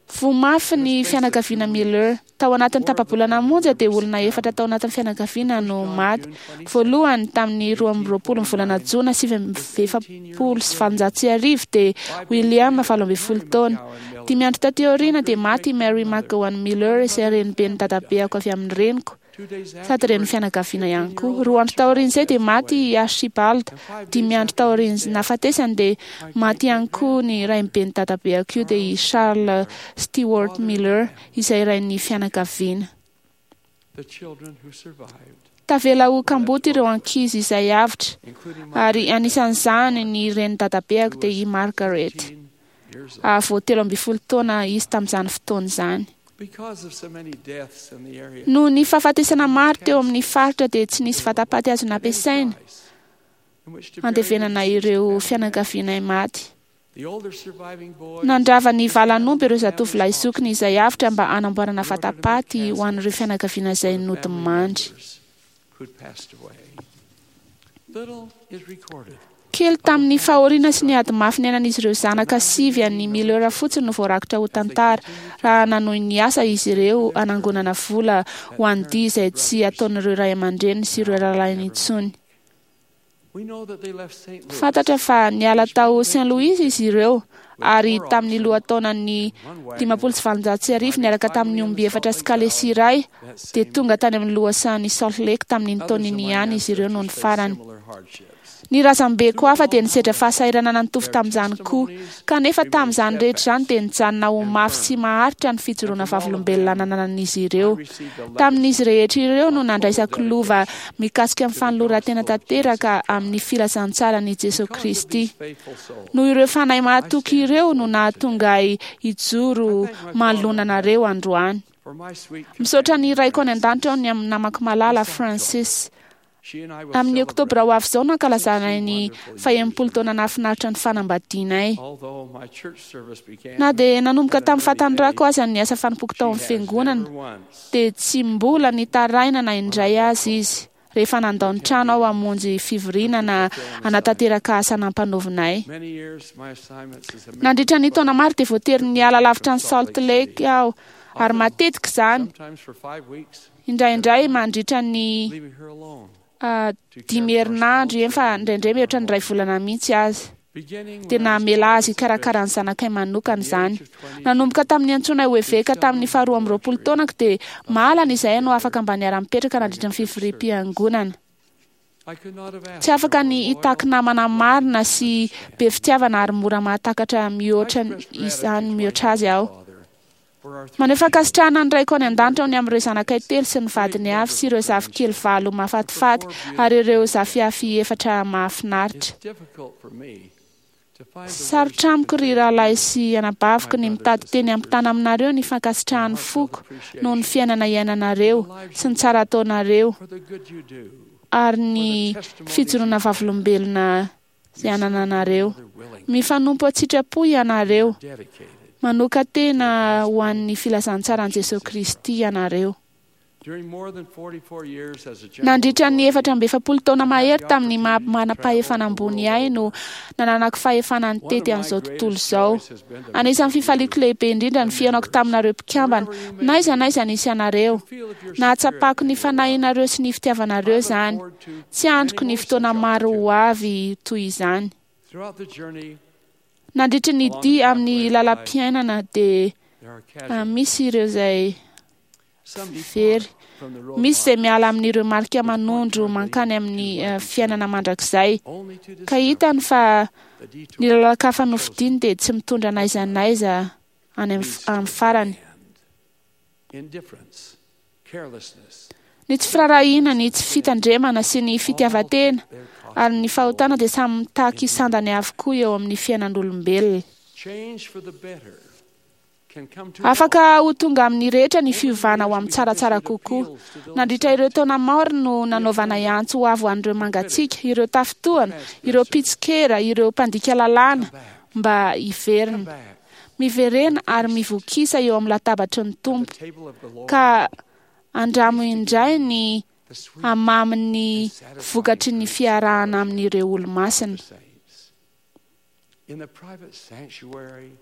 Voa mafy ny fianakaviana Miller. Tao anatin'ny tapa-bolana monja dia olona efatra tao anatin'ny fianakaviana no maty. Voalohany, tamin'ny 22 ny volana jona 1849 dia William 18 taona. 5 andro taty aoriana dia maty i Mary McGowan Miller izay reniben'ny dadabeako avy amin'ny reniko, sady renin'ny fianakaviana ihany koa. 2 andro taorian'izay dia maty i Archibald. 5 andro taorian'ny nahafatesany dia maty ihany koa ny rainiben'ny dadabeako io dia i Charles Stewart Miller izay rain'ny fianakaviana. Tavela ho kamboty ireo ankizy izay avotra, ary anisan'izany ny renin'ny dadabeako dia i Margaret. Vao 13 taona izy tamin'izany fotoana izany. Noho ny fahafatesana maro teo amin'ny faritra dia tsy nisy vatapaty azo nampiasaina andevenana ireo fianakavianay maty. Nandrava ny valan'omby ireo zatovolahy zokiny izay avotra mba hanamboarana vatapaty ho an'ireo fianakaviana izay nodimandry. Kely tamin'ny fahoriana sy ny ady mafy niainan'izy ireo zanaka 9 an'ny Miller fotsiny no voarakitra ho tantara, raha nanohy ny asa izy ireo hanangonana vola ho an'ny dia izay tsy ataon'ireo ray aman-dreniny sy ireo rahalahiny intsony. Fantatra fa niala tao Saint Louis izy ireo, ary tamin'ny lohataonan'ny 1850 niaraka tamin'ny omby 4 sy kalesy iray dia tonga tany amin'ny lohasahan'i Salt Lake tamin'iny taona iny ihany izy ireo noho ny farany. Ny razambeko hafa dia nisedra fahasahiranana nitovy tamin'izany koa, kanefa tamin'izany rehetra izany dia nijanona ho mafy sy maharitra ny fijoroana vavolombelona nananan'izy ireo. Tamin'izy rehetra ireo no nandraisako lova mikasika ny fanoloran-tena tanteraka amin'ny filazantsaran'i Jesoa Kristy. Noho ireo fanahy mahatoky ireo no nahatonga ahy hijoro manoloana anareo androany. Misaotra ny Raiko any an-danitra aho ny amin'ny namako malala Francis. Amin'ny oktobra ho avy izao no ankalazanay ny 60 taona nahafinaritra ny fanambadianay. Na dia nanomboka tamin'ny fahatanorako aza ny asa fanompoako tao amin'ny fiangonana, dia tsy mbola nitaraina na indray aza izy rehefa nandao ny trano aho hamonjy fivoriana na hanatanteraka asa nampanaovinay. Nandritra ny taona maro dia voatery niala lavitra ny Salt Lake aho, ary matetika izany. Indraindray mandritra ny 5 herinandro, eny fa indraindray mihoatra ny 1 volana mihitsy aza. Dia namela azy hikarakara ny zanakay manokana izany. Nanomboka tamin'ny antsoinay ho eveka tamin'ny faha 22 taonako dia mahalana izahay no afaka mba niara-mipetraka nandritra ny fivoriam-piangonana. Tsy afaka ny hitaky namana marina sy be fitiavana ary mora mahatakatra mihoatra izany mihoatra azy aho. Maneho fankasitrahana ny Raiko any an-danitra aho ny amin'ireo zanakay 3 sy ny vadiny avy sy ireo zafikely 8 mahafatifaty ary ireo zafiafy 4 mahafinaritra. Sarotra amiko ry rahalahy sy anabaviko ny mitady teny ampitana aminareo ny fankasitrahan'ny foko noho ny fiainana iainanareo sy ny tsara ataonareo ary ny fijoroana vavolombelona izay anananareo. Mifanompo an-tsitrapo ianareo. Manokan-tena ho an'ny filazantsaran'i Jesoa Kristy ianareo. Nandritra ny 44 taona mahery tamin'ny maha manam-pahefana ambony ahy no nananako fahefana nitety an'izao tontolo izao. Anisan'ny fifaliako lehibe indrindra ny fihaonako taminareo mpikambana, n'aiza n'aiza nisy anareo. Nahatsapako ny fanahinareo sy ny fitiavanareo izany. Tsy andriko ny fotoana maro ho avy toy izany. Nandritra ny dia amin'ny lalam-piainana dia misy ireo izay very. Misy izay miala amin'ireo marika manondro mankany amin'ny fiainana mandrakizay, ka hitany fa ny lalan-kafa nofidiny dia tsy mitondra n'aiza n'aiza any amin'ny farany. Ny tsy firaharahiana, ny tsy fitandremana sy ny fitiavan-tena ary ny fahotana dia samy mitaky sandany avokoa eo amin'ny fiainan'olombelona. Afaka ho tonga amin'ny rehetra ny fiovana ho amin'ny tsaratsara kokoa. Nandritra ireo taona maro no nanaovanay antso ho avy ho an'ireo mangatsiaka, ireo tafintohana, ireo mpitsikera, ireo mpandika lalàna mba hiverina. Miverena ary mivokisa eo amin'ny latabatry ny Tompo, ka andramo indray ny hamamin'ny vokatry ny fiarahana amin'ireo olo-masina.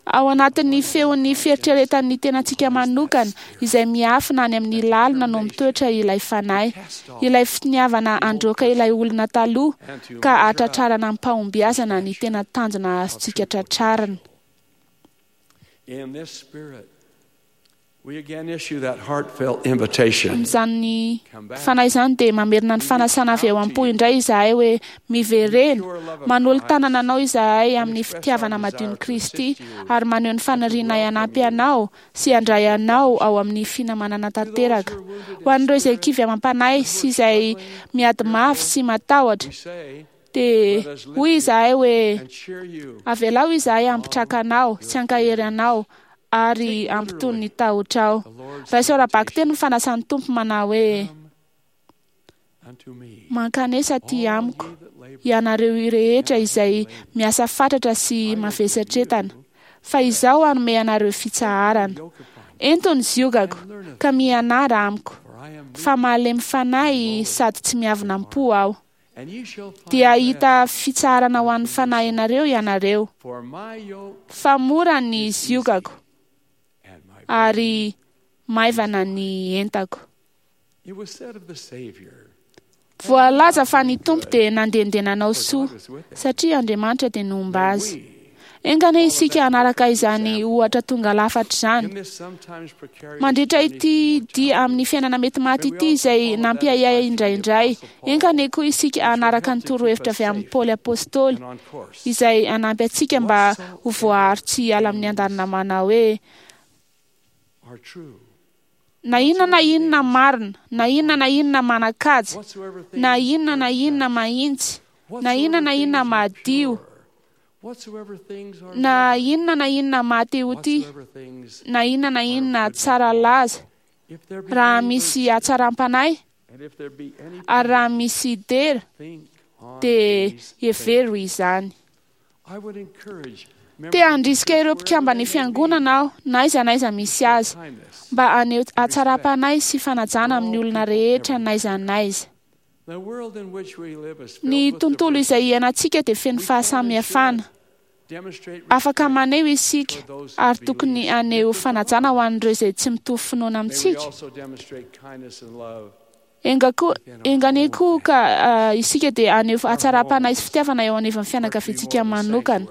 Ao anatin'ny feon'ny fieritreretan'ny tenantsika manokana izay miafina any amin'ny lalina no mitoetra ilay fanahy, ilay finiavana handroaka ilay olona taloha ka hahatratrarana amim-pahombiazana ny tena tanjona azontsika tratrarina. Amin'izany fanahy izany dia mamerina ny fanasana avy ao am-po indray izahay hoe miverena, manolo-tanana anao izahay amin'ny fitiavana madion'i Kristy ary maneho ny fanirianay hanampy anao sy handray anao ao amin'ny finamanana tanteraka. Ho an'ireo izay kivy amam-panahy sy izay miady mafy sy matahotra, dia hoy izahay hoe avelao izahay hampitraka anao sy hankahery anao ary hampitony ny tahotrao. Raiso ara-bakiteny ny fanasan'ny Tompo manao hoe: Mankanesa aty amiko, ianareo rehetra izay miasa fatratra sy mavesatretana, fa izaho hanome anareo fitsaharana. Ento ny ziogako, ka mianara amiko, fa malemy fanahy sady tsy miavona am-po aho. Dia hahita fitsaharana ho an'ny fanahinareo ianareo, fa mora ny ziogako ary maivana ny entako. Voalaza fa ny Tompo dia nandehandeha nanao soa, satria Andriamanitra dia nomba azy. Enga anie isika hanaraka izany ohatra tonga lafatra izany. Mandritra ity dia amin'ny fiainana mety maty ity izay nampiahiahy indraindray, enga anie koa isika hanaraka ny torohevitra avy amin'i Paoly Apostoly, izay hanampy antsika mba ho voaaro tsy hiala amin'ny andanina manao hoe, Na inona na inona marina, na inona na inona manan-kaja, na inona na inona mahitsy, na inona na inona madio, na inona na inona maha-te-ho-tia, na inona na inona tsara laza, raha misy hatsaram-panahy, ary raha misy dera, dia hevero izany. Te handrisika ireo mpikamban'ny fiangonana aho, na aiza na aiza misy azy, mba haneho hatsaram-panahy sy fanajana amin'ny olona rehetra n'aiza n'aiza. Ny tontolo izay iainantsika dia feno fahasamihafana. Afaka maneho isika ary tokony haneho fanajana ho an'ireo izay tsy mitovy finoana amintsika. Enga koa, enga anie koa ka isika dia haneho hatsaram-panahy sy fitiavana eo anivon'ny fianakaviantsika manokana.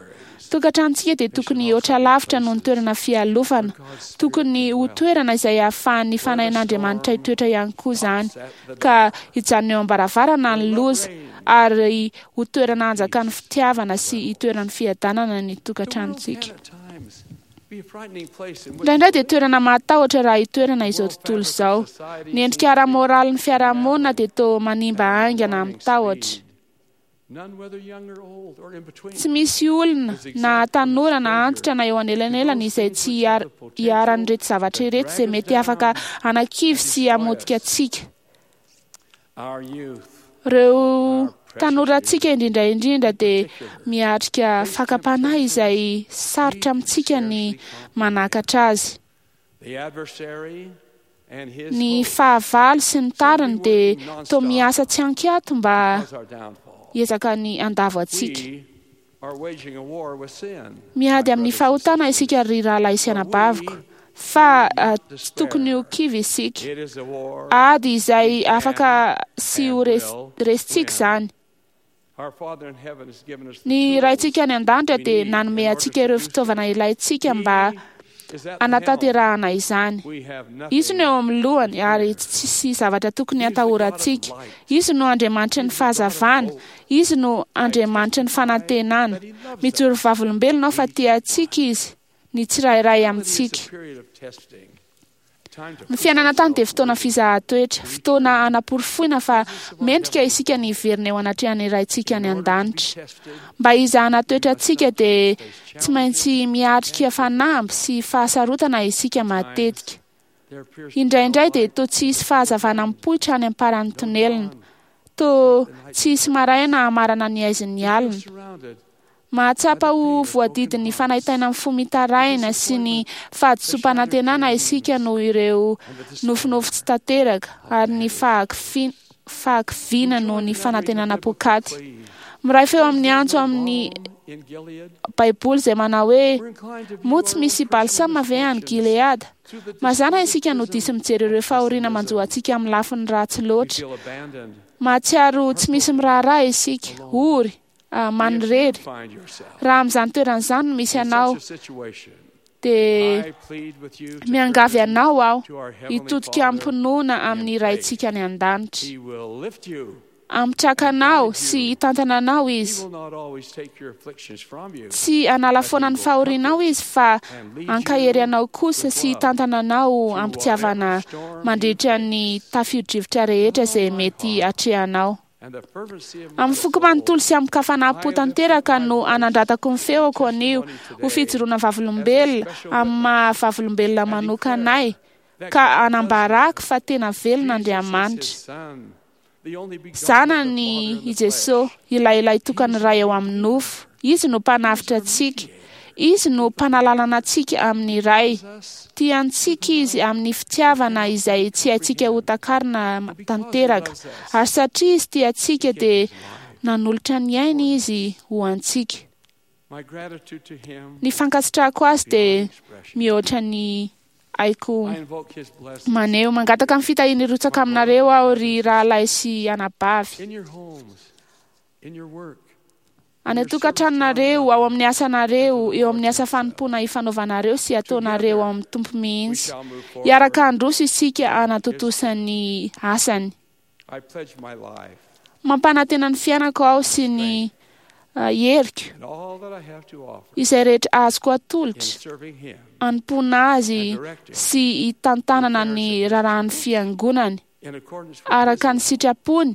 Tokantranontsika dia tokony hihoatra lavitra noho ny toerana fialofana. Tokony ho toerana izay ahafahan'ny Fanahin'Andriamanitra hitoetra ihany koa izany, ka hijanona eo am-baravarana ny loza, ary ho toerana hanjakan'ny fitiavana sy hitoeran'ny fiadanana ny tokantranontsika. Indraindray dia toerana mahatahotra raha hitoerana izao tontolo izao. Ny endrika ara-moralin'ny fiarahamonina dia toa manimba haingana amin'ny tahotra. Tsy misy olona, na tanora na antitra na eo anelanelany izay tsy iharan'ireto zavatra ireto izay mety afaka hanakivy sy hamotika antsika. Ireo tanorantsika indrindra indrindra dia miatrika fakam-panahy izay sarotra amintsika ny manakatra azy. Ny fahavalo sy ny tariny dia toa miasa tsy ankiato mba hiezaka ny handavo antsika. Miady amin'ny fahotana isika ry rahalahy sy anabaviko, fa tsy tokony ho kivy isika. Ady izay afaka sy ho resintsika izany. Ny Raintsika any an-danitra dia nanome antsika ireo fitaovana ilaintsika mba hanatanterahana izany. Izy no eo amin'ny lohany ary tsisy zavatra tokony hatahorantsika. Izy no Andriamanitry ny fahazavana. Izy no Andriamanitry ny fanantenana. Mijoro vavolombelona aho fa tia antsika Izy, ny tsirairay amintsika. Ny fiainana an-tany dia fotoana fizahan-toetra, fotoana hanaporofoina fa mendrika isika ny hiverina eo anatrehan'ny Raintsika any an-danitra. Mba hizahana toetra antsika dia tsy maintsy miatrika fanamby sy fahasarotana isika matetika. Indraindray dia toa tsy hisy fahazavana mipoitra any am-paran'ny tonelina. Toa tsy hisy maraina hamarana ny haizin'ny alina. Mahatsapa ho voadidin'ny fanaintainan'ny fo mitaraina sy ny fahadisoam-panantenana isika noho ireo nofinofy tsy tanteraka ary ny fahakiviana noho ny fanantenana poakaty. Miray feo amin'ny antso amin'ny Baiboly izay manao hoe, Moa tsy misy balsama ve any Gileada? Mazàna isika no diso mijery ireo fahoriana manjo antsika amin'ny lafiny ratsy loatra. Mahatsiaro tsy misy miraharaha isika, ory, manirery. Raha amin'izany toerana izany no misy anao, dia miangavy anao aho hitodika amim-pinoana amin'ny Raintsika any an-danitra. Hametraka anao sy hitantana anao Izy. Tsy hanala foana ny fahorianao Izy fa hankahery anao kosa sy hitantana anao am-pitiavana mandritra ny tafio-drivotra rehetra izay mety hatrehanao. Amin'ny foko manontolo sy amin-kafanam-po tanteraka no anandratako ny feoko anio ho fijoroana vavolombelona amin'ny maha vavolombelona manokana ahy ka anambarako fa tena velona Andriamanitra. Zanany i Jesoa, ilay Lahitokan'ny Ray ao amin'ny nofo. Izy no Mpanavotra antsika. Izy no Mpanalalana antsika amin'ny Ray. Tia antsika Izy amin'ny fitiavana izay tsy haintsika hotakarina tanteraka. Ary satria Izy tia antsika dia nanolotra ny ainy Izy ho antsika. Ny fankasitrahako Azy dia mihoatra ny haiko maneho. Mangataka ny fitahiany hirotsaka aminareo aho, ry rahalahy sy anabavy. Any an-tokantranonareo, ao amin'ny asanareo, eo amin'ny asa fanompoana ifanaovanareo sy ataonareo ao amin'ny Tompo mihitsy. Hiaraka handroso isika hanatontosa ny asany. Mampanantena ny fiainako aho sy ny heriko, izay rehetra azoko atolotra, hanompoana Azy sy hitantanana ny raharahan'ny Fiangonany, araka ny sitrapony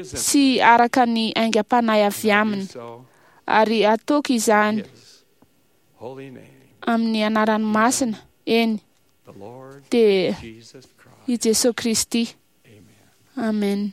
sy araka ny aingam-panahy avy Aminy, ary hataoko izany amin'ny anarany masina, eny, dia i Jesoa Kristy. Amen.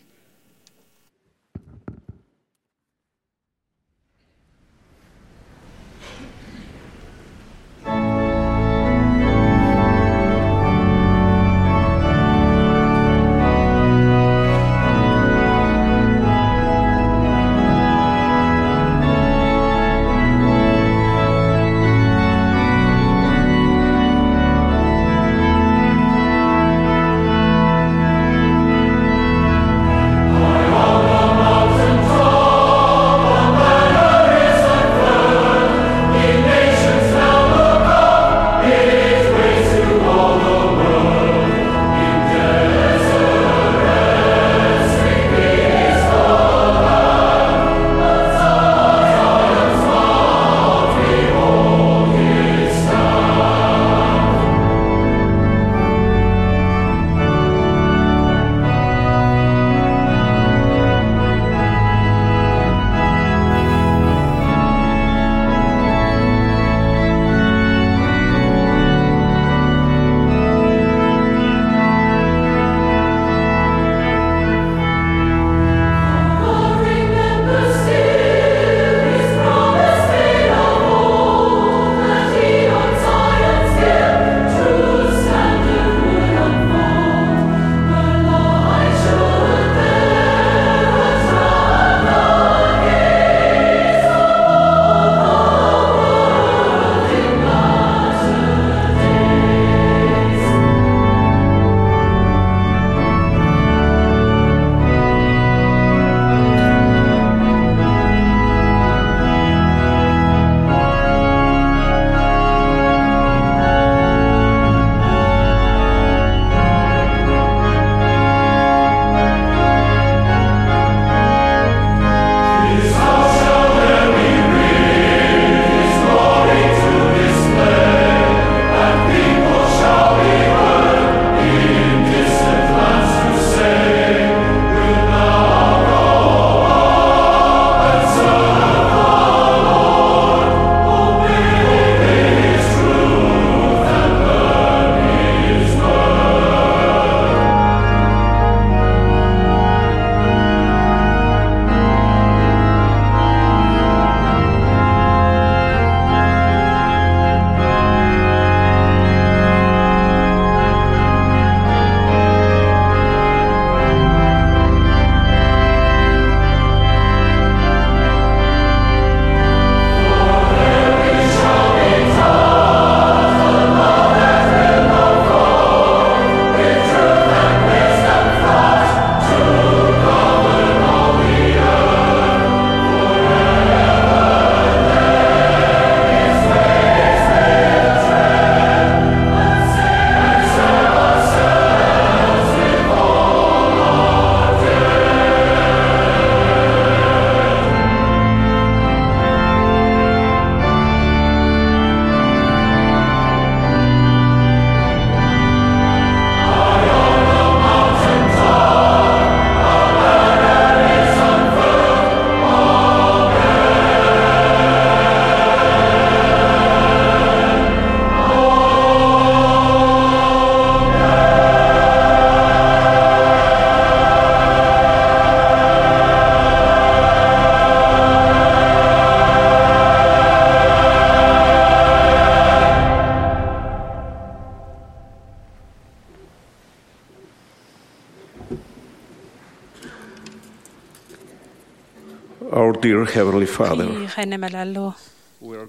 Our dear Heavenly Father, Ry Rainay malala ô, we are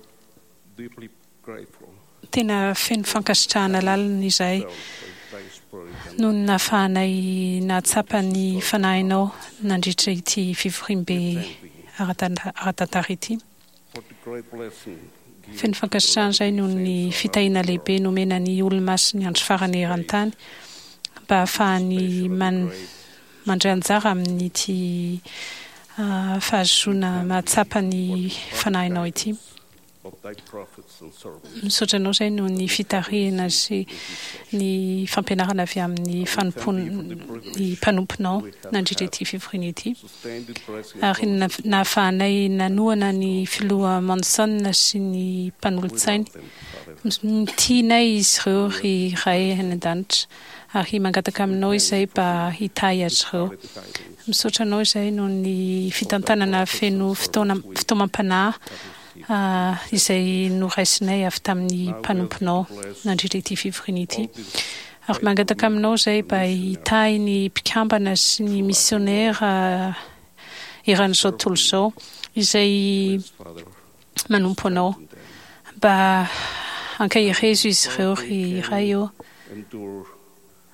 deeply grateful tena feno fankasitrahana lalina izahay noho ny nahafahanay nahatsapa ny Fanahinao nandritra ity fivoriambe ara-tantara ity. for the great blessing given Feno fankasitrahana izahay noho ny fitahiana lehibe nomena ny Olomasin'ny Andro Farany eran-tany mba hahafahany man- mandray anjara amin'ity fahazoana mahatsapa ny Fanahinao ity. of thy prophets and servants. Misaotra anao izay noho ny fitarihana sy ny fampianarana avy amin'ny fanompoan'ny mpanomponao nandritra ity fivoriana ity. Ary nahafahanay nanohana ny filoha Monson sy ny mpanolotsainy. Tianay izy ireo ry Ray any an-danitra ary mangataka aminao izay mba hitahy azy ireo. Misaotra anao izay noho ny fitantanana feno fotoana fitaomam-panahy izay noraisinay avy tamin'ny mpanomponao nandritra ity fivoriana ity. Ary mangataka aminao izay mba hitahy ny mpikambana sy ny misionera eran'izao tontolo izao izay manompo anao. Mba ankaherezo izy ireo ry Ray ô,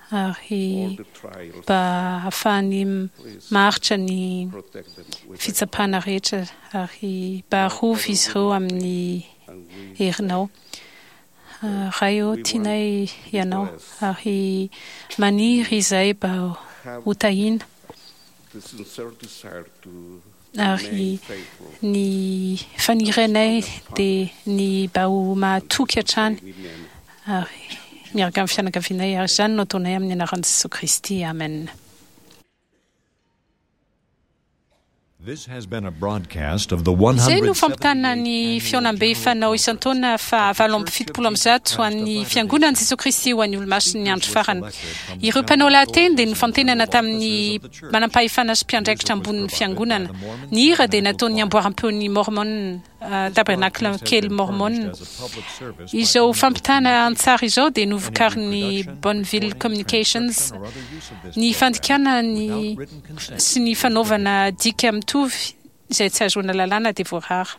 ary mba hahafahany maharitra ny fitsapana rehetra ary mba arovy izy ireo amin'ny herinao. Ray ô, tianay Ianao ary maniry izahay mba ho tahiana ary ny fanirianay dia ny mba ho mahatoky hatrany ary miaraka amin'ny fianakavianay ary izany no ataonay amin'ny anaran'i Jesoa Kristy. Amen. This has been a broadcast of the Izay no 178th fampitana ny fihaonambe fanao isan-taona faha 178 ho an'ny Fiangonan'i Jesoa Kristy ho an'ny Olomasin'ny Andro Farany. Ireo mpanao lahateny dia nofantenana tamin'ny manampahefana sy mpiandraikitra ambonin'ny Fiangonana. Ny hira dia nataon'ny amboaram-peon'ny Mormon Tabernacle kely Mormon. Izao fampitana an-tsary izao dia novokarin'ny Bonneville Communications. Ny fandikana ny sy ny fanaovana dika mitovy izay tsy ahazoana lalàna dia voarara.